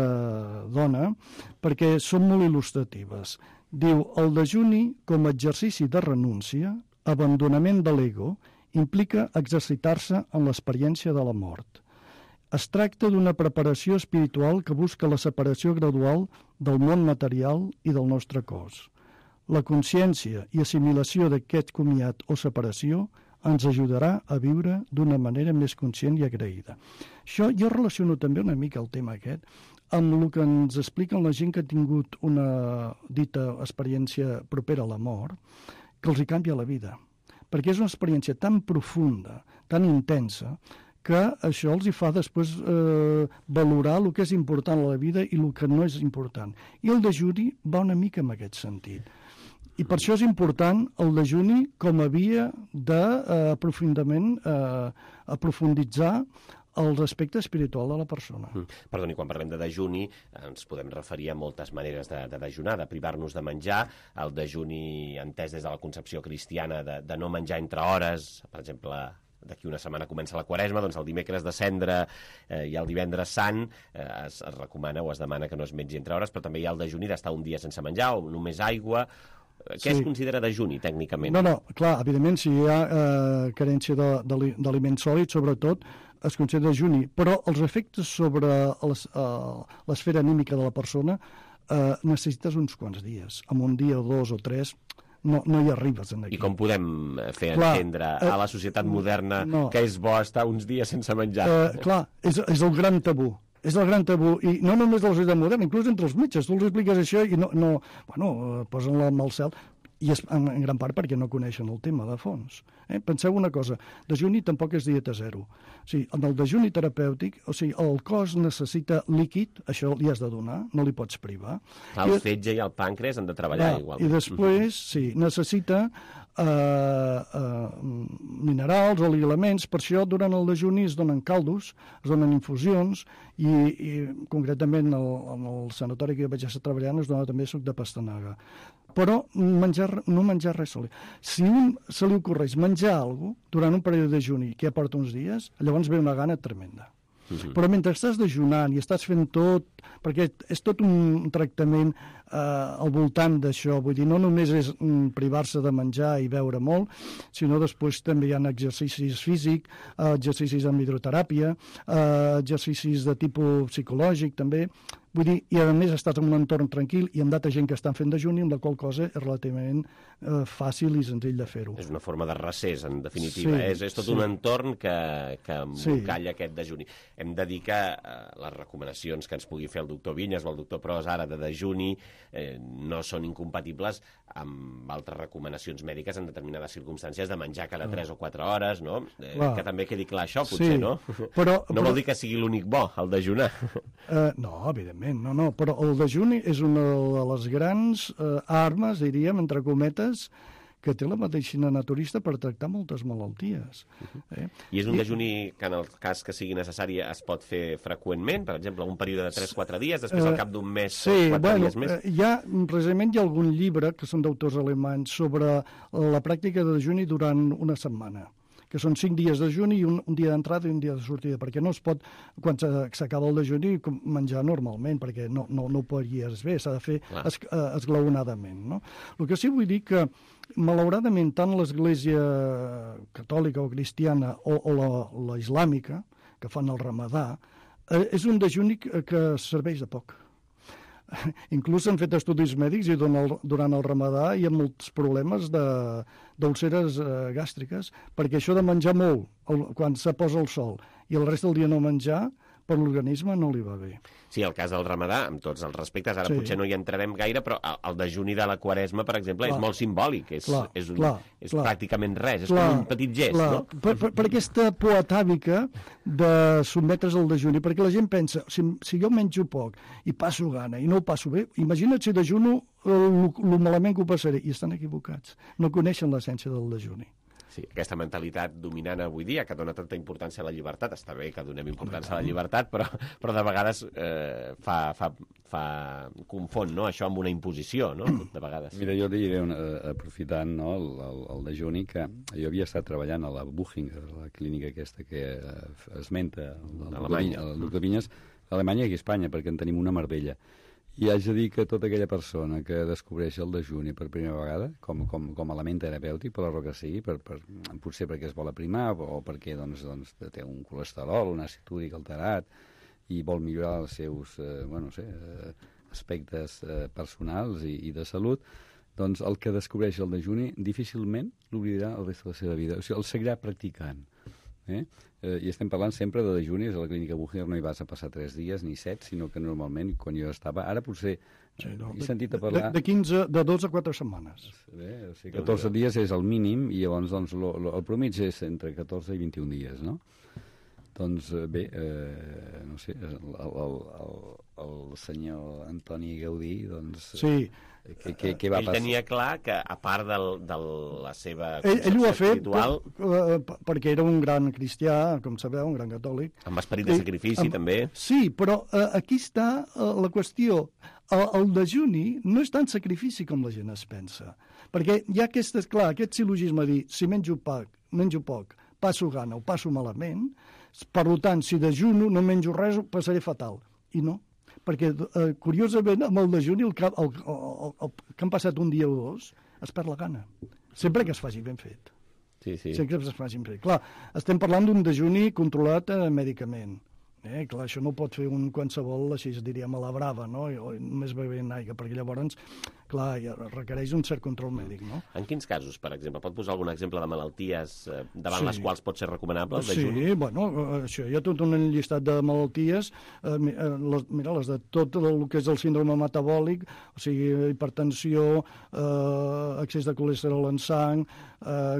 dona, perquè són molt il·lustratives. Diu, el dejuni com a exercici de renúncia, abandonament de l'ego implica exercitar-se en l'experiència de la mort. Es tracta d'una preparació espiritual que busca la separació gradual del món material i del nostre cos. La consciència i assimilació d'aquest comiat o separació ens ajudarà a viure d'una manera més conscient i agraïda. Això jo relaciono també una mica el tema aquest amb el que ens expliquen la gent que ha tingut una dita experiència propera a la mort, que els hi canvia la vida. Perquè és una experiència tan profunda, tan intensa, que això els hi fa després valorar el que és important a la vida i el que no és important. I el dejuni va una mica en aquest sentit. I per això és important el dejuni com a via d'aprofunditzar el respecte espiritual de la persona. Perdoni, quan parlem de dejuni ens podem referir a moltes maneres de dejunar, de privar-nos de menjar, el dejuni entès des de la concepció cristiana de no menjar entre hores, per exemple, d'aquí una setmana comença la Quaresma, doncs el dimecres de Cendra i el divendres Sant es recomana o es demana que no es mengi entre hores, però també hi ha el dejuni d'estar un dia sense menjar o només aigua. Què es considera dejuni, tècnicament? No, clar, evidentment, si hi ha carència d'aliments sòlids, sobretot, es considera dejuni, però els efectes sobre l'esfera anímica de la persona necessites uns quants dies. En un dia o dos o tres no hi arribes aquí. I com podem fer entendre a la societat moderna que és bo estar uns dies sense menjar? Clar, és el gran tabú. És el gran tabú, i no només de la societat moderna, inclús entre els metges. Tu els expliques això i posen la mà al cel, i és en gran part perquè no coneixen el tema de fons. Penseu una cosa, dejuni tampoc és dieta zero. O sigui, en el dejuni terapèutic, el cos necessita líquid, això li has de donar, no li pots privar. El fetge i el pàncreas han de treballar igualment. I després, necessita minerals o elements, per això durant el dejuni es donen caldos, es donen infusions i concretament en el sanatori que jo vaig estar treballant es dona també suc de pastanaga. Però no menjar res sòlid. Si se li ocorreix menjar alguna cosa durant un període de dejuni que ja porta uns dies, llavors ve una gana tremenda. Però mentre estàs dejunant i estàs fent tot, perquè és tot un tractament al voltant d'això, vull dir, no només és privar-se de menjar i beure molt, sinó després també hi ha exercicis físics, exercicis amb hidroteràpia, exercicis de tipus psicològic també, vull dir, i a més estàs en un entorn tranquil i amb d'altra gent que estan fent dejuni, amb la qual cosa és relativament fàcil i senzill de fer-ho. És una forma de recés, en definitiva. És tot un entorn que embolcalla aquest dejuni. Hem de dir que les recomanacions que ens pugui fer el doctor Vinyes o el doctor Pros ara de dejuni no són incompatibles amb altres recomanacions mèdiques en determinades circumstàncies de menjar cada 3 o 4 hores, no? Que també quedi clar això, potser, no? No vol dir que sigui l'únic bo, el dejunar. No, evidentment, no, però el dejuni és una de les grans armes, diríem, entre cometes, que té la medicina naturista per tractar moltes malalties. I és un dejuni que en el cas que sigui necessari es pot fer freqüentment, per exemple, un període de 3-4 dies, després al cap d'un mes o 4 dies més? Precisament hi ha algun llibre, que són d'autors alemanys, sobre la pràctica de dejuni durant una setmana, que són 5 dies de dejuni i un dia d'entrada i un dia de sortida, perquè no es pot, quan s'acaba el dejuni, menjar normalment, perquè no ho podries bé, s'ha de fer esglaonadament, no? El que sí vull dir que, malauradament, tant l'Església catòlica o cristiana o la islàmica, que fan el ramadà, és un dejuni que serveix de poc. Inclús s'han fet estudis mèdics i durant el ramadà hi ha molts problemes d'úlceres gàstriques, perquè això de menjar molt quan se posa el sol i el rest del dia no menjar, per l'organisme no li va bé. Sí, el cas del ramadà, amb tots els respectes, ara potser no hi entrarem gaire, però el dejuni de la Quaresma, per exemple, és molt simbòlic, és pràcticament res, és com un petit gest, no? Per aquesta por atàvica de sotmetre's al dejuni, perquè la gent pensa, si jo menjo poc i passo gana i no ho passo bé, imagina't si dejuno el malament que ho passaré, i estan equivocats, no coneixen l'essència del dejuni. Sí, aquesta mentalitat dominant avui dia, que dona tanta importància a la llibertat, està bé que donem importància a la llibertat, però de vegades confon, no?, això amb una imposició, no?, de vegades. Mira, jo diré, aprofitant el dejuni, que jo havia estat treballant a la Buchinger, la clínica aquesta que esmenta el doctor Vinyes, a Alemanya i a Espanya, perquè en tenim una a Marbella. I haig de dir que tota aquella persona que descobreix el dejuni per primera vegada, com a element terapèutic, per la raó que sigui, potser perquè es vol aprimar o perquè doncs, té un colesterol, un àcid úric alterat i vol millorar els seus aspectes personals i de salut, doncs el que descobreix el dejuni difícilment l'oblidarà el resta de la seva vida. O sigui, el seguirà practicant. I estem parlant sempre de dejunis. A la clínica Bucher no hi vas a passar 3 dies ni 7, sinó que normalment, quan jo estava... Ara potser he sentit a parlar... De 2 a 4 setmanes. Bé, o sigui, 14 dies és el mínim i llavors doncs, el promig és entre 14 i 21 dies, no? Doncs bé, no sé, el senyor Antoni Gaudí, doncs... Sí. Què va passar? Ell tenia clar que, a part de la seva ell ho ha fet espiritual... perquè era un gran cristià, com sabeu, un gran catòlic. Amb esperit de sacrifici, també. Sí, però aquí està la qüestió. El dejuni no és tan sacrifici com la gent es pensa. Perquè hi ha aquest sil·logisme de dir, si menjo poc, passo gana o passo malament, per tant, si dejuno, no menjo res, ho passaré fatal. I no. Perquè, curiosament, amb el dejuni, el que han passat un dia o dos, es perd la gana. Sempre que es faci ben fet. Sí. Sempre que es faci ben fet. Clar, estem parlant d'un dejuni controlat mèdicament. Clar, això no pot fer un qualsevol, així es diríem, a la brava, no? O només bevent aigua, perquè llavors, clar, ja requereix un cert control mèdic, no? En quins casos, per exemple? Pot posar algun exemple de malalties davant les quals pot ser recomanable el dejuni? Sí, bueno, això hi ha tot un llistat de malalties, mira, les de tot el que és el síndrome metabòlic, o sigui, hipertensió, excés de colesterol en sang,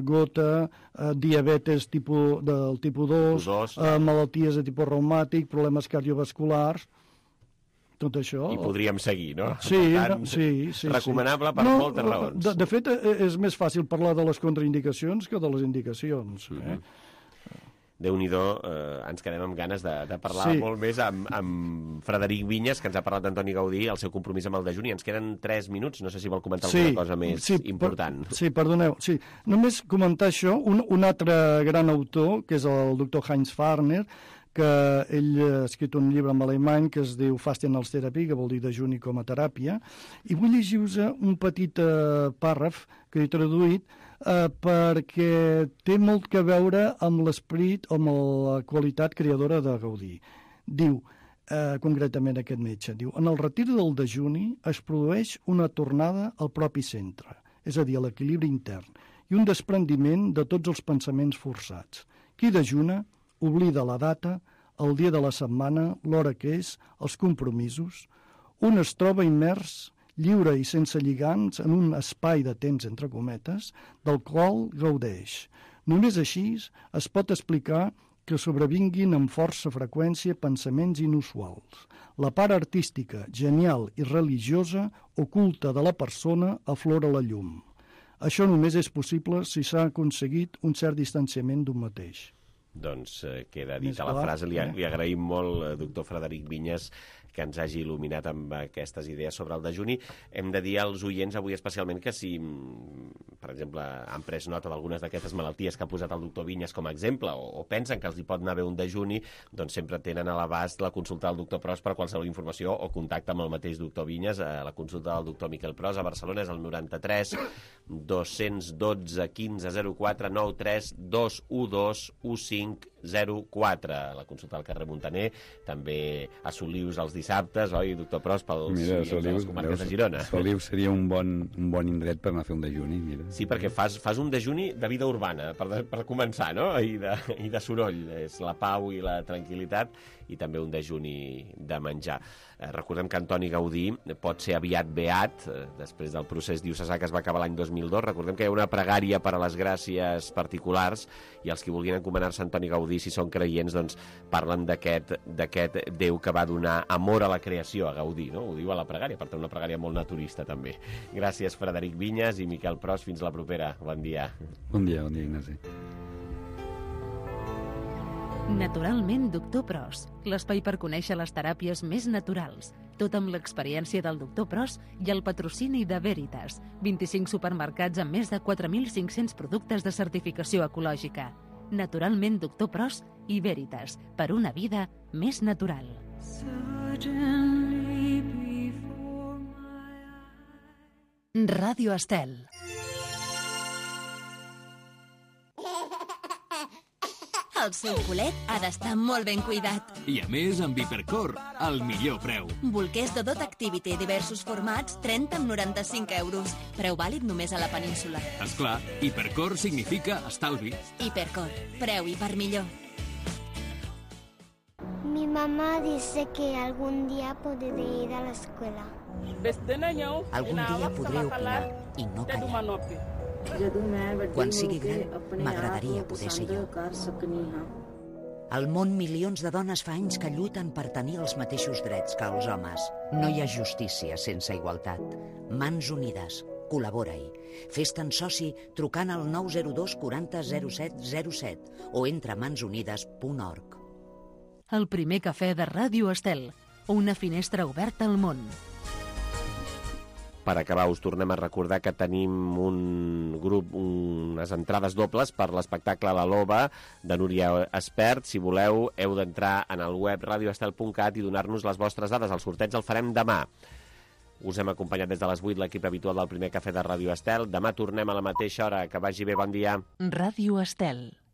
gota, diabetes del tipus 2, malalties de tipus reumàtic, problemes cardiovasculars, tot això... I podríem seguir, no? Sí. Recomanable per moltes raons. De fet, és més fàcil parlar de les contraindicacions que de les indicacions. Déu-n'hi-do, ens quedem amb ganes de parlar molt més amb Frederic Vinyes, que ens ha parlat d'Antoni Gaudí, el seu compromís amb el dejuni. Ens queden 3 minuts, no sé si vol comentar alguna cosa més important. Perdoneu. Sí, només comentar això. Un altre gran autor, que és el doctor Heinz Farner, que ell ha escrit un llibre en alemany que es diu Fasten als Therapie, que vol dir dejuni com a teràpia, i vull llegir-vos un petit pàrraf que he traduït perquè té molt que veure amb l'esperit, amb la qualitat creadora de Gaudí. Diu, concretament aquest metge, diu, en el retir del dejuni es produeix una tornada al propi centre, és a dir, a l'equilibri intern, i un desprendiment de tots els pensaments forçats. Qui dejuna oblida la data, el dia de la setmana, l'hora que és, els compromisos. Un es troba immers, lliure i sense lligams, en un espai de temps, entre cometes, del qual gaudeix. Només així es pot explicar que sobrevinguin amb força freqüència pensaments inusuals. La part artística, genial i religiosa, oculta de la persona, aflora la llum. Això només és possible si s'ha aconseguit un cert distanciament d'un mateix. Doncs queda dit a la frase. Li agraïm molt, doctor Frederic Vinyes, que ens hagi il·luminat amb aquestes idees sobre el dejuni. Hem de dir als oients avui especialment que si, per exemple, han pres nota d'algunes d'aquestes malalties que ha posat el doctor Vinyes com a exemple o pensen que els hi pot anar bé un dejuni, doncs sempre tenen a l'abast la consulta del doctor Pros per qualsevol informació o contacte amb el mateix doctor Vinyes. La consulta del doctor Miquel Pros a Barcelona és el 93 212 1504 93 212 1504. La consulta del carrer Montaner, també a Solius els dissabtes, oi, doctor Pros, pels les comarques de Girona. Solius seria un bon indret per anar a fer un dejuni, mira. Sí, perquè fas un dejuni de vida urbana, per començar, no? I de soroll. És la pau i la tranquil·litat, i també un dejuni de menjar. Recordem que Antoni Gaudí pot ser aviat beat, després del procés diocesà que es va acabar l'any 2002. Recordem que hi ha una pregària per a les gràcies particulars, i els que vulguin encomanar-se a Antoni Gaudí, si són creients, doncs parlen d'aquest Déu que va donar amor a la creació, a Gaudí, no? Ho diu a la pregària, per tant una pregària molt naturista també. Gràcies, Frederic Vinyes i Miquel Pros, fins la propera. Bon dia. Bon dia, Ignasi. Naturalment, doctor Pros, l'espai per conèixer les teràpies més naturals. Tot amb l'experiència del doctor Pros i el patrocini de Veritas. 25 supermercats amb més de 4.500 productes de certificació ecològica. Naturalment, doctor Pros i Veritas, per una vida més natural. Certainly before Ràdio Estel. El seu culet ha d'estar molt ben cuidat. I a més, amb Hipercor, el millor preu. Bolquers de Dot Activity, diversos formats, 30 amb 95 euros. Preu vàlid només a la península. Esclar, Hipercor significa estalvi. Hipercor, preu i per millor. Mi mamá dice que algún día podré ir a la escuela. Algun dia podré opinar i no callar. Quan sigui gran, m'agradaria poder ser jo. Al món, milions de dones fa anys que lluiten per tenir els mateixos drets que els homes. No hi ha justícia sense igualtat. Mans unides. Col·labora-hi. Fes-te'n soci trucant al 902 40 07 07 o entra a mansunides.org. El primer cafè de Ràdio Estel. Una finestra oberta al món. Per acabar, us tornem a recordar que tenim unes entrades dobles per l'espectacle La Loba de Núria Espert. Si voleu, heu d'entrar en el web radioestel.cat i donar-nos les vostres dades. El sorteig el farem demà. Us hem acompanyat des de les 8 l'equip habitual del primer cafè de Ràdio Estel. Demà tornem a la mateixa hora. Que vagi bé, bon dia. Ràdio Estel.